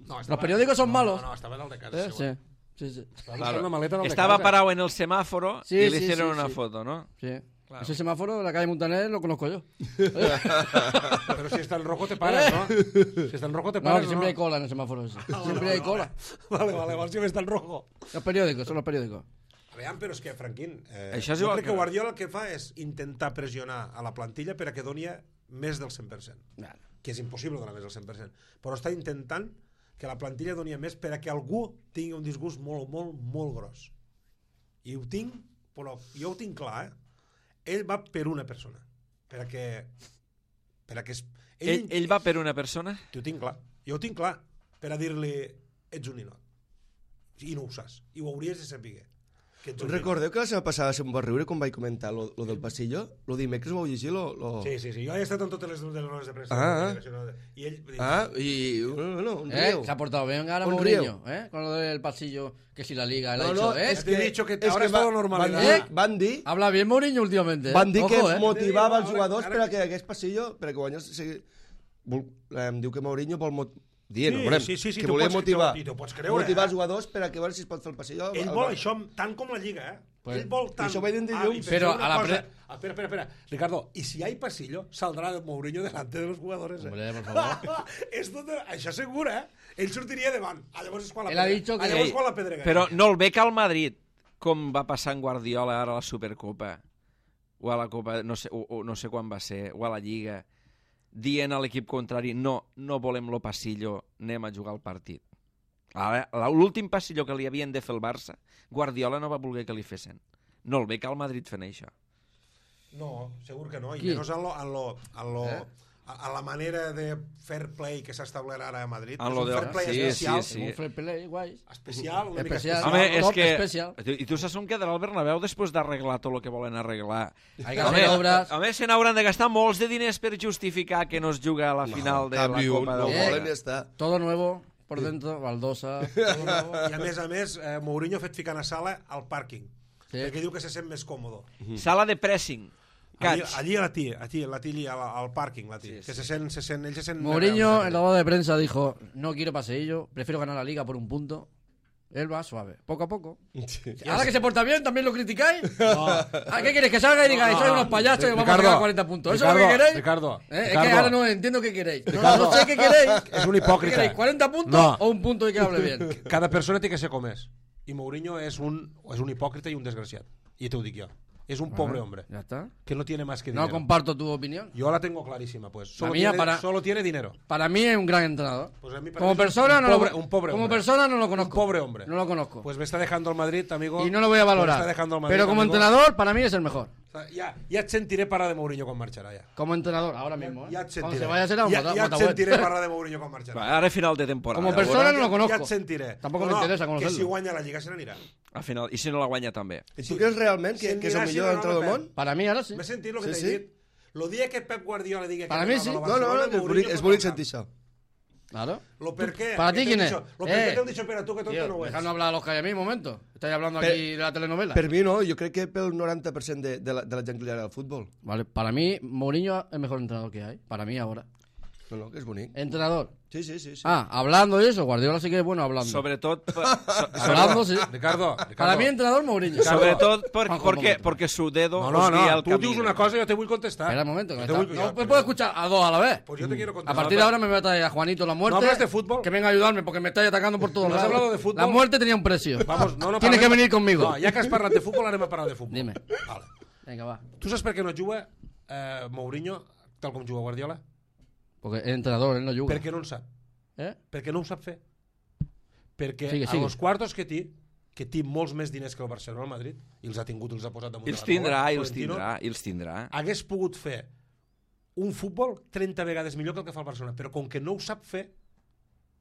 Speaker 3: No,
Speaker 4: Los periódicos son
Speaker 3: no,
Speaker 4: malos.
Speaker 3: No, no, estava en el de casa.
Speaker 4: Eh,
Speaker 3: segur.
Speaker 4: sí, sí, sí.
Speaker 3: Estava buscant una maleta en el de
Speaker 1: Estava
Speaker 3: casa.
Speaker 1: parado en el semàforo
Speaker 4: Sí,
Speaker 1: i li
Speaker 4: sí,
Speaker 1: hicieron
Speaker 4: sí,
Speaker 1: una
Speaker 4: sí.
Speaker 1: foto, ¿no?
Speaker 4: Sí.
Speaker 1: Claro.
Speaker 4: Ese semáforo de la calle Montaner lo conozco yo.
Speaker 3: Pero si está en rojo te paras, ¿no? Si está en rojo te
Speaker 4: No,
Speaker 3: paras,
Speaker 4: que siempre hay cola en el semáforo ese. Siempre hay cola.
Speaker 3: Vale, vale, vale, si está en rojo.
Speaker 4: Los periódicos, son los periódicos.
Speaker 3: Aviam, però és que, Franquín, eh,
Speaker 1: Això és
Speaker 3: jo
Speaker 1: igual
Speaker 3: crec que
Speaker 1: que-
Speaker 3: Guardiola el que fa és intentar pressionar a la plantilla per a que doni més del cent per cent.
Speaker 4: Claro.
Speaker 3: Que és impossible donar més del cent per cent. Però està intentant que la plantilla doni més per a que algú tingui un disgust molt, molt, molt gros. I ho tinc, però jo ho tinc clar, eh? Ell va per una persona. Per a que... Per a que... Es,
Speaker 1: Ell, ell va per una persona?
Speaker 3: Ho tinc clar. Jo ho tinc clar. Per a dir-li, ets un ninot. I no ho saps. I ho hauries de saber. Que ets un ninot.
Speaker 2: Recordeu que la setmana passada se'm va riure quan vaig comentar lo, lo del passillo? Lo dimecres ho vau llegir? Lo, lo...
Speaker 3: Sí, sí, sí. Jo he estat en totes les, de les rodes de premsa.
Speaker 2: Ah,
Speaker 3: I ell...
Speaker 2: Ah, y bueno, un
Speaker 4: ¿Eh?
Speaker 2: río.
Speaker 4: Se ha portado bien ahora
Speaker 2: Un
Speaker 4: Mourinho, ¿eh? Con lo del pasillo, que si la liga, él ha
Speaker 2: No,
Speaker 4: dicho,
Speaker 2: no,
Speaker 4: ¿eh?
Speaker 2: es
Speaker 3: Te he
Speaker 2: que,
Speaker 3: dicho que
Speaker 2: es
Speaker 3: ahora
Speaker 2: que
Speaker 3: es todo
Speaker 2: va-
Speaker 3: normalidad.
Speaker 2: Van dir,
Speaker 4: ¿Eh?
Speaker 2: van dir,
Speaker 4: Habla bien Mourinho últimamente, ¿eh?
Speaker 2: van dir que
Speaker 4: Ojo, ¿eh?
Speaker 2: motivava els
Speaker 3: Ara-
Speaker 2: jugadors
Speaker 3: ara-
Speaker 2: per a que hagués passillo, per a que guanyés... sigui, vol- Em diu que Mourinho vol... Mot... Dient,
Speaker 3: Sí,
Speaker 2: veurem,
Speaker 3: sí, sí, sí,
Speaker 2: que
Speaker 3: t'ho
Speaker 2: volia
Speaker 3: pots-
Speaker 2: motivar,
Speaker 3: t'ho- i t'ho pots creure,
Speaker 2: motivar
Speaker 3: eh?
Speaker 2: els jugadors per a que veure si es pot fer el passillo.
Speaker 3: Ell
Speaker 2: al
Speaker 3: vol
Speaker 2: Barça.
Speaker 3: això tant com la Lliga, eh?
Speaker 4: Pues-
Speaker 3: Ell vol tant...
Speaker 2: això ho vaig dir
Speaker 3: Ah,
Speaker 2: dilluns.
Speaker 3: i
Speaker 4: Però
Speaker 3: penseu una
Speaker 4: a la
Speaker 3: cosa.
Speaker 4: pre-
Speaker 3: Ah, espera, espera, espera. Ricardo, y si hay pasillo, saldrá Mourinho delante de los jugadores. Eh?
Speaker 4: Hombre, por favor.
Speaker 3: Esto te... Això segur, eh? Ell sortiria davant. Ah, llavors és quan la
Speaker 4: Él ha
Speaker 3: pedre-
Speaker 4: dicho que-
Speaker 3: Ah, llavors
Speaker 1: Ei,
Speaker 3: quan la pedrega.
Speaker 1: però no el bec al Madrid, com va passar en Guardiola ara a la Supercopa, o a la Copa, no sé, o, o no sé quan va ser, o a la Lliga, dient a l'equip contrari, no, no volem lo passillo, anem a jugar el partit. Ara, l'últim passilló que li havien de fer el Barça, Guardiola no va voler que li fessin. No el ve que el Madrid fent això.
Speaker 3: No, segur que no. I
Speaker 4: Qui?
Speaker 3: menys en, lo, en, lo, en, lo,
Speaker 4: Eh?
Speaker 3: a, a la manera de fair play que s'ha establert ara a Madrid.
Speaker 1: En
Speaker 3: És
Speaker 1: lo
Speaker 3: un
Speaker 1: de-
Speaker 3: fair play
Speaker 1: sí,
Speaker 3: especial.
Speaker 1: sí, sí.
Speaker 4: Un fair play, guai.
Speaker 3: Especial, una mica
Speaker 4: Especial.
Speaker 3: especial.
Speaker 1: Home, és
Speaker 4: top
Speaker 1: que...
Speaker 4: especial.
Speaker 1: I tu saps on quedarà el Bernabéu després d'arreglar tot el que volen arreglar?
Speaker 4: Hay que hacer obras.
Speaker 1: Home, se n'hauran de gastar molts de diners per justificar que no es juga a la final de la
Speaker 2: Canvi un,
Speaker 1: Copa
Speaker 2: no
Speaker 1: del
Speaker 4: Eh.
Speaker 2: volen
Speaker 1: Món.
Speaker 2: i ja està.
Speaker 4: Todo nuevo por dentro, baldosa. Todo nuevo.
Speaker 3: I a més a més, eh, Mourinho ha fet ficar a sala al pàrquing.
Speaker 4: Sí.
Speaker 3: Perquè diu que se sent més còmodo.
Speaker 1: Sala de pressing.
Speaker 3: Allí,
Speaker 1: Catch.
Speaker 3: allí a la tía, allí, la tía, al, al parking, la tía.
Speaker 1: Sí,
Speaker 3: que
Speaker 1: sí.
Speaker 3: se sent, se sent, ell se sent...
Speaker 4: Mourinho en la rueda de prensa dijo, no quiero paseillo, prefiero ganar la liga por un punto. Él va suave, poco a poco. Ahora que se porta bien, ¿también lo criticáis? No. ¿A qué queréis? Que salga y digáis, sois unos payasos y vamos a ganar cuarenta puntos. ¿Eso es lo que queréis?
Speaker 3: Ricardo,
Speaker 4: ¿Eh? Es
Speaker 3: Ricardo.
Speaker 4: que ahora no entiendo qué queréis. No, no sé qué queréis.
Speaker 3: És un
Speaker 4: ¿Qué
Speaker 3: hipòcrita.
Speaker 4: queréis? ¿cuarenta puntos
Speaker 3: No.
Speaker 4: o un punto y que hable bien?
Speaker 3: Cada persona té que ser com és. I Mourinho és un, és un hipòcrita i un desgraciat. I te ho dic jo. Es un pobre hombre
Speaker 4: Ya está.
Speaker 3: que no tiene más que
Speaker 4: No
Speaker 3: dinero.
Speaker 4: comparto tu opinión.
Speaker 3: Yo la tengo clarísima, pues. Solo,
Speaker 4: mía
Speaker 3: tiene,
Speaker 4: para-
Speaker 3: solo tiene dinero.
Speaker 4: Para mí es un gran entrenador.
Speaker 3: Pues a mí parece
Speaker 4: Como
Speaker 3: un
Speaker 4: persona no
Speaker 3: pobre-
Speaker 4: lo,
Speaker 3: un pobre
Speaker 4: como
Speaker 3: hombre.
Speaker 4: persona no lo conozco.
Speaker 3: Un pobre hombre.
Speaker 4: No lo conozco.
Speaker 3: Pues me está dejando el Madrid, amigo.
Speaker 4: y no lo voy a
Speaker 3: Me
Speaker 4: valorar.
Speaker 3: está dejando el Madrid,
Speaker 4: Pero como
Speaker 3: amigo.
Speaker 4: entrenador, para mí es el mejor.
Speaker 3: O sea, ya, ya et sentiré parlar de Mourinho quan marxarà, ja.
Speaker 4: Como entrenador, ahora mismo. ¿eh?
Speaker 3: Ja et
Speaker 4: Cuando
Speaker 3: sentiré.
Speaker 4: se vaya será un
Speaker 3: ja,
Speaker 4: bota-
Speaker 3: ja et
Speaker 4: botabuet.
Speaker 3: sentiré parlar de Mourinho quan marxarà.
Speaker 1: Va, ara a final de temporada.
Speaker 4: Como
Speaker 1: a
Speaker 4: persona
Speaker 1: veure,
Speaker 4: no lo conozco.
Speaker 3: Ja et sentiré.
Speaker 4: Tampoco
Speaker 3: no,
Speaker 4: me interesa
Speaker 3: no,
Speaker 4: conocerlo.
Speaker 3: Que si guanya la Lliga se n'anirà.
Speaker 1: a final, I si no la guanya també.
Speaker 2: I tu creus realment que, que és el
Speaker 3: Sentirà, sí,
Speaker 2: millor
Speaker 3: no, no,
Speaker 2: entrenador del
Speaker 3: Pep.
Speaker 2: món?
Speaker 4: Para mí ahora sí.
Speaker 3: M'he sentit el que
Speaker 2: Sí,
Speaker 3: t'he
Speaker 2: sí.
Speaker 3: dit. Lo dia que Pep Guardiola digui que
Speaker 4: Para
Speaker 3: ha
Speaker 4: mí
Speaker 3: ganat
Speaker 4: sí.
Speaker 3: a la
Speaker 2: No, no,
Speaker 3: Barcelona,
Speaker 2: no, que és
Speaker 3: Mourinho
Speaker 2: bonic, és
Speaker 3: pot
Speaker 2: bonic
Speaker 3: marcar.
Speaker 2: sentir això.
Speaker 4: Claro.
Speaker 3: Lo per qué.
Speaker 4: ¿Para
Speaker 3: que
Speaker 4: ti
Speaker 3: t'he
Speaker 4: quién
Speaker 3: dit
Speaker 4: es?
Speaker 3: això. Lo per qué
Speaker 4: Eh.
Speaker 3: t'ho dicho, pero tú que tonto
Speaker 4: Tío,
Speaker 3: no ho
Speaker 4: dejadnos
Speaker 3: ets.
Speaker 4: hablar a los que hay a mí un momento. Estáis hablando
Speaker 2: Per-
Speaker 4: aquí de la telenovela.
Speaker 2: Per mi no, jo crec que pel noranta per cent de, de, la, de la gent que li agrada el futbol.
Speaker 4: Vale, para mí Mourinho es el mejor entrenador que hay. Para mí ahora.
Speaker 2: No, no, que és bonic.
Speaker 4: Entrenador.
Speaker 2: Sí, sí, sí. sí.
Speaker 4: Ah, hablando y eso. Guardiola sí que es bueno hablando.
Speaker 1: Sobretot, per, so,
Speaker 4: Hablando, sí.
Speaker 3: Ricardo,
Speaker 4: Para
Speaker 3: Ricardo.
Speaker 4: mí entrenador Mourinho.
Speaker 1: sobretot per,
Speaker 4: Juanjo,
Speaker 1: perquè,
Speaker 4: un momento.
Speaker 1: perquè su dedo
Speaker 3: No,
Speaker 1: os
Speaker 3: no,
Speaker 1: guia
Speaker 3: no.
Speaker 1: el
Speaker 3: Tú
Speaker 1: camino.
Speaker 3: dius una cosa y yo te voy a contestar.
Speaker 4: Espera un momento. que
Speaker 3: Yo
Speaker 4: me
Speaker 3: te
Speaker 4: está-
Speaker 3: voy-
Speaker 4: No
Speaker 3: yo-
Speaker 4: me puedo escuchar a dos a la vez.
Speaker 3: Pues yo te quiero
Speaker 4: A
Speaker 3: contestar.
Speaker 4: partir de ahora me voy a traer a Juanito la muerte.
Speaker 3: ¿No hablas de fútbol?
Speaker 4: Que venga a ayudarme porque me estáis atacando por todos
Speaker 3: ¿No has
Speaker 4: lados.
Speaker 3: hablado de fútbol?
Speaker 4: La muerte tenía un precio.
Speaker 3: Vamos, no, no
Speaker 4: Tienes que
Speaker 3: parlem-
Speaker 4: venir conmigo.
Speaker 3: No, ja que has parlat de futbol, anem a parlar de futbol.
Speaker 4: Dime.
Speaker 3: Vale.
Speaker 4: Venga, va.
Speaker 3: Tu saps per què no juga eh, Mourinho tal com juga Guardiola?
Speaker 4: Porque es entrenador, él no juga.
Speaker 3: Perquè no en sap.
Speaker 4: ¿Eh?
Speaker 3: Perquè no ho sap fer. Perquè
Speaker 4: Sigue,
Speaker 3: a
Speaker 4: sigue.
Speaker 3: los quartos que té, que té molts més diners que el Barcelona al Madrid, i els ha tingut i els ha posat damunt
Speaker 1: I els
Speaker 3: de la taula,
Speaker 1: tindrà, i els
Speaker 3: Florentino,
Speaker 1: tindrà, i els tindrà.
Speaker 3: hagués pogut fer un futbol trenta vegades millor que el que fa el Barcelona, però com que no ho sap fer,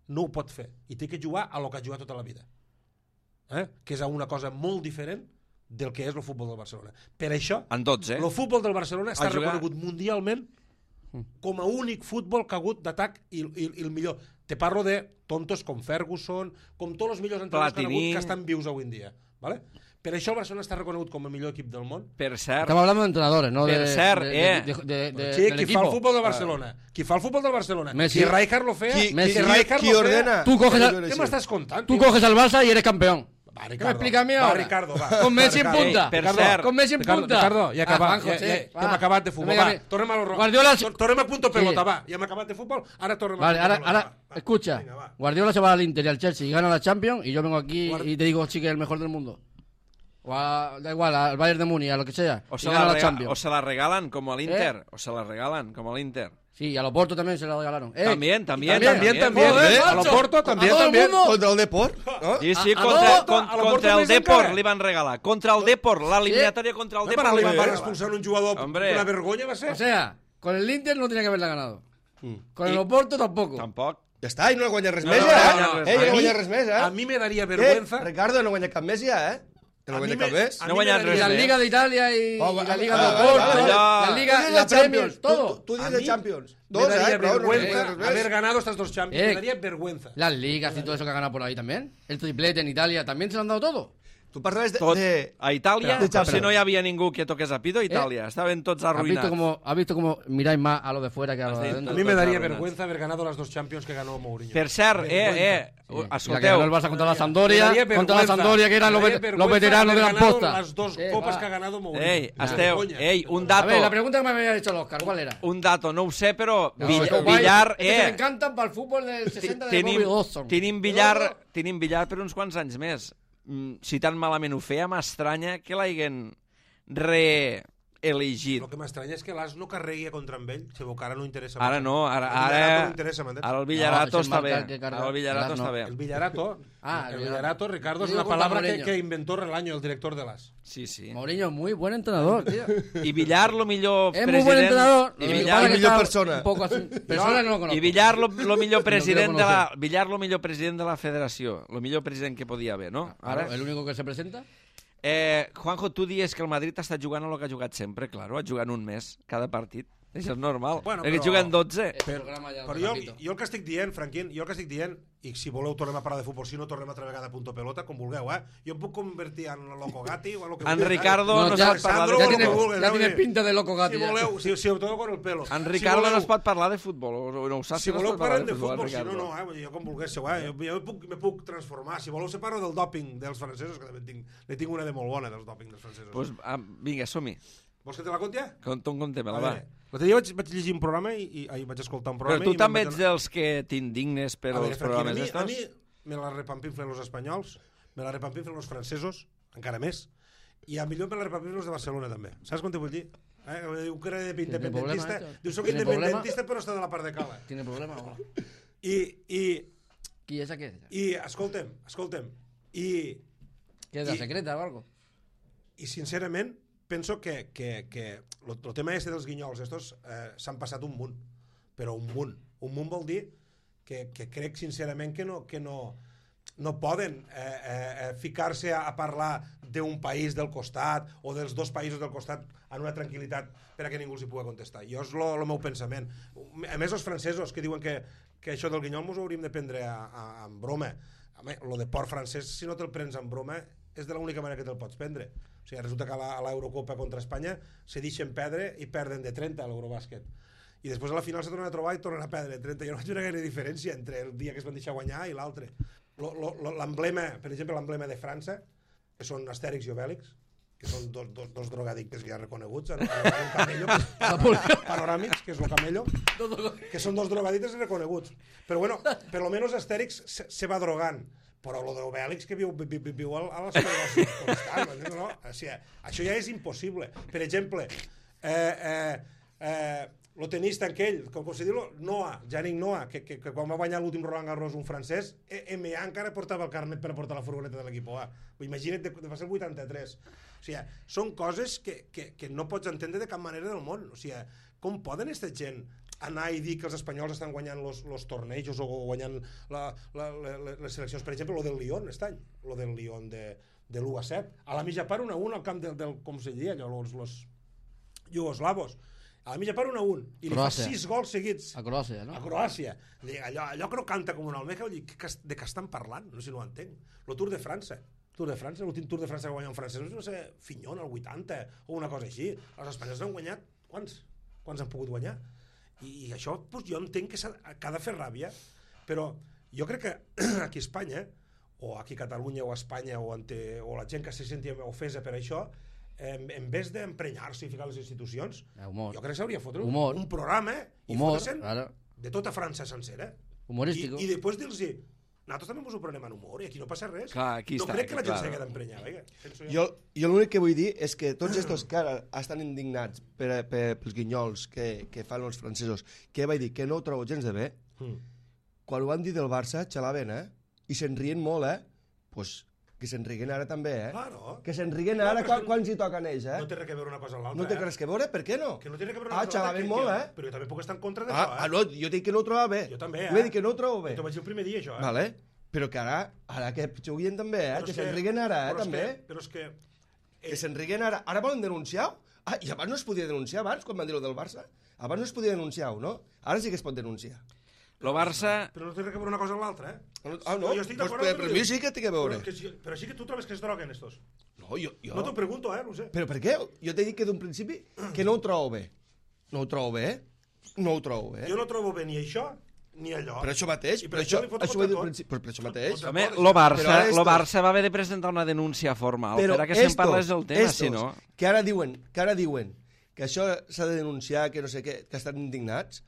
Speaker 3: no ho pot fer. I té que jugar a lo que ha jugat tota la vida. Eh? Que és a una cosa molt diferent del que és el futbol del Barcelona. Per això,
Speaker 1: En tots, eh?
Speaker 3: el futbol del Barcelona està
Speaker 1: A jugar-
Speaker 3: reconegut mundialment com a únic futbol que ha hagut d'atac i, i, i el millor. Te parlo de tontos com Ferguson, com tots els millors entrenadors que han
Speaker 1: Platini.
Speaker 3: hagut que estan vius avui en dia. ¿Vale? Per això el Barcelona està reconegut com a millor equip del món.
Speaker 1: Per cert,
Speaker 4: Estamos hablando de entrenadores, no de,
Speaker 1: Per cert,
Speaker 4: de,
Speaker 1: eh.
Speaker 4: de, de, de,
Speaker 3: Sí,
Speaker 4: del
Speaker 3: qui
Speaker 4: equipo.
Speaker 3: fa el futbol del Barcelona. Qui fa el futbol del Barcelona.
Speaker 4: Messi.
Speaker 3: Si Rijkaard lo feia,
Speaker 2: Qui,
Speaker 4: Messi.
Speaker 3: si
Speaker 2: qui,
Speaker 3: Rijkaard
Speaker 2: qui
Speaker 3: lo
Speaker 2: ordena?
Speaker 3: feia...
Speaker 4: Tú coges
Speaker 2: Qui
Speaker 4: el-
Speaker 2: ordena
Speaker 3: Què
Speaker 2: això?
Speaker 3: m'estàs contant?
Speaker 4: Tú
Speaker 3: tio?
Speaker 4: coges al Barça y eres campeón.
Speaker 3: Va,
Speaker 4: ¿Qué me
Speaker 3: Ricardo.
Speaker 4: explica a mí
Speaker 3: Va,
Speaker 4: ahora?
Speaker 3: Ricardo, va.
Speaker 4: Con Messi en
Speaker 3: Va, Ricardo.
Speaker 4: punta.
Speaker 1: Per
Speaker 3: Ricardo,
Speaker 1: cert,
Speaker 4: Con Messi en
Speaker 3: Ricardo,
Speaker 4: punta.
Speaker 3: Ricardo, ja,
Speaker 4: Ah,
Speaker 3: acabat,
Speaker 4: Juanjo,
Speaker 3: ja,
Speaker 4: sí,
Speaker 3: ja, ja
Speaker 4: va.
Speaker 3: hem acabat de
Speaker 4: No
Speaker 3: futbol.
Speaker 4: me
Speaker 3: Va,
Speaker 4: digas-
Speaker 3: tornem a lo
Speaker 4: Guardiola-
Speaker 3: Tor- Tornem a punto pelota,
Speaker 4: Sí.
Speaker 3: va. Ja hem acabat de futbol, ara tornem
Speaker 4: Vale,
Speaker 3: a
Speaker 4: ahora,
Speaker 3: punto pelota.
Speaker 4: ahora,
Speaker 3: va.
Speaker 4: escucha.
Speaker 3: Venga, va.
Speaker 4: Guardiola se va al Inter y al Chelsea y gana la Champions y yo vengo aquí
Speaker 3: Guardi-
Speaker 4: y te digo, sí, que es el mejor del mundo. O a- da igual, al Bayern de Múnich, a lo que sea.
Speaker 1: o
Speaker 4: y
Speaker 1: se,
Speaker 4: gana
Speaker 1: la
Speaker 4: la
Speaker 1: rega-
Speaker 4: Champions.
Speaker 1: o se la regalan com a l'Inter, o se la regalan com a l'Inter.
Speaker 4: Sí, y a los Porto también se la regalaron. Eh,
Speaker 1: También, también,
Speaker 3: También, también.
Speaker 4: Joder,
Speaker 3: eh, A
Speaker 4: macho.
Speaker 3: Loporto también,
Speaker 4: A todo el
Speaker 3: también.
Speaker 4: mundo.
Speaker 2: Contra el Deport? No?
Speaker 1: Sí, sí,
Speaker 4: A- a
Speaker 1: contra,
Speaker 4: Loporto,
Speaker 1: con-
Speaker 3: a Loporto
Speaker 1: contra el
Speaker 3: més
Speaker 1: Deport
Speaker 3: encara.
Speaker 1: li van regalar. Contra el Deport, l'eliminatòria contra el
Speaker 3: Home,
Speaker 1: Deport
Speaker 3: per
Speaker 1: li
Speaker 3: li
Speaker 1: van
Speaker 3: van
Speaker 1: regalar.
Speaker 3: expulsar un jugador.
Speaker 1: Hombre.
Speaker 3: Una vergonya va ser.
Speaker 4: O sea, con el Inter no tenía que haberla ganado.
Speaker 2: Mm.
Speaker 4: Con el
Speaker 1: I-
Speaker 4: Oporto tampoco.
Speaker 1: Tampoc.
Speaker 2: Ja està, i no ha guanyat res
Speaker 1: No,
Speaker 2: més,
Speaker 1: no,
Speaker 2: ja,
Speaker 1: no,
Speaker 2: eh?
Speaker 1: no, no,
Speaker 2: Eh,
Speaker 1: no.
Speaker 2: no ha
Speaker 3: A mi-
Speaker 2: guanyat res més, eh?
Speaker 3: A mi me daria
Speaker 2: Eh,
Speaker 3: vergüenza.
Speaker 2: Ricardo, no ha guanyat cap més, ja, eh? Que no
Speaker 3: A
Speaker 2: ha
Speaker 3: mi
Speaker 2: guanyat
Speaker 3: me-
Speaker 2: cap més.
Speaker 3: a
Speaker 1: No
Speaker 3: mi me
Speaker 1: guanyat
Speaker 4: Y
Speaker 1: res
Speaker 3: daria-
Speaker 4: la
Speaker 1: més.
Speaker 4: Liga de Italia y,
Speaker 2: Oh,
Speaker 4: y la
Speaker 2: vale,
Speaker 4: Liga
Speaker 2: vale,
Speaker 4: de
Speaker 2: vale,
Speaker 4: Oporto,
Speaker 2: vale,
Speaker 1: vale.
Speaker 4: la Liga,
Speaker 2: Tu dius
Speaker 4: la
Speaker 2: de
Speaker 4: Premier,
Speaker 2: Champions,
Speaker 4: todo.
Speaker 2: Tu, tu dius
Speaker 3: A
Speaker 2: de
Speaker 3: mi
Speaker 2: Champions.
Speaker 3: Me
Speaker 2: Dos,
Speaker 3: daría
Speaker 2: eh? Prou, no
Speaker 3: vergüenza
Speaker 2: guanyat res més.
Speaker 3: haber ganado estas dos Champions.
Speaker 4: Eh.
Speaker 3: Me daría vergüenza.
Speaker 4: Las ligas y todo eso que ha ganado por ahí también. El triplete en Italia también se lo han dado todo.
Speaker 2: Tu parlaves de...
Speaker 1: Tot,
Speaker 2: de...
Speaker 1: a Itàlia,
Speaker 2: De Champions.
Speaker 1: si no hi havia ningú que toqués a pito, a Itàlia. Estaven tots
Speaker 4: ¿Has visto,
Speaker 1: arruïnats.
Speaker 4: cómo, ¿Has visto cómo miráis más a lo de fuera que a lo de
Speaker 1: Has
Speaker 4: adentro?
Speaker 3: A mí me
Speaker 1: Tots
Speaker 3: daría
Speaker 1: arruïnats.
Speaker 3: vergüenza haber ganado las dos Champions que ganó Mourinho.
Speaker 1: Per cert, eh, eh,
Speaker 4: Sí. Y la que
Speaker 1: escolteu,
Speaker 4: ganó el Barça contra la
Speaker 3: Me
Speaker 4: Sampdoria,
Speaker 3: daría
Speaker 4: contra la
Speaker 3: vergüenza.
Speaker 4: Sampdoria, que eran
Speaker 3: Me
Speaker 4: los,
Speaker 3: daría
Speaker 4: vet- los
Speaker 3: vergüenza
Speaker 4: veteranos de
Speaker 3: haber
Speaker 4: la
Speaker 3: ganado
Speaker 4: posta.
Speaker 3: Las dos
Speaker 4: Eh,
Speaker 3: copas
Speaker 4: va.
Speaker 3: que ha ganado Mourinho.
Speaker 1: ei,
Speaker 3: Una
Speaker 1: esteu,
Speaker 3: vergonya.
Speaker 1: ei, un
Speaker 4: A
Speaker 1: dato,
Speaker 4: ver, la pregunta que me había hecho el Oscar, ¿cuál era?
Speaker 1: un dato, no ho sé, però
Speaker 4: No,
Speaker 1: Vill-
Speaker 4: es que guay,
Speaker 1: Villar,
Speaker 4: es que se me
Speaker 1: eh,
Speaker 4: encantan para el fútbol del sesenta de
Speaker 1: tenim,
Speaker 4: Bobby Dawson.
Speaker 1: tenim Villar, tenim Villar per uns quants anys més. Mm, Si tan malament ho feia, m'estranya que l'haguin re... elegit.
Speaker 3: El que m'estranya és que l'As no carregui contra amb ell, si que ara no interessa.
Speaker 1: Ara no, ara,
Speaker 3: El Villarato
Speaker 1: ara,
Speaker 3: no interessa, m'entens?
Speaker 1: ara el Villarato
Speaker 4: No,
Speaker 1: està
Speaker 4: és
Speaker 1: bé.
Speaker 4: el marcat que carga.
Speaker 1: Ara el Villarato
Speaker 4: El
Speaker 1: està
Speaker 4: no.
Speaker 1: bé.
Speaker 3: El Villarato,
Speaker 4: Ah,
Speaker 3: el
Speaker 4: el
Speaker 3: Villarato, Ricardo, es
Speaker 4: Digo
Speaker 3: una
Speaker 4: contra
Speaker 3: palabra que,
Speaker 4: Mourinho.
Speaker 3: que inventó Relaño, el director de l'As.
Speaker 1: Sí, sí.
Speaker 4: Mourinho, muy buen entrenador, tío.
Speaker 1: I Villar, lo millor
Speaker 4: Es
Speaker 1: president...
Speaker 4: muy buen entrenador.
Speaker 1: I
Speaker 4: Lo que
Speaker 1: Villar,
Speaker 4: pasa es que
Speaker 2: millor
Speaker 4: está
Speaker 2: persona.
Speaker 4: Un poco así. Persona no lo conozco.
Speaker 1: I Villar, lo, lo millor president
Speaker 4: No
Speaker 1: de
Speaker 4: quiero
Speaker 1: la... Villar, lo millor president de la federació. Lo millor president que podia haver, no?
Speaker 4: Claro,
Speaker 1: Ara...
Speaker 4: el único que se presenta.
Speaker 1: Eh, Juanjo, tu dius que el Madrid està jugant el que ha jugat sempre, claro, ha jugat un mes cada partit. Això és normal,
Speaker 3: Bueno,
Speaker 1: perquè
Speaker 3: però-
Speaker 1: juguen dotze.
Speaker 4: El programa ya lo
Speaker 3: Però jo,
Speaker 4: repito.
Speaker 3: jo el que estic dient, Franquín, jo el que estic dient, i si voleu tornem a parlar de futbol, si no tornem altra vegada a Punto Pelota, com vulgueu, eh? Jo em puc convertir en Loco Gatti o en lo que
Speaker 1: En
Speaker 3: vulgueu,
Speaker 1: Ricardo
Speaker 3: eh?
Speaker 1: no
Speaker 4: ya,
Speaker 1: sap parlar de
Speaker 3: Alessandro,
Speaker 4: ya
Speaker 3: o lo
Speaker 4: tiene,
Speaker 3: que vulgueu,
Speaker 4: ya
Speaker 3: eh?
Speaker 4: tiene pinta de loco Gatti.
Speaker 3: Si
Speaker 4: ya.
Speaker 3: voleu, si, si todo con el pelo.
Speaker 1: En
Speaker 3: Si
Speaker 1: Ricardo
Speaker 3: voleu-
Speaker 1: no es pot parlar de futbol, o no ho saps.
Speaker 3: Si
Speaker 1: no es
Speaker 3: voleu
Speaker 1: pot parlar
Speaker 3: parlem de futbol, si
Speaker 1: Ricardo.
Speaker 3: no, no, eh? Vull dir, jo com volguéssiu, eh? Jo, jo me, puc, me puc transformar. Si voleu separo del dòping dels francesos, que també tinc, ne tinc una de molt bona, dels dòping dels francesos.
Speaker 1: Pues, ah, vinga, som-hi.
Speaker 3: Vols que te la conti, ja?
Speaker 1: Contem, contem-la,
Speaker 3: A
Speaker 1: va.
Speaker 3: veure, l'altre dia vaig, vaig llegir un programa i, i, i vaig escoltar un
Speaker 1: Però
Speaker 3: programa
Speaker 1: tu
Speaker 3: i
Speaker 1: també
Speaker 3: me'n
Speaker 1: ets
Speaker 3: vaig
Speaker 1: dels que t'indignes per
Speaker 3: A veure,
Speaker 1: els
Speaker 3: Franquín,
Speaker 1: programes
Speaker 3: a mi, a
Speaker 1: estos?
Speaker 3: mi me la repampinflen los espanyols, me la repampinflen los francesos, encara més, i a millor me la repampinflen los de Barcelona també. Saps quan te vull dir? Eh? Diu que era independentista,
Speaker 4: problema,
Speaker 3: diu soc
Speaker 4: ¿Tiene
Speaker 3: independentista però està de la part de cala.
Speaker 4: ¿Tiene problema o no?
Speaker 3: I, i,
Speaker 4: ¿Y esa qué?
Speaker 3: i escolta'm, escolta'm, i,
Speaker 4: ¿Qué es la
Speaker 3: y-
Speaker 4: secreta o algo?
Speaker 3: i sincerament penso que, que, que el, el tema este dels guinyols estos eh, s'han passat un munt, però un munt. Un munt vol dir que, que crec sincerament que no, que no, no poden eh, eh, ficar-se a, a parlar d'un país del costat o dels dos països del costat en una tranquil·litat per a que ningú els hi pugui contestar. Jo és el meu pensament. A més, els francesos que diuen que, que això del guinyol mos ho hauríem de prendre a, a, en broma. Home, lo de port francès, si no te'l prens en broma, és de l'única manera que te'l pots prendre. O sigui, resulta que a l'Eurocopa contra Espanya se deixen perdre i perden de trenta a l'Eurobàsquet. I després a la final se tornen a trobar i tornen a perdre de trenta. Jo no vaig veure gaire diferència entre el dia que es van deixar guanyar i l'altre. L'emblema, per exemple, l'emblema de França, que són Astèrix i Obèlix, que són dos, dos, dos drogadictes ja reconeguts, en, en un camello, panoràmics, que és el camello, que són dos drogadictes reconeguts. Però bueno, per lo menos Astèrix se, se va drogant. Però lo d'Obèlix que viu, viu, viu a la seva constant, no? no? O sigui, això ja és impossible. Per exemple, eh, eh, eh, lo tenista aquell, com, com se diu, Noah, Yannick Noah, que, que, que quan va guanyar l'últim Roland Garros un francès, M A encara portava el carnet per a portar la furgoneta de l'equip A. Imagina't, de, de va ser el vuitanta-tres. O sigui, són coses que, que, que no pots entendre de cap manera del món. O sigui, com poden aquesta gent anar i dir que els espanyols estan guanyant els tornejos o guanyant la, la, la, les seleccions, per exemple, lo del Lyon aquest any, lo del Lyon de, de l'u a set, a la mitja part un a un al camp del, del com se diria allò, els, els iugoslavos, a la mitja part un a un, i li fa
Speaker 4: Croàcia.
Speaker 3: sis gols seguits
Speaker 4: A Croàcia, ¿no?
Speaker 3: a Croàcia. Allò, allò que no canta com un almeja, vull dir, que, de què estan parlant? No sé si no ho entenc. El Tour de França, Tour de França, l'últim Tour de França que guanya un francès, no sé, Fignon, el vuitanta, o una cosa així. Els espanyols han guanyat, quants? Quants han pogut guanyar? I, i això, doncs, jo entenc que, que ha de fer ràbia, però jo crec que aquí a Espanya, o aquí a Catalunya o a Espanya, o, ante, o la gent que se sentia ofesa per això, en, en vez d'emprenyar-se i ficar les institucions,
Speaker 4: Humor.
Speaker 3: jo crec que s'hauria de fotre un,
Speaker 4: Humor.
Speaker 3: un programa i
Speaker 4: Humor,
Speaker 3: fotre-se'n
Speaker 4: claro.
Speaker 3: de tota França sencera.
Speaker 4: Humorístico.
Speaker 3: I, i després dir-los, nosaltres també ens ho prenem en humor i aquí no passa res.
Speaker 1: Clar, aquí
Speaker 3: no
Speaker 1: està,
Speaker 3: crec que la gent
Speaker 1: clar.
Speaker 3: s'hagi d'emprenyar. Vinga, penso
Speaker 2: Jo, jo l'únic que vull dir és que tots estos que ara estan indignats per, per, pels guinyols que, que fan els francesos, que vaig dir que no ho trobo gens de bé,
Speaker 3: Mm.
Speaker 2: quan ho van dir del Barça, xalaven, eh? I se'n rien molt, eh? Pues que se'n riguen ara també, eh?
Speaker 3: Claro.
Speaker 2: Que se'n riguen
Speaker 3: No,
Speaker 2: ara
Speaker 3: però és
Speaker 2: quan,
Speaker 3: que
Speaker 2: quan s'hi toquen ells, eh?
Speaker 3: No té res que veure una cosa amb l'altra.
Speaker 2: No té
Speaker 3: eh?
Speaker 2: res que veure, per què no?
Speaker 3: Que no té res que veure
Speaker 2: Ah,
Speaker 3: una cosa amb l'altra.
Speaker 2: xalaven
Speaker 3: que-
Speaker 2: molt,
Speaker 3: que-
Speaker 2: eh?
Speaker 3: Però jo també puc estar en contra
Speaker 2: Ah,
Speaker 3: d'això,
Speaker 2: ah,
Speaker 3: eh?
Speaker 2: no, jo dic que no ho trobo bé.
Speaker 3: Jo també,
Speaker 2: Vull
Speaker 3: eh?
Speaker 2: dir que no ho trobo bé.
Speaker 3: T'ho vaig dir el primer dia, això, eh?
Speaker 2: Vale? Però que ara, ara que juguin també, eh?
Speaker 3: Però
Speaker 2: Que
Speaker 3: és
Speaker 2: se'n riguen ara, eh?
Speaker 3: però és
Speaker 2: També.
Speaker 3: Que, però és que...
Speaker 2: Que se'n riguen ara. Ara volen denunciar-ho? Ah, i abans no es podia denunciar, abans, quan van dir-ho del Barça? Abans no es podia denunciar-ho, no? Ara sí que es pot denunciar.
Speaker 1: Lo Barça...
Speaker 3: Però no té res que veure una cosa amb l'altra, eh?
Speaker 2: Ah, no?
Speaker 3: Jo estic
Speaker 2: Pues,
Speaker 3: d'acord
Speaker 2: per,
Speaker 3: amb
Speaker 2: per
Speaker 3: el que
Speaker 2: mi
Speaker 3: dius.
Speaker 2: sí que té que veure.
Speaker 3: Però, que, si- però sí que tu trobes que es droguen, estos.
Speaker 2: No, jo... jo...
Speaker 3: No t'ho pregunto, eh? No ho sé.
Speaker 2: Però per què? Jo t'he dit que d'un principi que no ho trobo bé. No ho trobo bé, no ho trobo bé.
Speaker 3: Jo no trobo bé ni això ni allò.
Speaker 2: Per això mateix,
Speaker 3: I
Speaker 2: per
Speaker 3: per
Speaker 2: això,
Speaker 3: això li foto
Speaker 2: això ho he dit al
Speaker 3: contra tot.
Speaker 2: principi, per, per això mateix.
Speaker 3: Contra-
Speaker 1: Home,
Speaker 3: Però
Speaker 1: lo
Speaker 2: ara
Speaker 1: Barça,
Speaker 2: estos-
Speaker 1: lo Barça va haver de presentar una denúncia formal
Speaker 2: Però
Speaker 1: per a que se'n
Speaker 2: estos,
Speaker 1: parlés del tema,
Speaker 2: estos,
Speaker 1: si no...
Speaker 2: que ara diuen, que ara diuen que això s'ha de denunciar, que no sé què, que estan indignats,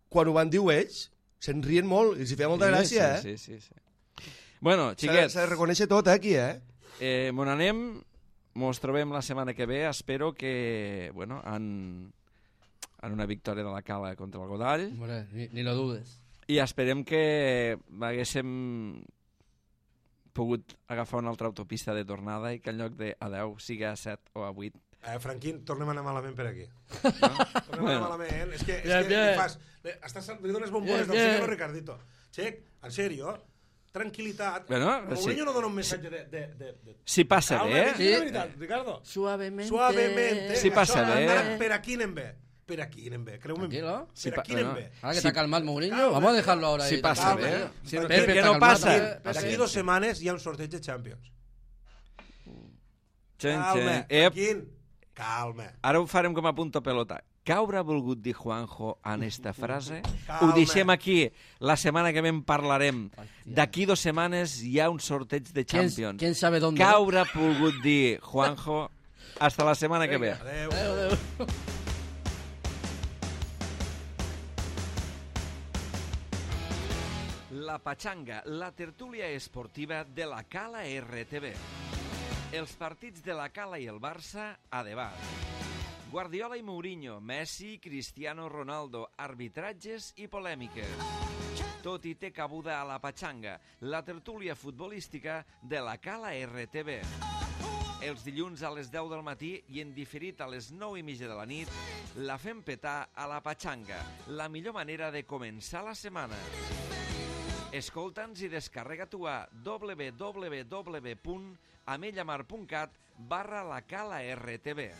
Speaker 2: quan ho van dir ells, se'n rien molt, i els hi feia molta gràcia,
Speaker 1: sí,
Speaker 2: eh?
Speaker 1: Sí, sí, sí. Bueno,
Speaker 2: S'ha de-
Speaker 1: xiquets,
Speaker 2: S'ha de reconèixer tot, eh, aquí, eh?
Speaker 1: eh, mon anem mos trobem la setmana que ve. Espero que, bueno, en, en una victòria de la Cala contra el Godall.
Speaker 4: Hombre, ni, ni lo dudes.
Speaker 1: I esperem que haguéssim pogut agafar una altra autopista de tornada i que en lloc de a deu sigui a set o a vuit.
Speaker 3: Eh, Franquín, tornem a anar malament per aquí. No? Tornem a anar malament. És que, és
Speaker 4: Bien,
Speaker 3: que
Speaker 4: bien.
Speaker 3: li fas... Le, estàs, li dones bombones
Speaker 4: Bien,
Speaker 3: del
Speaker 4: bien.
Speaker 3: senyor Ricardito. Xec, en sèrio, tranquil·litat.
Speaker 1: Bueno,
Speaker 3: Mourinho
Speaker 1: sí.
Speaker 3: no dona un missatge de... de, de, de...
Speaker 1: Si passa
Speaker 3: Calma,
Speaker 1: bé...
Speaker 3: sí. La veritat, Ricardo.
Speaker 4: Suavemente.
Speaker 3: Suavemente.
Speaker 1: Sí passa
Speaker 3: Això,
Speaker 1: bé.
Speaker 3: ara, per aquí anem bé. Per aquí anem bé. Creu-me.
Speaker 4: Tranquilo.
Speaker 1: Sí,
Speaker 3: Per
Speaker 1: pa-
Speaker 3: aquí anem
Speaker 1: bueno.
Speaker 3: bé.
Speaker 4: Ahora que
Speaker 1: Sí.
Speaker 4: te ha calmado Mourinho,
Speaker 3: Calma.
Speaker 4: vamos a dejarlo ahora ahí.
Speaker 1: Si passa
Speaker 3: Calma,
Speaker 1: bé.
Speaker 3: eh?
Speaker 1: Si
Speaker 3: Per
Speaker 1: no,
Speaker 3: què?
Speaker 1: que
Speaker 4: Pepe
Speaker 1: no
Speaker 4: està
Speaker 1: passa.
Speaker 4: calmat,
Speaker 3: D'aquí
Speaker 4: Paciencia.
Speaker 3: dues setmanes hi ha un sorteig de Champions.
Speaker 1: Xen,
Speaker 3: Calma,
Speaker 1: xen. Ep,
Speaker 3: Franquín. Calma.
Speaker 1: ara ho farem com a punto pelota. Què haurà volgut dir Juanjo en esta frase?
Speaker 3: Calma.
Speaker 1: Ho deixem aquí. La setmana que ve en parlarem. D'aquí dues setmanes hi ha un sorteig de
Speaker 4: ¿Quién,
Speaker 1: Champions.
Speaker 4: ¿Quién sabe dónde?
Speaker 1: Què haurà volgut dir Juanjo? Hasta la setmana que ve.
Speaker 3: Adéu.
Speaker 4: Adeu, adeu.
Speaker 1: La Pachanga, la tertúlia esportiva de la Cala R T V. Els partits de la Cala i el Barça a debat. Guardiola i Mourinho, Messi, Cristiano Ronaldo, arbitratges i polèmiques. Tot hi té cabuda a la Pachanga, la tertúlia futbolística de la Cala R T V. Els dilluns a les deu del matí i en diferit a les nou i mitja de la nit, la fem petar a la Pachanga, la millor manera de començar la setmana. Escolta'ns i descarrega-t'ho a w w w punt amellamar punt cat barra la Cala R T V.